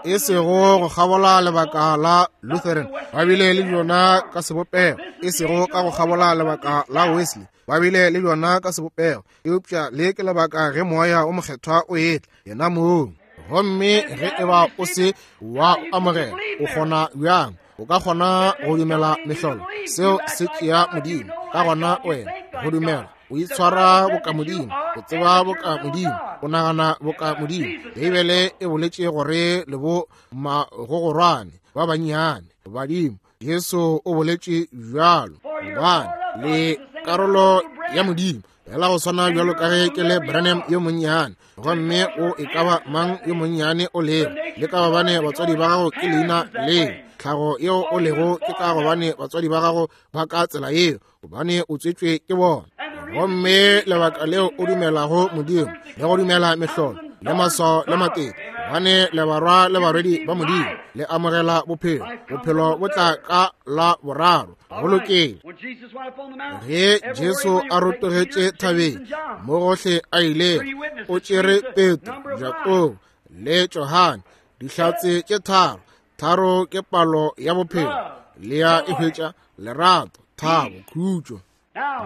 E sego go kgabola lebaka la Lutheran, ba bile le bjona ka sebopego, e sego ka go kgabola lebaka la Wesley, ba bile le bjona ka sebopego, eupša le ke lebaka ge Moya o Mokgethwa o etla, yena mong. Gomme ge e ba o se wa o amogela, o kgona bjang? O ka kgona go dumela mehlolo? Seo se tšea Modimo. Ka gona wena go dumela, o itshwara boka Modimo, o tseba boka Modimo, o nagana boka Modimo. Beibele e boletše gore le bo magogorwane ba bannyane badimo. Jesu o boletše bjalo, gobane le karolo ya Modimo, fela go swana bjalo ka ge ke le Branham yo monnyane, gomme o e ka ba mang yo monnyane o lego, le ka gobane batswadi ba gago ke leina leo, tlhago yeo o lego ke ka gobane batswadi ba gago ba ka tsela yeo, gobane o tswetšwe ke bona. Gomme lebaka leo o dumelago Modimo le go dumela mehlolo le maswao le matete, gobane le barwa le barwedi ba Modimo, le amogela bophelo. Bophelo bo tla ka la boraro. Go lokile. Ge Jesu a rotogetše thabeng, mo gohle a ilego, o tšere Petro, Jakobo le Johane, dihlatse tše tharo. Tharo ke palo ya bophelo. Le ya e hwetša, lerato, thabo, khutšo.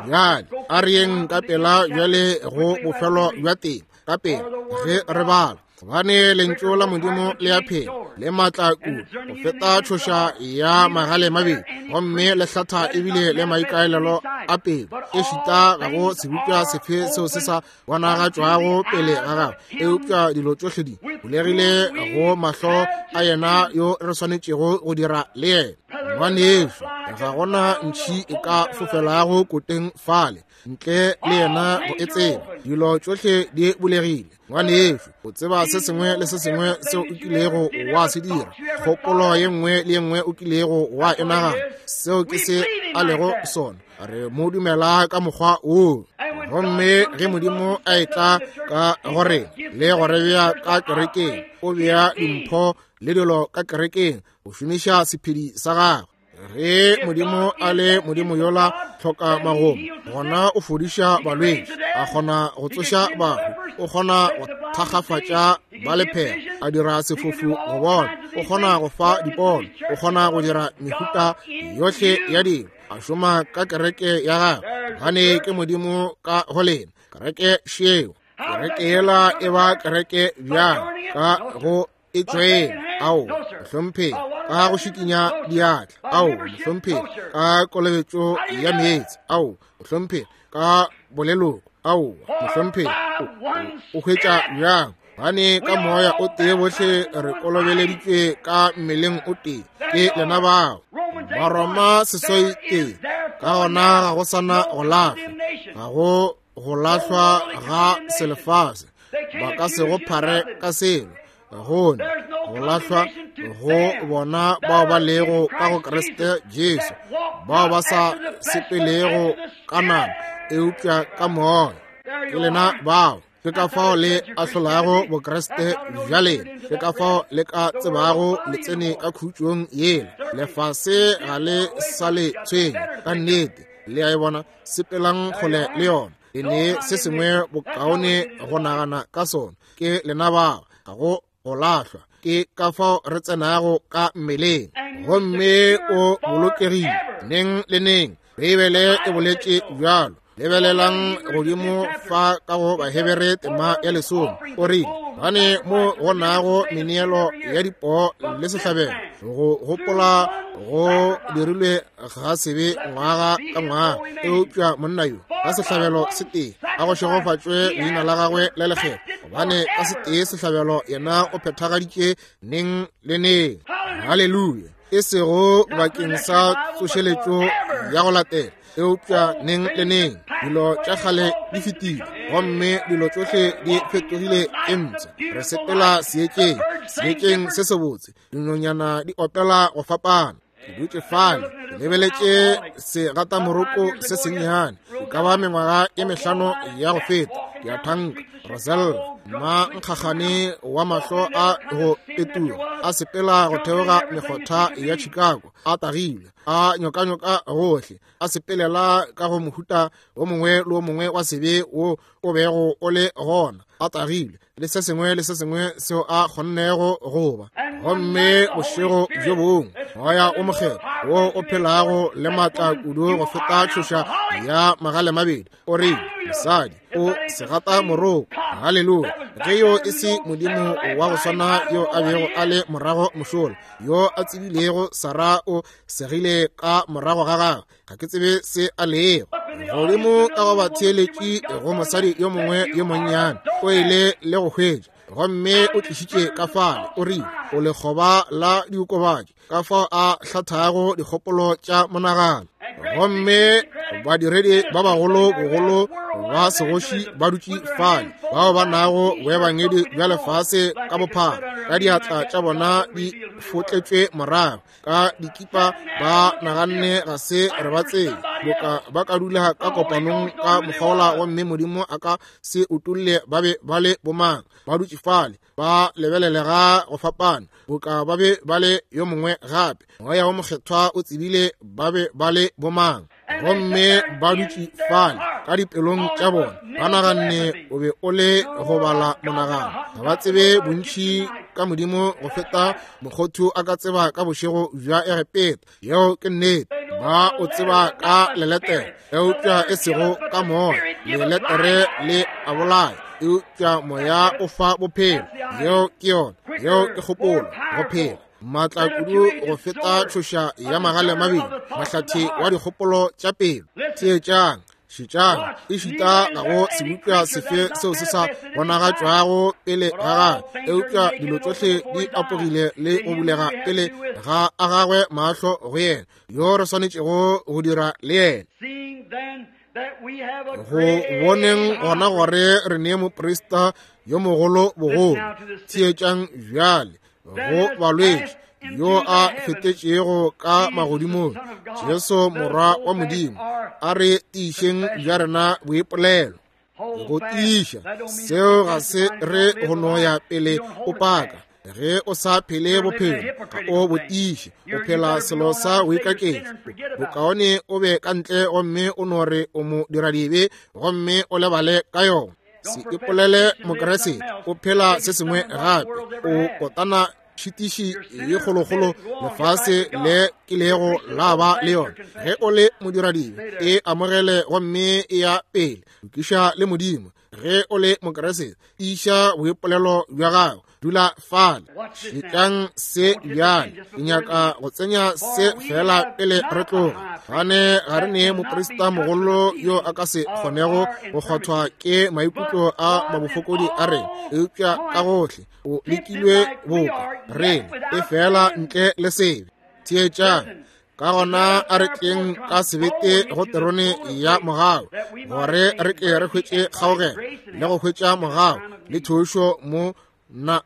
Bjale a re yeng ka pela bjale go bofelo bja teng, ka pela ge re bala. Gobane lentšu la Modimo le a phela, le maatla kudu go feta tšhoša ya magale mabedi, gomme le hlatha ebile le maikaelelo a pelo, ešita ga go sebopša sefe seo se sa bonagatšwago pele ga gagwe, eupša dilo tšohle di bulegile go mahlo a yena yo re swanetšego go dira le yena. Ngwanešu, ga gona ntšhi e ka fofelago koteng fale ntle le yena go e tseba. Dilo tšohle di bulegile. Ngwanešu, o tseba se sengwe le se sengwe seo o kilego wa se dira, kgopolo ye nngwe le ye nngwe o kilego wa e nagana, seo ke se a lego sona. Re mo dumela ka mokgwa woo. Gomme ge Modimo a etla ka gore le go re bea ka kerekeng, o bea dimpho le dilo ka kerekeng go šomiša sephedi sa gagwe. Ge Modimo a le Modimo yola hloka magomo, gona o fodiša balwetši, a kgona go tsoša bahu, o kgona go thakgafatša ba lephera, a dira sefofu go bona, o kgona go fa dipono, o kgona go dira mehuta yohle ya dilo, a šoma ka kereke ya gagwe, gobane ke Modimo ka go lena. Kereke šeo, kereke yela e ba kereke bjang ka go e tšwela? Ao, mohlomphegi, ka go šikinya diatla. Ao, mohlomphegi, ka kolobetšo ya meetse. Ao, mohlomphegi, ka boleloko. Ao, mohlomphegi, o hwetša bjang? Gobane ka moya o tee bohle re kolobeleditšwe ka mmeleng o tee, ke lena bao. Baroma 8, ka gona ga go sana go lahlwa, ga go go lahlwa ga selefase, ba ka se go phare ka selo, gone go lahlwa go bona bao ba lego ka go Kriste Jesu, bao ba sa sepelego ka nama eupša ka moya. Ke lena bao. Ke ka fao le ahlolago Bokriste bja lena, ke ka fao le ka tsebago le tsene ka khutšong yela. Lefase ga le sa le tshwenya ka nnete, le a e bona, sepelang kgole le yona. Le ne se sengwe bokaone go nagana ka sona, ke lena bao, ga go go lahlwa. Ke ka fao re tsenago ka mmeleng, gomme o bolokegile neng le neng. Beibele e boletše bjalo. Lebelelang godimo fa ka go Bahebere tema ya 10, o rile, gane mo go nago meneelo ya dipoo le sehlabelo, go gopola go dirilwe ga sebe ngwaga ka ngwaga, eupša monna yo ka sehlabelo se tee a go šegofatšwe leina la gagwe le lekgethwa, gobane ka se tee sehlabelo yena o phethagaditše neng le neng. Haleluya! E sego bakeng sa tsošeletšo ya go latela, eupša neng le neng. Dilo tša kgale di fetile, gomme dilo tšohle di fetogile e mpsha. Re sepela seetšeng, seetšeng se sebotse, dinonyana di opela go fapana. Ke dutše fale ke lebeletše segatamoroko se sennyane, e ka ba mengwaga e mehlano ya go feta, ke a thanka Rosella, mma nkgagane wa mahlo a go petuga, a sepela go theoga mekgotha ya Chicago, a tagilwe, a nyokanyoka gohle, a sepelela ka go mohuta wo mongwe le wo mongwe wa sebe wo o bego o le gona, a tagilwe le se sengwe le se sengwe seo a kgonnego go ba. Gomme bošego bjo bongwe moya o mokgethwa wo o phelago le maatla kudu go feta tšhoša ya magale mabedi o rile, mosadi o segata moroko. Haleluya! Ge yo e se Modimo wa go swana yo a bego a le morago mošola, yo a tsebilego Sara o segile ka morago ga gagwe, ga ke tsebe se a lego godimo ka go batheeletši go mosadi yo mongwe yo monnyane o ile le go hwetša, gomme o tlišitše ka fale, o rile o lekgoba la diokobatši, ka fao a hlathago dikgopolo tša monagano. Gomme badiredi ba bagolo bogolo ba segoši ba dutše fale, bao ba nago boebangedi bja lefase ka bophara, ka diatla tša bona di fotletšwe morago ka dikipa, ba naganne ga se re ba tsebe. Boka ba ka dula ka kopanong ka mokgwa gomme Modimo a ka se utolle ba be ba le bomang. Ba dutše fale ba lebelelega go fapana, boka ba be ba le yo mongwe gape. Moya wo Mokgethwa o tsebile ba be ba le bomang, gomme ba dutše fale ka dipelong tša bona ba naganne o be o le go bala monagano. Ga ba tsebe bontši ka Modimo go feta mokgothu a ka tseba ka bošego bja Egepeta. Yeo ke nnete. Ba o tseba ka leletere, eupša e sego ka moya. Leletere le a bolaya, eupša moya o fa bophelo. Yeo ke yona. Yeo ke kgopolo, go phela. Maatla kudu go feta tšhoša ya magale mabedi, mahlathe wa dikgopolo tša pelo. Theetšang, šetšang, ešita ga go sebopša sefe seo se sa bonagatšwago pele ga gagwe, eupša dilo tšohle di apogile le go bulega pele ga a gagwe mahlo go yena yo re swanetšego go dira le yena. Go boneng gona gore re nee moprista yo mogolo bogolo. Theetšang bjale go balwetši yo a fetetšego ka magodimong, Jesu Morwa wa Modimo, a re tiišeng bja rena boipolelo. Go tiiša seo ga se re go no ya pele o paka. Ge o sa phele bophelo, ga o bo tiiše, o phela selo sa go ikaketša. Bokaone o be ka ntle gomme o no re o mo dira dibe gomme o lebale ka yona. Se ipolele Mokriste, o phela se sengwe gape, o kotana tšhitiši ye kgolokgolo lefase le kilego la ba le yona. Ge o le modiradibe, e amogele gomme e ya pele, lokiša le Modimo. Ge o le Mokriste, tiiša boipolelo bja gago, dula fale. Šetšang se bjale. Ke nyaka go tsenya se fela pele re tloga. Gane ga re ne moprista mogolo yo a ka se kgonego go kgwathwa ke maikutlo a mabofokodi a rena, eupša ka gohle o lekilwe boka rena, e fela ntle le sebe. Theetšang. Ka gona a re tleng ka sebete go terone ya mogau, gore re ke re hwetše kgaogelo le go hwetša mogau le thušo mo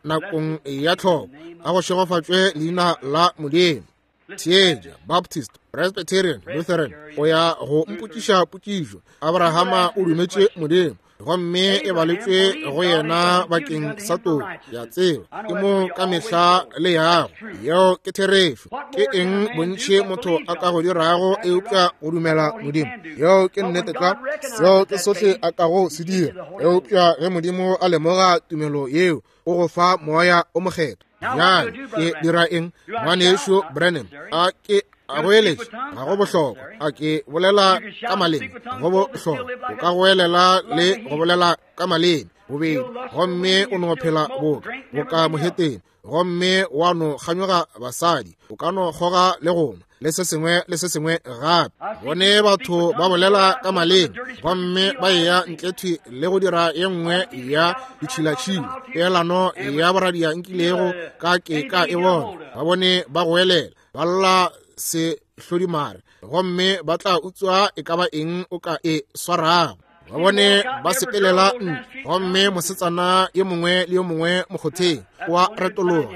nakong ya tlhoko. A go šegofatšwe leina la Modimo. Theetša, Baptist, Presbyterian, Lutheran, o ya go mpotšiša potšišo. Abrahama o dumetše Modimo, gomme e baletšwe go yena bakeng sa toko. Ya tseba, ke mo ka mehla le yago. Yeo ke therešo. Ke eng bontši motho a ka go dirago eupša go dumela Modimo? Yeo ke nnete tlwa. Seo ke sohle a kago se dira. Eupša ge Modimo a lemoga tumelo yeo, o go fa Moya o Mokgethwa. Bjale ke dira eng, ngwanešu Branham? A ke a goeletše? Ga go bohlokwa. A ke bolela ka maleme? Go bohlokwa. O ka goelela le go bolela ka maleme bobedi, gomme o no phela boka mohetene, gomme wa no kganyoga basadi, o ka no kgoga le go nwa le se sengwe le se sengwe gape. Bone batho ba bolela ka maleme gomme ba eya ntle thwi le go dira ye nngwe ya ditšhilatšhila, peelano ya boradia nkilego ka ke ka e bona. Ba bone ba goelela, ba lla sehlodimare, gomme ba tla utswa e ka ba eng o ka e swarago. Ba bone ba sepelela ntle, gomme mosetsana yo mongwe le yo mongwe mokgotheng wa retologa.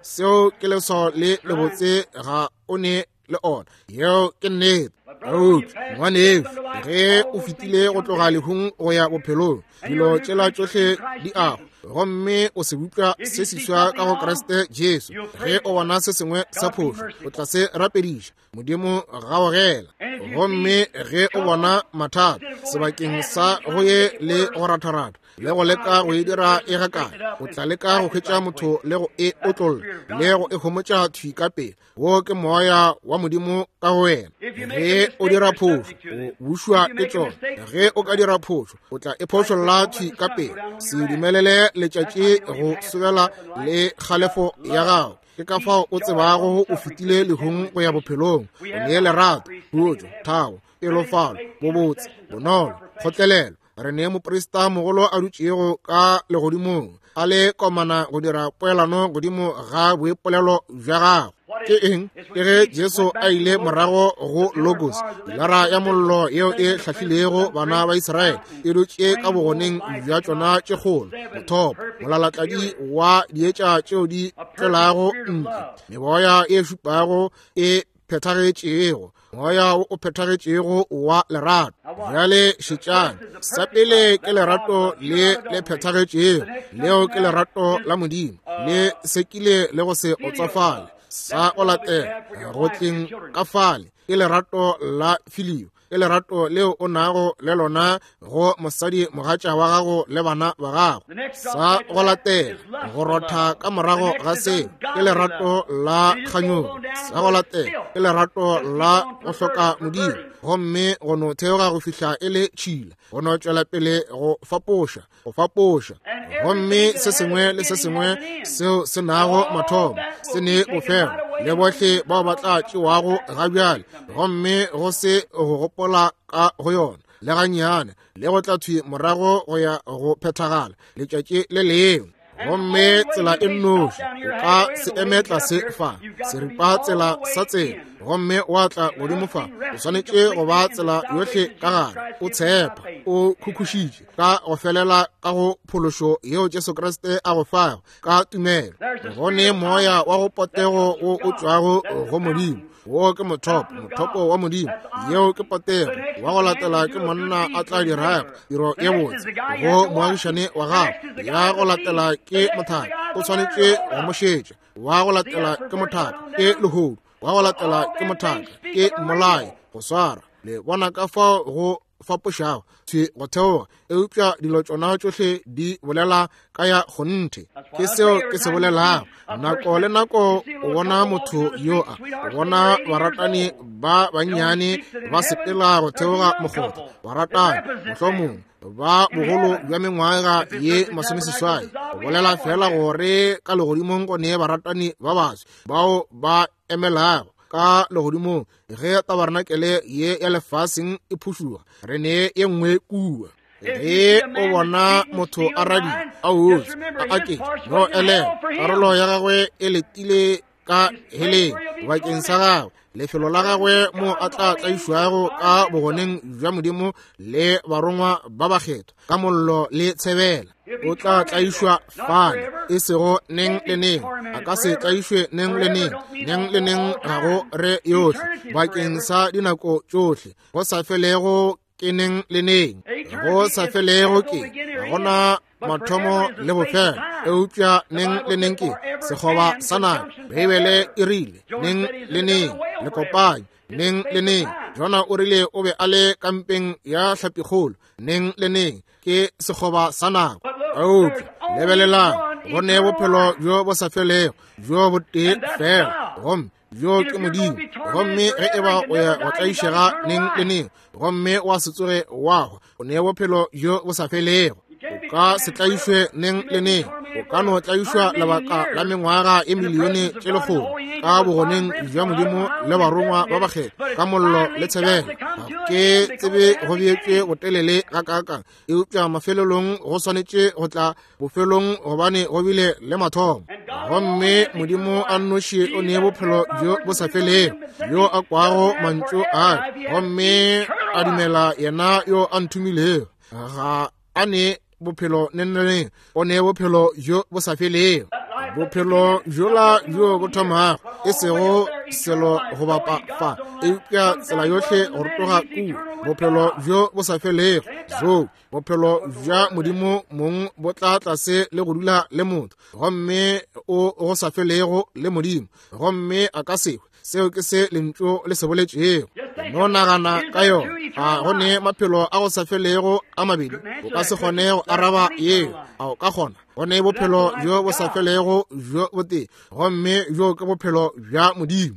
Seo ke leswao le lebotse ga o ne le ona. Yeo ke nnete. Eupša ngwanešu, ge o fetile go tloga lehung go ya bophelong, dilo tšela tšohle di ago, gomme o se bupša se seswa ka go Kriste Jesu. Ge o bona se sengwe sa phošo, o tla se rapediša, Modimo gaogela. Gomme ge o bona mathata, sebakeng sa go ye le go ratharata le go leka go e dira e gakae, o tla leka go hwetša motho le go e otlolla le go e homotša thwi ka pele. Wo ke moya wa Modimo ka go wena. Ge o dira phošo, o bušwa ke tšona. Ge o ka dira phošo, o tla e phošolla thwi ka pele. Se dumelele letšatši go sobela le kgalefo ya gago. Ke ka fao o tsebago o fetile lehung go ya bophelong. O nee lerato, khutšo, thabo, pelofalo, bobotse, bonolo, kgotlelelo. Re nee moprista mogolo a dutšego ka legodimong, a le komana go dira poelano godimo ga boipolelo bja gago. Ke eng? Ke ge Jesu a ile morago go Logos, pilara ya mollo yeo e hlahlilego bana ba Israele, e dutše ka bogoneng bja tšona tše kgolo, mothopo, molalatladi wa dietša tšeo di tšwelago ntle, meboya e šupago e phethagetšego, moya wo o phethagetšego wa lerato. Bjale šetšang, sa pele ke lerato le le phethagetšego, leo ke lerato la Modimo, le sekile le go se otsofale. Sa go latela go tleng ka fale ke lerato la filio, ke lerato leo o nago le lona go mosadi mogatša wa gago le bana ba gago. Sa go latela go rotha ka morago ga seo ke lerato la kganyogo. Sa go latela ke lerato la go hloka Modimo, gomme go no theoga go fihla e le tšhila, go no tšwela pele go fapoša, go fapoša. Gomme se sengwe le se sengwe seo se nago mathomo se ne bofelo, le bohle bao ba tla tšewago ga bjale, gomme go se go gopola ka go yona le gannyane, le go tla thwi morago go ya go phethagala letšatši le lengwe. Gomme tsela e nnoši o ka se eme tlase fa seripa tsela sa tsela, gomme wa tla godimo fa, o swanetše go ba tsela yohle ka gare, o tshepa, o khukhušitše ka go felela ka go phološo yeo Jesu Kriste a go fago ka tumelo. Go ne moya wa go potego wo o tšwago go Modimo, wo ke mothopo, mothopo wa Modimo, yeo ke potego. Wa go latela ke monna a tla dirago tiro ye botse go moagišane wa gago. Ya go latela ke mothaka, o swanetše go mo šetša. Wa go latela ke mothaka, ke lehodu. Wa go latela ke mothaka, ke mmolai, go swara. Le bona ka fao go fapošago thwi go theoga, eupša dilo tšona tšohle di bolela ka ya kgonthe. Ke seo ke se bolelago. Nako le nako o bona motho yo a o bona baratani ba bannyane ba sepela go theoga mokgotha, baratani mohlomongwe ba bogolo bja mengwaga ye 80, go bolela fela gore ka legodimong go ne baratani ba baswi bao ba emelago ka legodimong. Ge tabarenakele ye ya lefaseng e phušuga, re ne ye nngwe kua. Ge o bona motho a radia, a otse, a aketše, no elela, karolo ya gagwe e letile ka heleng bakeng sa gagwe, lefelo la gagwe mo a tla tlaišwago ka bogoneng bja Modimo le barongwa ba bakgethwa ka mollo le tshebela. O tla tlaišwa fale, e sego neng le neng. A ka se tlaišwe neng le neng. Neng le neng ga go re yohle, bakeng sa dinako tšohle. Go sa felego ke neng le neng. Go sa felego ke ga gona mathomo le bofelo, eupša neng le neng ke sekgoba sa nako. Beibele e rile neng le neng, le kopanye neng le neng. Jona o rile o be a le kampeng ya hlapikgolo neng le neng, ke sekgoba sa nako. Eupša lebelelang, go ne bophelo bjo bo sa felego bjo bo tee fela, gomme bjo ke Modimo. Gomme ge e ba o ya go tlaišega neng le neng gomme wa se tsoge wa hwa, o ne bophelo bjo bo sa felego. O ka se tlaišwe neng le neng, o ka no tlaišwa lebaka la mengwaga e milione tše lekgolo ka bogoneng bja Modimo le barongwa ba bakgethwa ka mollo le tshebelo. Ga ke tsebe go beetšwe botelele gakaakang, eupša mafelelong go swanetše go tla bofelong, gobane go bile le mathomo. Gomme Modimo a nnoši o nee bophelo bjo bo sa felego, yo a kwago mantšu a gomme a dumela yena yo a nthomilego, ga a ne bophelo neneng, o ne bophelo bjo bo sa felego. Bophelo bjola bjo bo thomago, e sego selo go bapa fa, eupša tsela yohle go rotoga kua, bophelo bjo bo sa felego. Zo bophelo bja Modimo mong bo tla tlase le go dula le motho, gomme o go sa felego le Modimo, gomme a ka se hwe. Seo ke se lentšu le se boletšego. No nagana ka yona. A go ne maphelo a go sa felego a mabedi? O ka se kgone go araba yeo. A o ka kgona? Go ne bophelo bjo bo sa felego bjo botee, gomme bjo ke bophelo bja Modimo.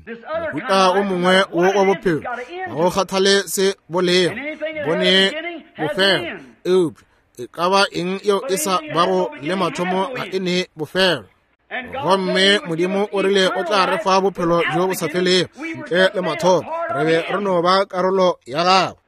Mohuta o mongwe wo wa bophelo ga go kgathale se bo lego, bo ne bofelo, eupša e ka ba eng yeo e sa bago le mathomo ga e ne bofelo. Gomme Modimo o rile o tla re fa bophelo bjo bo sa felego ntle le mathomo. Re be re no ba karolo ya gagwe.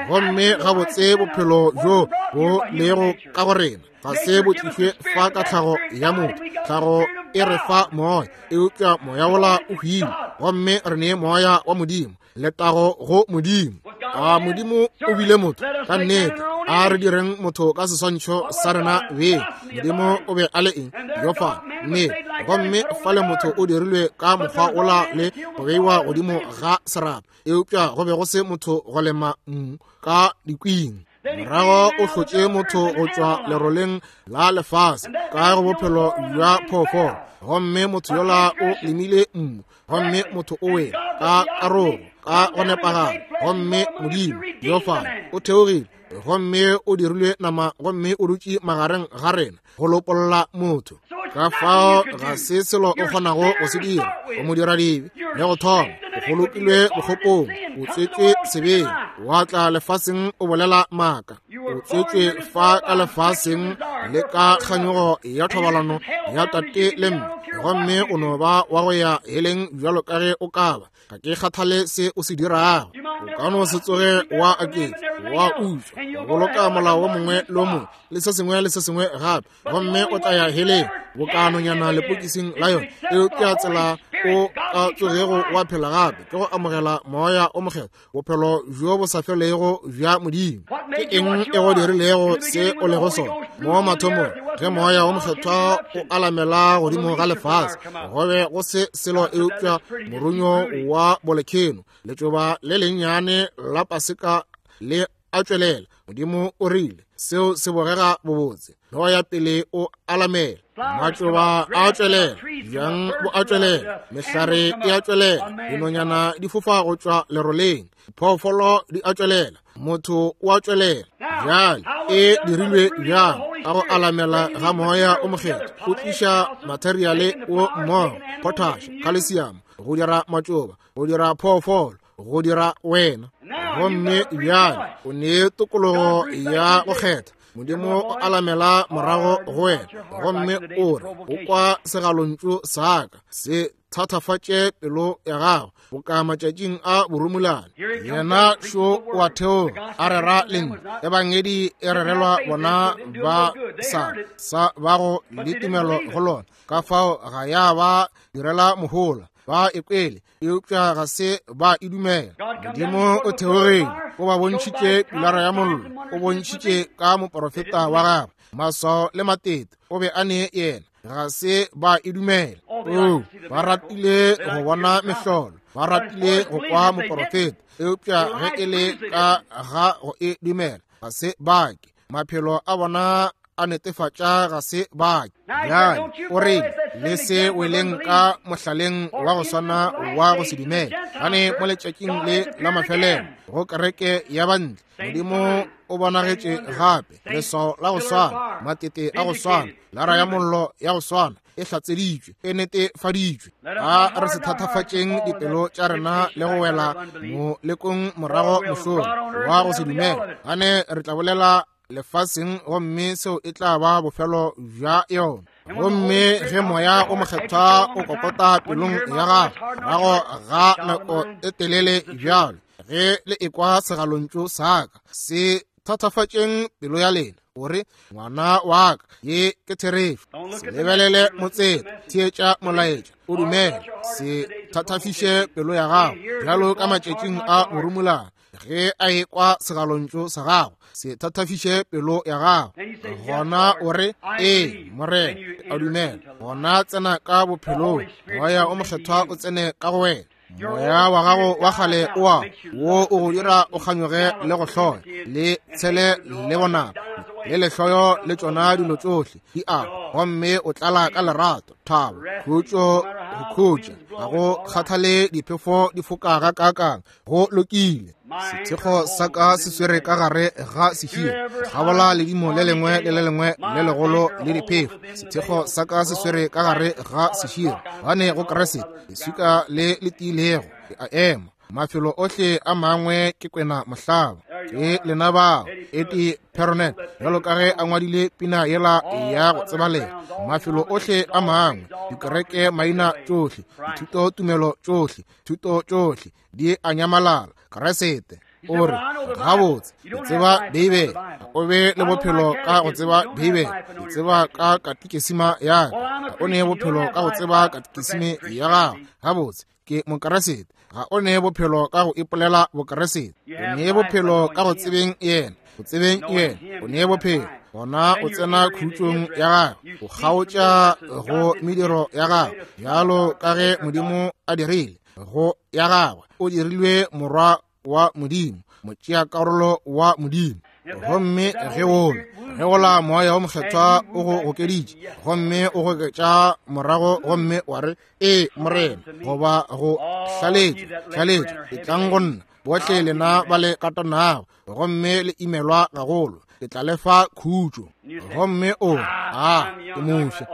Gomme gabotse bophelo bjo bo lego ka go rena ga se bo tlišwe fa ka tlhago ya motho. Tlhago e re fa moya, eupša moya wola o hwile, gomme re ne moya wa Modimo. Letago go Modimo. A Modimo o bile motho? Ka nnete. A re direng motho ka seswantšho sa rena beng. Modimo o be a le eng? Yo fa. Nnete. Gomme fale motho o dirilwe ka mokgwa ola le go beiwa godimo ga serapa, eupša go be go se motho go lema mmu ka dikwing. Morago o hlotše motho go tšwa leroleng la lefase ka go bophelo bja phoofolo, gomme motho yola o lemile mmu, gomme motho o wele ka karogo ka go nepagala. Gomme Modimo yo fa o theogile gomme o dirilwe nama gomme o dutše magareng ga rena go lopolla motho. Ka fao ga se selo o kgonago go se dira o mo dira dibe le go thoma. O bolokilwe bokgopong, o tswetšwe sebeng, wa tla lefaseng o bolela maaka, o tswetšwe fa ka lefaseng le ka kganyogo ya thobalano ya tate le mme, gomme o no ba wa go ya heleng bjalo ka ge o ka ba. Ga ke kgathale se o se dirago, o ka no se tsoge wa aketša, wa utswa, wa boloka molao wo mongwe le wo mongwe le se sengwe le se sengwe gape, gomme o tla ya heleng bokanonyana lepokising la yona. Eupša tsela o ka tsogego wa phela gape ke go amogela Moya o Mokgethwa, bophelo bjo bo sa felego bja Modimo. Ke eng e go dirilego se o lego sona mo mathomong? Ge Moya o Mokgethwa o alamela godimo ga lefase, go be go se selo eupša morunyo wa bolekheno, letšoba le lennyane la paseka le a tšwelela. Modimo o rile seo se bogega bobotse, le ya pele o alamela, matšoba a tšwelela, bjang bo a tšwelela, mehlare e a tšwelela, dinonyana di fofa go tšwa leroleng, diphoofolo di a tšwelela, motho o a tšwelela. Bjale e dirilwe bjang? Ka go alamela ga Moya o Mokgethwa, o tliša materiale o mmogo, potash, calcium, go dira matšoba, go dira phoofolo, go dira wena. Gomme bjale o ne tokologo ya go kgetha. Modimo o alamela morago go wena gomme o re, o kwa segalontšu sa ka, se thatafatše pelo ya gago boka matšatšing a borumulane. Yena šo o a theoga a rera lentšu. Ebangedi e rerelwa bona ba sa sa bago le tumelo go lona, ka fao ga ya ba direla mohola. Ba e kwele, eupša ga se ba e dumela. Modimo o theogile, o ba bontšhitše pilara ya mollo, o bontšhitše ka moporofeta wa gagwe maswao le matete, o be a ne yena, ga se ba e dumela. O ba ratile go bona mehlolo, ba ratile go kwa moporofeta, eupša ge e le ka ga go e dumela, ga se ba ke. Maphelo a bona a netefatša ga se ba ke. Bjale o re le se weleng ka mohlaleng wa go swana wa go se dumele, gane mo letšatšing le la mafelelo go kereke ya bantle, Modimo o bonagetše gape, leswao la go swana, matete a go swana, lara ya mollo ya go swana e hlatseditšwe, e netefaditšwe. A re se thatafatšeng dipelo tša rena le go wela molekong morago mošomo wa go se dumele, gane re tla bolela lefaseng gomme seo e tla ba bofelo bja yona. Gomme ge Moya o Mokgethwa o kokota pelong ya gago morago ga nako e telele bjalo, ge le ekwa segalontšu sa ka, se thatafatšeng pelo ya lena, o re, ngwana wa ka, ye ke therešo. Se lebelele motseta, theetša molaetša, o dumele. Se thatafiše pelo ya gago bjalo ka matšatšing a borumolana. Ge a ekwa segalontšu sa gago, se thatafiše pelo ya gago. Gona o re, ee Morena, ke a dumela. Gona tsena ka bophelong, Moya o Mokgethwa o tsene ka go wena. Moya wa gago wa kgale o a wo o go dira o kganyoge le go hloya le tshele le bonaba le lehloyo le tšona dilo tšohle di a, gomme o tlala ka lerato, thabo, khutšo, go khutša. Ga go kgathale diphefo di foka ga kaakang, go lokile. Sethekgo sa ka se swere ka gare ga sehie, gabola ledimo le lengwe le le lengwe le legolo le diphefo. Sethekgo sa ka se swere ka gare ga sehie, gane go Kriste leswika le le tiilego ke a ema. Mafelo ohle a mangwe ke kwena mohlaba. Ke lena bao, Eddie Perronet, bjalo ka ge a ngwadile pina yela ya go tsebalega. Mafelo ohle a mangwe, dikereke maina tšohle, dithuto tumelo tšohle, thuto tšohle di a nyamalala. Kriste o re, gabotse, ke tseba Beibele. O be le bophelo ka go tseba Beibele. Ke tseba ka katikesima ya ka. O ne bophelo ka go tseba katikesime ya gago. Gabotse, ke Mokriste. Ga o ne bophelo ka go ipolela Bokeresete. O ne bophelo ka go tsebeng yena. Go tsebeng yena, o ne bophelo. Gona o tsena khutšong ya gagwe, o kgaotša go mediro ya gagwe, bjalo ka ge Modimo a dirile go ya gagwe. O dirilwe morwa wa Modimo, motšeakarolo wa Modimo. Gomme ge wola, ge wola Moya wo Mokgethwa o go gokeditše, gomme o goketša morago gomme wa re, Ee, Morena, goba go hlaletšwa, hlaletšwa, etlang go nna, bohle lena ba le katanago gomme le imelwa gagolo, ke tla le fa khutšo. Gomme o, a, ke mofsa,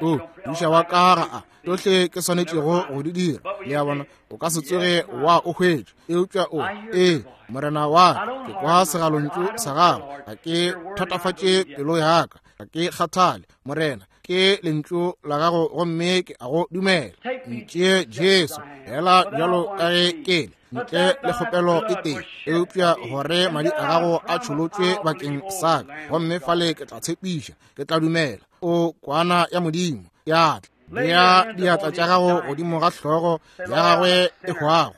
ke o, modiša wa ka ga a, tšohle ke swanetšego go di dira. Le a bona, o ka se tsoge wa o hwetša. Eupša o, ee, Morena wa ka, ke kwa segalontšu sa gago, ga ke thatafatše pelo ya ka, ga ke kgathale, Morena, ke lentšu la gago gomme ke a go dumela. Ntšee Jesu, fela bjalo ka ge ke le, ntle le kgopelo e tee, eupša gore madi a gago a tšholotšwe bakeng sa ka, gomme fale ke tla tshepiša, ke tla dumela. O kwana ya Modimo, ya tla. Bea diatla tša gago godimo ga hlogo ya gagwe e hwago.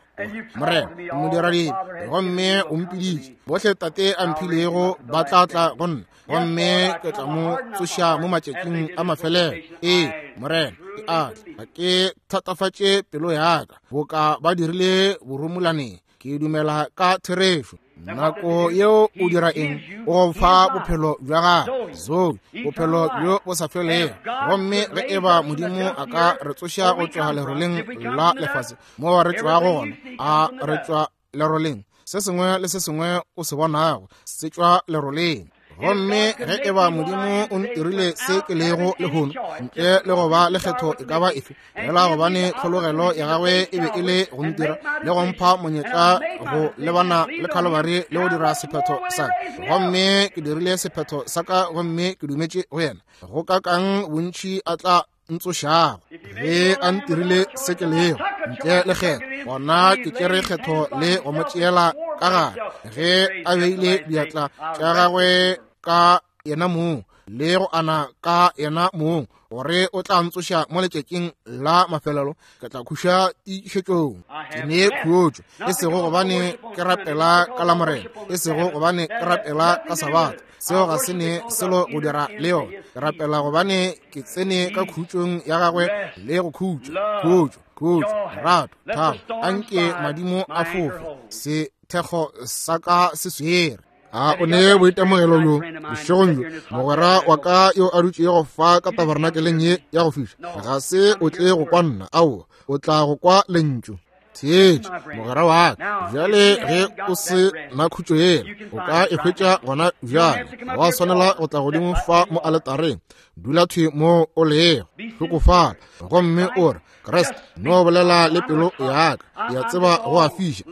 Morena, o modiradibe, gomme o mpiditše. Bohle Tate a mphilego ba tla tla go nna, gomme ke tla mo tsoša mo matšatšing a mafelelo. Ee, Morena, ke a tla. Ga ke thatafatše pelo ya ka boka ba dirile borumolaneng. Ke dumela ka therešo. Nako yeo o dira eng? O go fa bophelo bja gago, Zoe, bophelo bjo bo sa felego. Gomme ge e ba Modimo a ka re tsoša go tšwa leroleng la lefase moo re tšwago gona, a re tšwa leroleng, se sengwe le se sengwe o se bonago se tšwa leroleng. Gomme ge e ba Modimo o ntirile se ke lego lehono, ntle le go ba le kgetho e ka ba efe, fela gobane tlhologelo ya gagwe e be e le go ntira le go mpha monyetla go lebana le Calvary le go dira sephetho sa ka, gomme ke dirile sephetho sa ka gomme ke dumetše go yena, go ka kang bontši a tla ntsošago ge a ntirile se ke lego ntle le kgetho, gona ke tšere kgetho le go mo tšeela ka gare ge a beile diatla tša gagwe ka yena mong le go ana ka yena mong gore o tla ntsoša mo letšatšing la mafelelo, ke tla khuša tiišetšong. Ke ne khutšo, e sego gobane ke rapela ka la Morena, e sego gobane ke rapela ka Sabatha, seo ga se ne selo go dira le yona. Ke rapela gobane ke tsene ka khutšong ya gagwe le go khutša, khutšo, khutšo, lerato, thabo. Anke madimo a fofe, sethekgo sa ka se swere. A o ne boitemogelo bjo bošegong bjo, mogwera wa ka yo a dutšego fa ka tabernakeleng ye ya go fiša? Ga se o tle go kwa nna, aowa, o tla go kwa lentšu. Theetša, mogwera wa ka, bjale ge o se na khutšo yela, o ka e hwetša gona bjale. Ga wa swanela go tla godimo fa mo aletareng. Dula thwi mo o lego, hlokofala, gomme o re, Kriste, no bolela le pelo ya ka, ke a tseba go a fiša,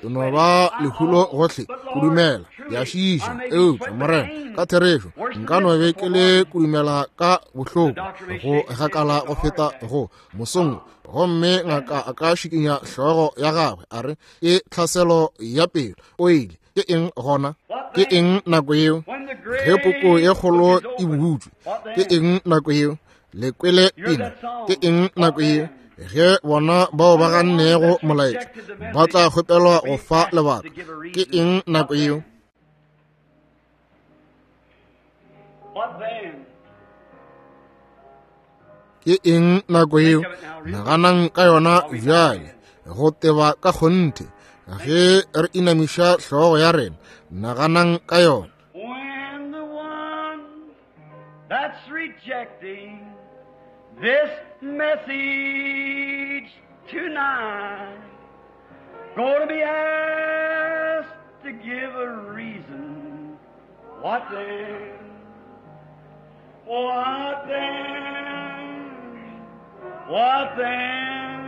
ke no ba lehulo gohle, go dumela, ke a šiša, eupša Morena, ka therešo, nka no be ke le kudumela ka bohloko, go gakala go feta go mosong, gomme ngaka a ka šikinya hlogo ya gagwe, a re, ke tlhaselo ya pelo, o ile. Ke eng gona? Ke eng nako yeo? Ge poko ye kgolo e butšwe, ke eng nako yeo? Le kwele pina. Ke eng nako yeo? Ge bona bao ba gannego molaetša ba tla kgopelwa go fa lebaka, ke eng nako yeo? Ke eng nako yeo? Naganang ka yona bjale, go teba ka kgonthe. Ge re inamiša hlogo ya rena, naganang ka yona. When the one that's rejecting this message tonight going to be asked to give a reason, what then? What then? What then?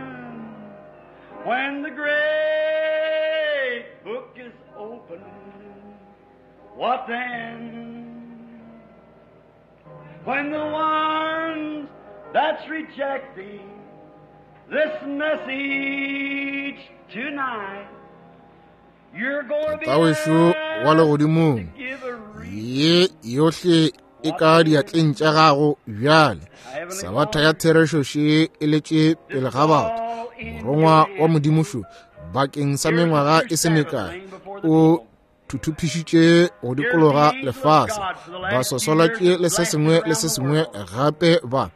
When the great book is opened, what then? When the ones that's rejecting this message tonight, you're going to be Tatawešu wa legodimong, asked to give a reason. ye yohle e ka diatleng tša gago bjale. Sabatha ya therešo še e letše pele ga batho. Morongwa wa Modimo šo, Bakeng sa mengwaga e se mekae o thuthupišitše go dikologa lefase, ba sosolatše le se sengwe le se sengwe gape ba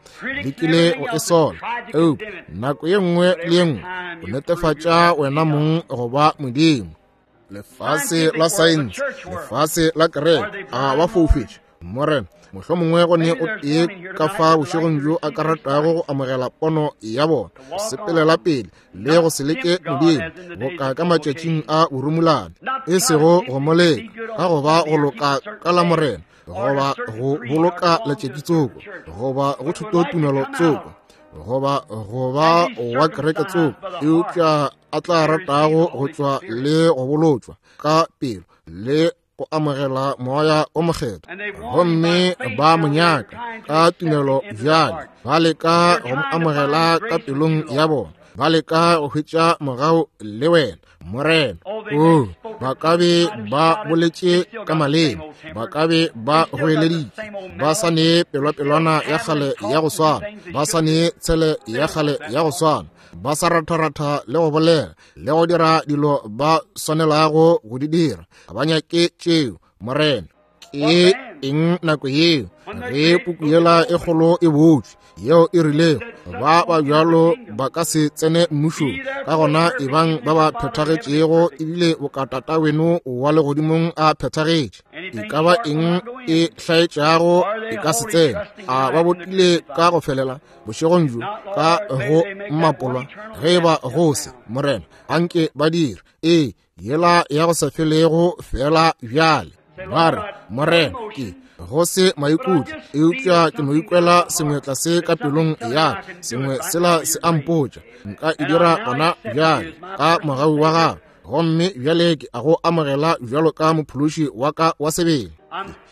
lekile go e sola. Eupša nako ye nngwe le ye nngwe o netefatša wena mong go ba Modimo. Lefase la saense, lefase la kereke, a ba foufetše. Morena, mohlomongwe go ne o tee ka fa bošegong bjo a ka ratago go amogela pono ya bona, go sepelela pele le go se leke Modimo boka ka matšatšing a borumulane, e sego go mo leka ka go ba go loka ka la Morena, goba go boloka letšatši tsoko, goba go thutotumelo tsoko, goba go ba wa kereke tsoko, eupša a tla ratago go tšwa le go bolotšwa ka pelo le go amogela Moya o Mokgethwa. Gomme ba mo nyaka ka tumelo bjale, ba leka go mo amogela ka pelong ya bona, ba leka go hwetša mogau le wena, Morena. O, ba ka be ba boletše ka maleme, ba ka be ba goeleditše, ba sa ne pelwapelwana ya kgale ya go swana, ba sa ne tshele ya kgale ya go swana, ba sa ratharatha le go bolela le go dira dilo ba swanelago go di dira. Ga ba nyake tšeo, Morena. Ke eng nako yeo ge puku yela e kgolo e botšwe, yeo e rilego ba ba bjalo ba ka se tsene mmušong? Ka gona ebang ba ba phethagetšego, ebile bokatata weno wa legodimong a phethagetše. E ka ba eng e hlaetšago e ka se tsene. A ba botile ka go felela bošegong bjo ka go mmapolwa? Ge e ba go se, Morena, anke ba dire ee yela ya go sa felego fela bjale. Ba re, Morena, ke go se maikutlo, eupša ke no ikwela sengwe tlase ka pelong ya ka, sengwe sela se a mpotša nka e dira gona bjale ka mogau wa gago. Gomme bjale ke a go amogela bjalo ka mophološi wa ka wa sebele.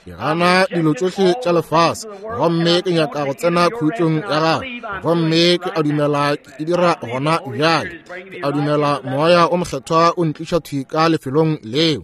Ke gana dilo tšohle tša lefase, gomme ke nyaka go tsena khutšong ya gago. Gomme ke a dumela ke e dira gona bjale. Ke a dumela Moya o Mokgethwa o ntliša thwi ka lefelong leo.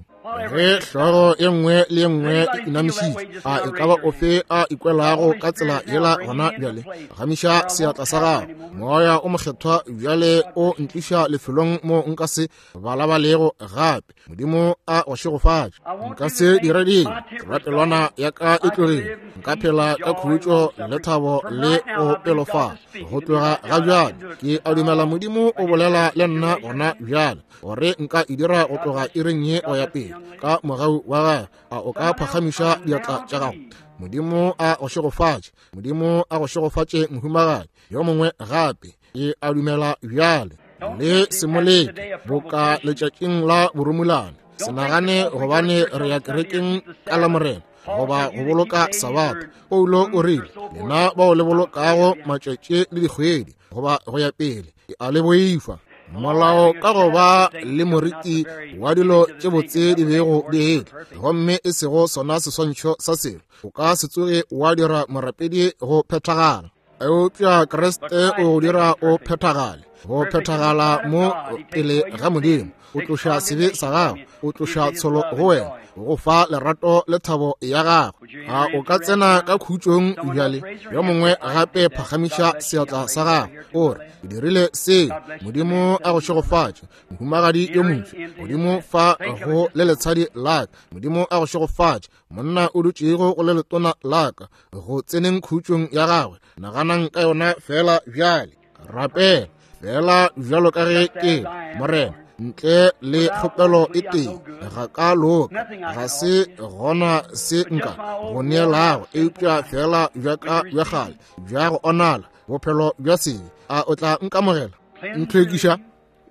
Ge hlogo ye nngwe le ye nngwe e inamišitše, a e ka ba ofe a ikwelago ka tsela yela gona bjale? Gamiša seatla sa gago. Moya o Mokgethwa bjale o ntliša lefelong mo nka se balabalego gape. Modimo a go šegofatše. Nka se dire dilo, rapelwana ya ka e tlogile. Nka phela ka khutšo le thabo le go pelofala go tloga ga bjale. Ke a dumela Modimo o bolela le nna gona bjale gore nka e dira go tloga iring ye go ya pele ka mogau wa gagwe. A o ka phagamiša diatla tša gago? Modimo a go šegofatše. Modimo a go šegofatše, mohumagadi. Yo mongwe gape, ke a dumela bjale. Le se mo leke boka letšatšing la borumulane. Se nagane gobane re ya kerekeng ka la Morena goba go boloka Sabatha. Paulo o rile, lena bao le bolokago matšatši le dikgwedi goba go ya pele, ke a le boifa. Molao ka go ba le moriti wa dilo tše botse di bego di etla, gomme e sego sona seswantšho sa selo, o ka se tsoge wa dira morapedi go phethagala. Eupša Kriste o go dira o phethagale, go phethagala mo pele ga Modimo. O tloša sebe sa gago, o tloša tsholo go wena, o go fa lerato le thabo ya gago. A o ka tsena ka khutšong bjale? Yo mongwe gape phagamiša seatla sa gago, o re, ke dirile seo. Modimo a go šegofatše, mohumagadi yo motho. Modimo fa go le letshadi la ka. Modimo a go šegofatše, monna o dutšego go le letona la ka, go tseneng khutšong ya gagwe. Naganang ka yona fela bjale. Rapela fela bjalo ka ge ke Morena, ntle le kgopelo e tee, ga ka loka, ga se gona se nka go neelago, eupša fela bja ka bja kgale bja go onala, bophelo bja sebe. A o tla nkamogela, ntlhwekiša,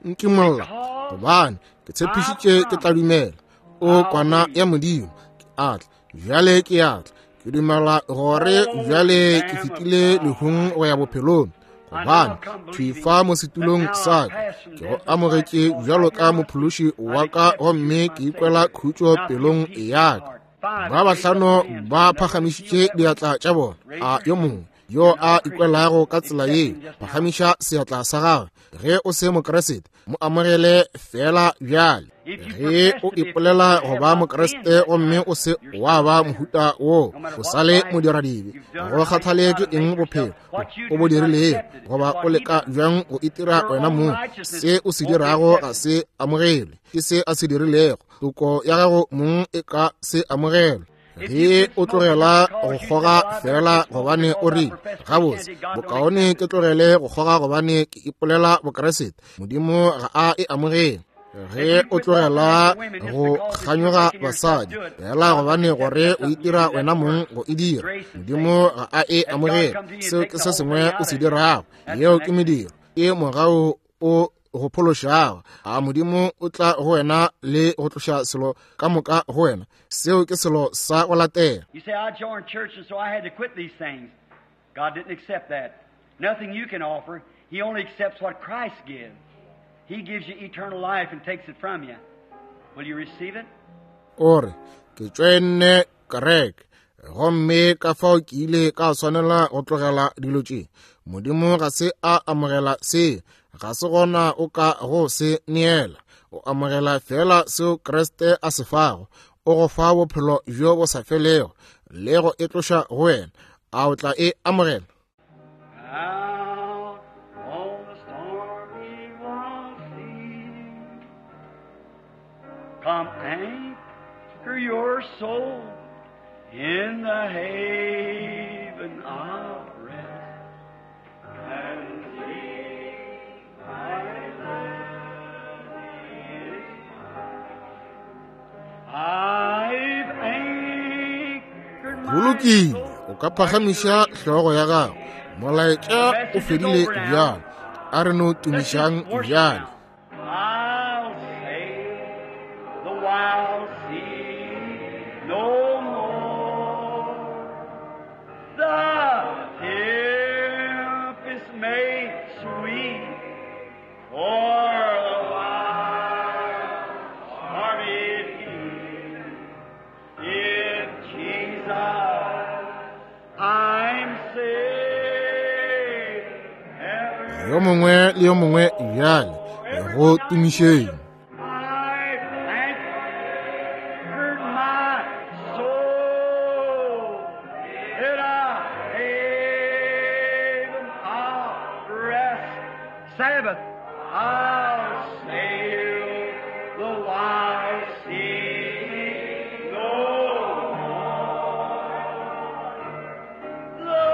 nkimolla? Gobane ke tshepišitše ke tla dumela o kwana ya Modimo. Ke a tla bjale, ke a tla. Ke dumela gore bjale ke fetile lehung go ya bophelong, gobane thwi fa mo setulong sa ka ke go amogetše bjalo ka mophološi wa ka, gomme ke ikwela khutšo pelong ya ka. Ba bahlano ba phagamišitše diatla tša bona. A yo mongwe yo a ikwelago ka tsela ye, phagamiša seatla sa gagwe. Ge o se Mokriste, Mo amogele fela bjale. Ge o ipolela go ba Mokriste gomme o se wa ba mohuta wo, o sa le modiradibe. Go kgathale ke eng bophelo o bo dirilego, goba o leka bjang go itira wena mong, se o se dirago ga se amogelwe ke se a se dirilego. Toko ya gago mong e ka se amogelwe. Ge o tlogela go kgoga fela gobane o rile, gabotse, bokaone ke tlogele go kgoga gobane ke ipolela Bokriste, Modimo ga a e amogele. Ge o tlogela go kganyoga basadi fela gobane gore o itira wena mong go e dira, Modimo ga a e amogele. Seo ke se sengwe o se dirago. Yeo ke mediro, ke mogau o go phološago. A Modimo o tla go wena le go tloša selo ka moka go wena. Seo ke selo sa go latela. You say, I joined church and so I had to quit these things. God didn't accept that. Nothing you can offer. He only accepts what Christ gives. He gives you eternal life and takes it from you. Will you receive it? O re, ke tšoenne kereke, gomme ka fao ke ile ka swanela go tlogela dilo tše. Modimo ga se a amogela se, ga se gona o ka go se neela. O amogela fela seo Kriste a se fago. O go fa bophelo bjo bo sa felego le go e tloša go wena. A o tla e amogela? Out on the stormy wild sea, come anchor your soul in the haven of rest, and see my land is mine. I've anchored Go my lokile, soul. o ka phagamiša hlogo ya gago. Molaetša o fedile bjale. A re no Let's just tumišang worship bjale. now. I'll sail the wild sea no more. The tempest made sweet for the wild stormy sea. In Jesus I'm saved. Yo mongwe le yo mongwe bjale go tumišeng. I've anchored my soul in a haven of rest. Sabbath, I'll sail the wild sea no more. The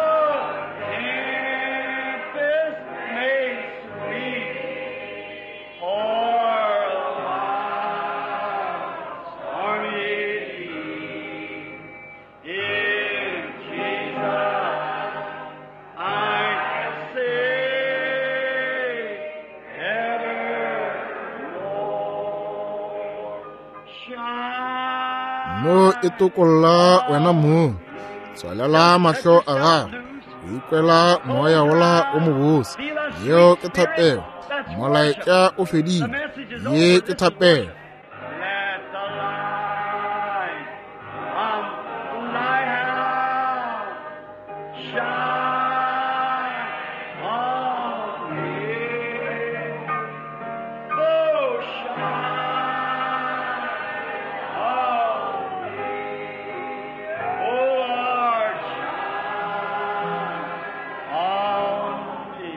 tempest made sweet for the wild stormy sea. In Jesus I say evermore. Shine. Mo e tokolla wena mong. Tswalela mahlo a gago. O ikwela moya wola o mobose. Yeo ke thapelo. Molaetša o fedile. Ye ke thapelo. Let the light from the lighthouse shine on me. Oh, shine on me. Oh, Lord, shine on me.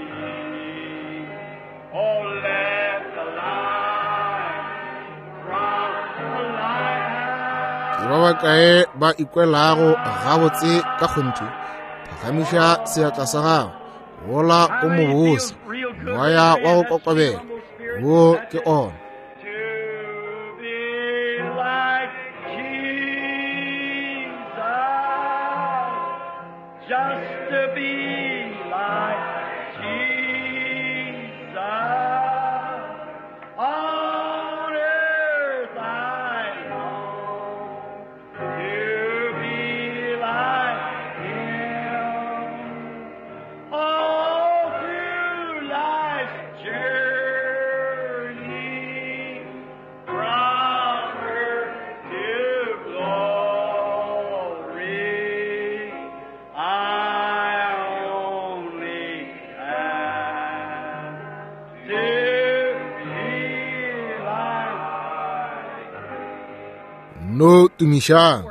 Oh, let the light from the Ke lighthouse ba bakae ba ikwelago gabotse ka kgonthe? Phagamiša seatla sa gago. Wola o mobose, moya wa go kokobela. Wo ke ona. To be like Jesus, just to be like Jesus. On earth I long to be like Him. All through life's journey, from earth to glory, I No tumišang.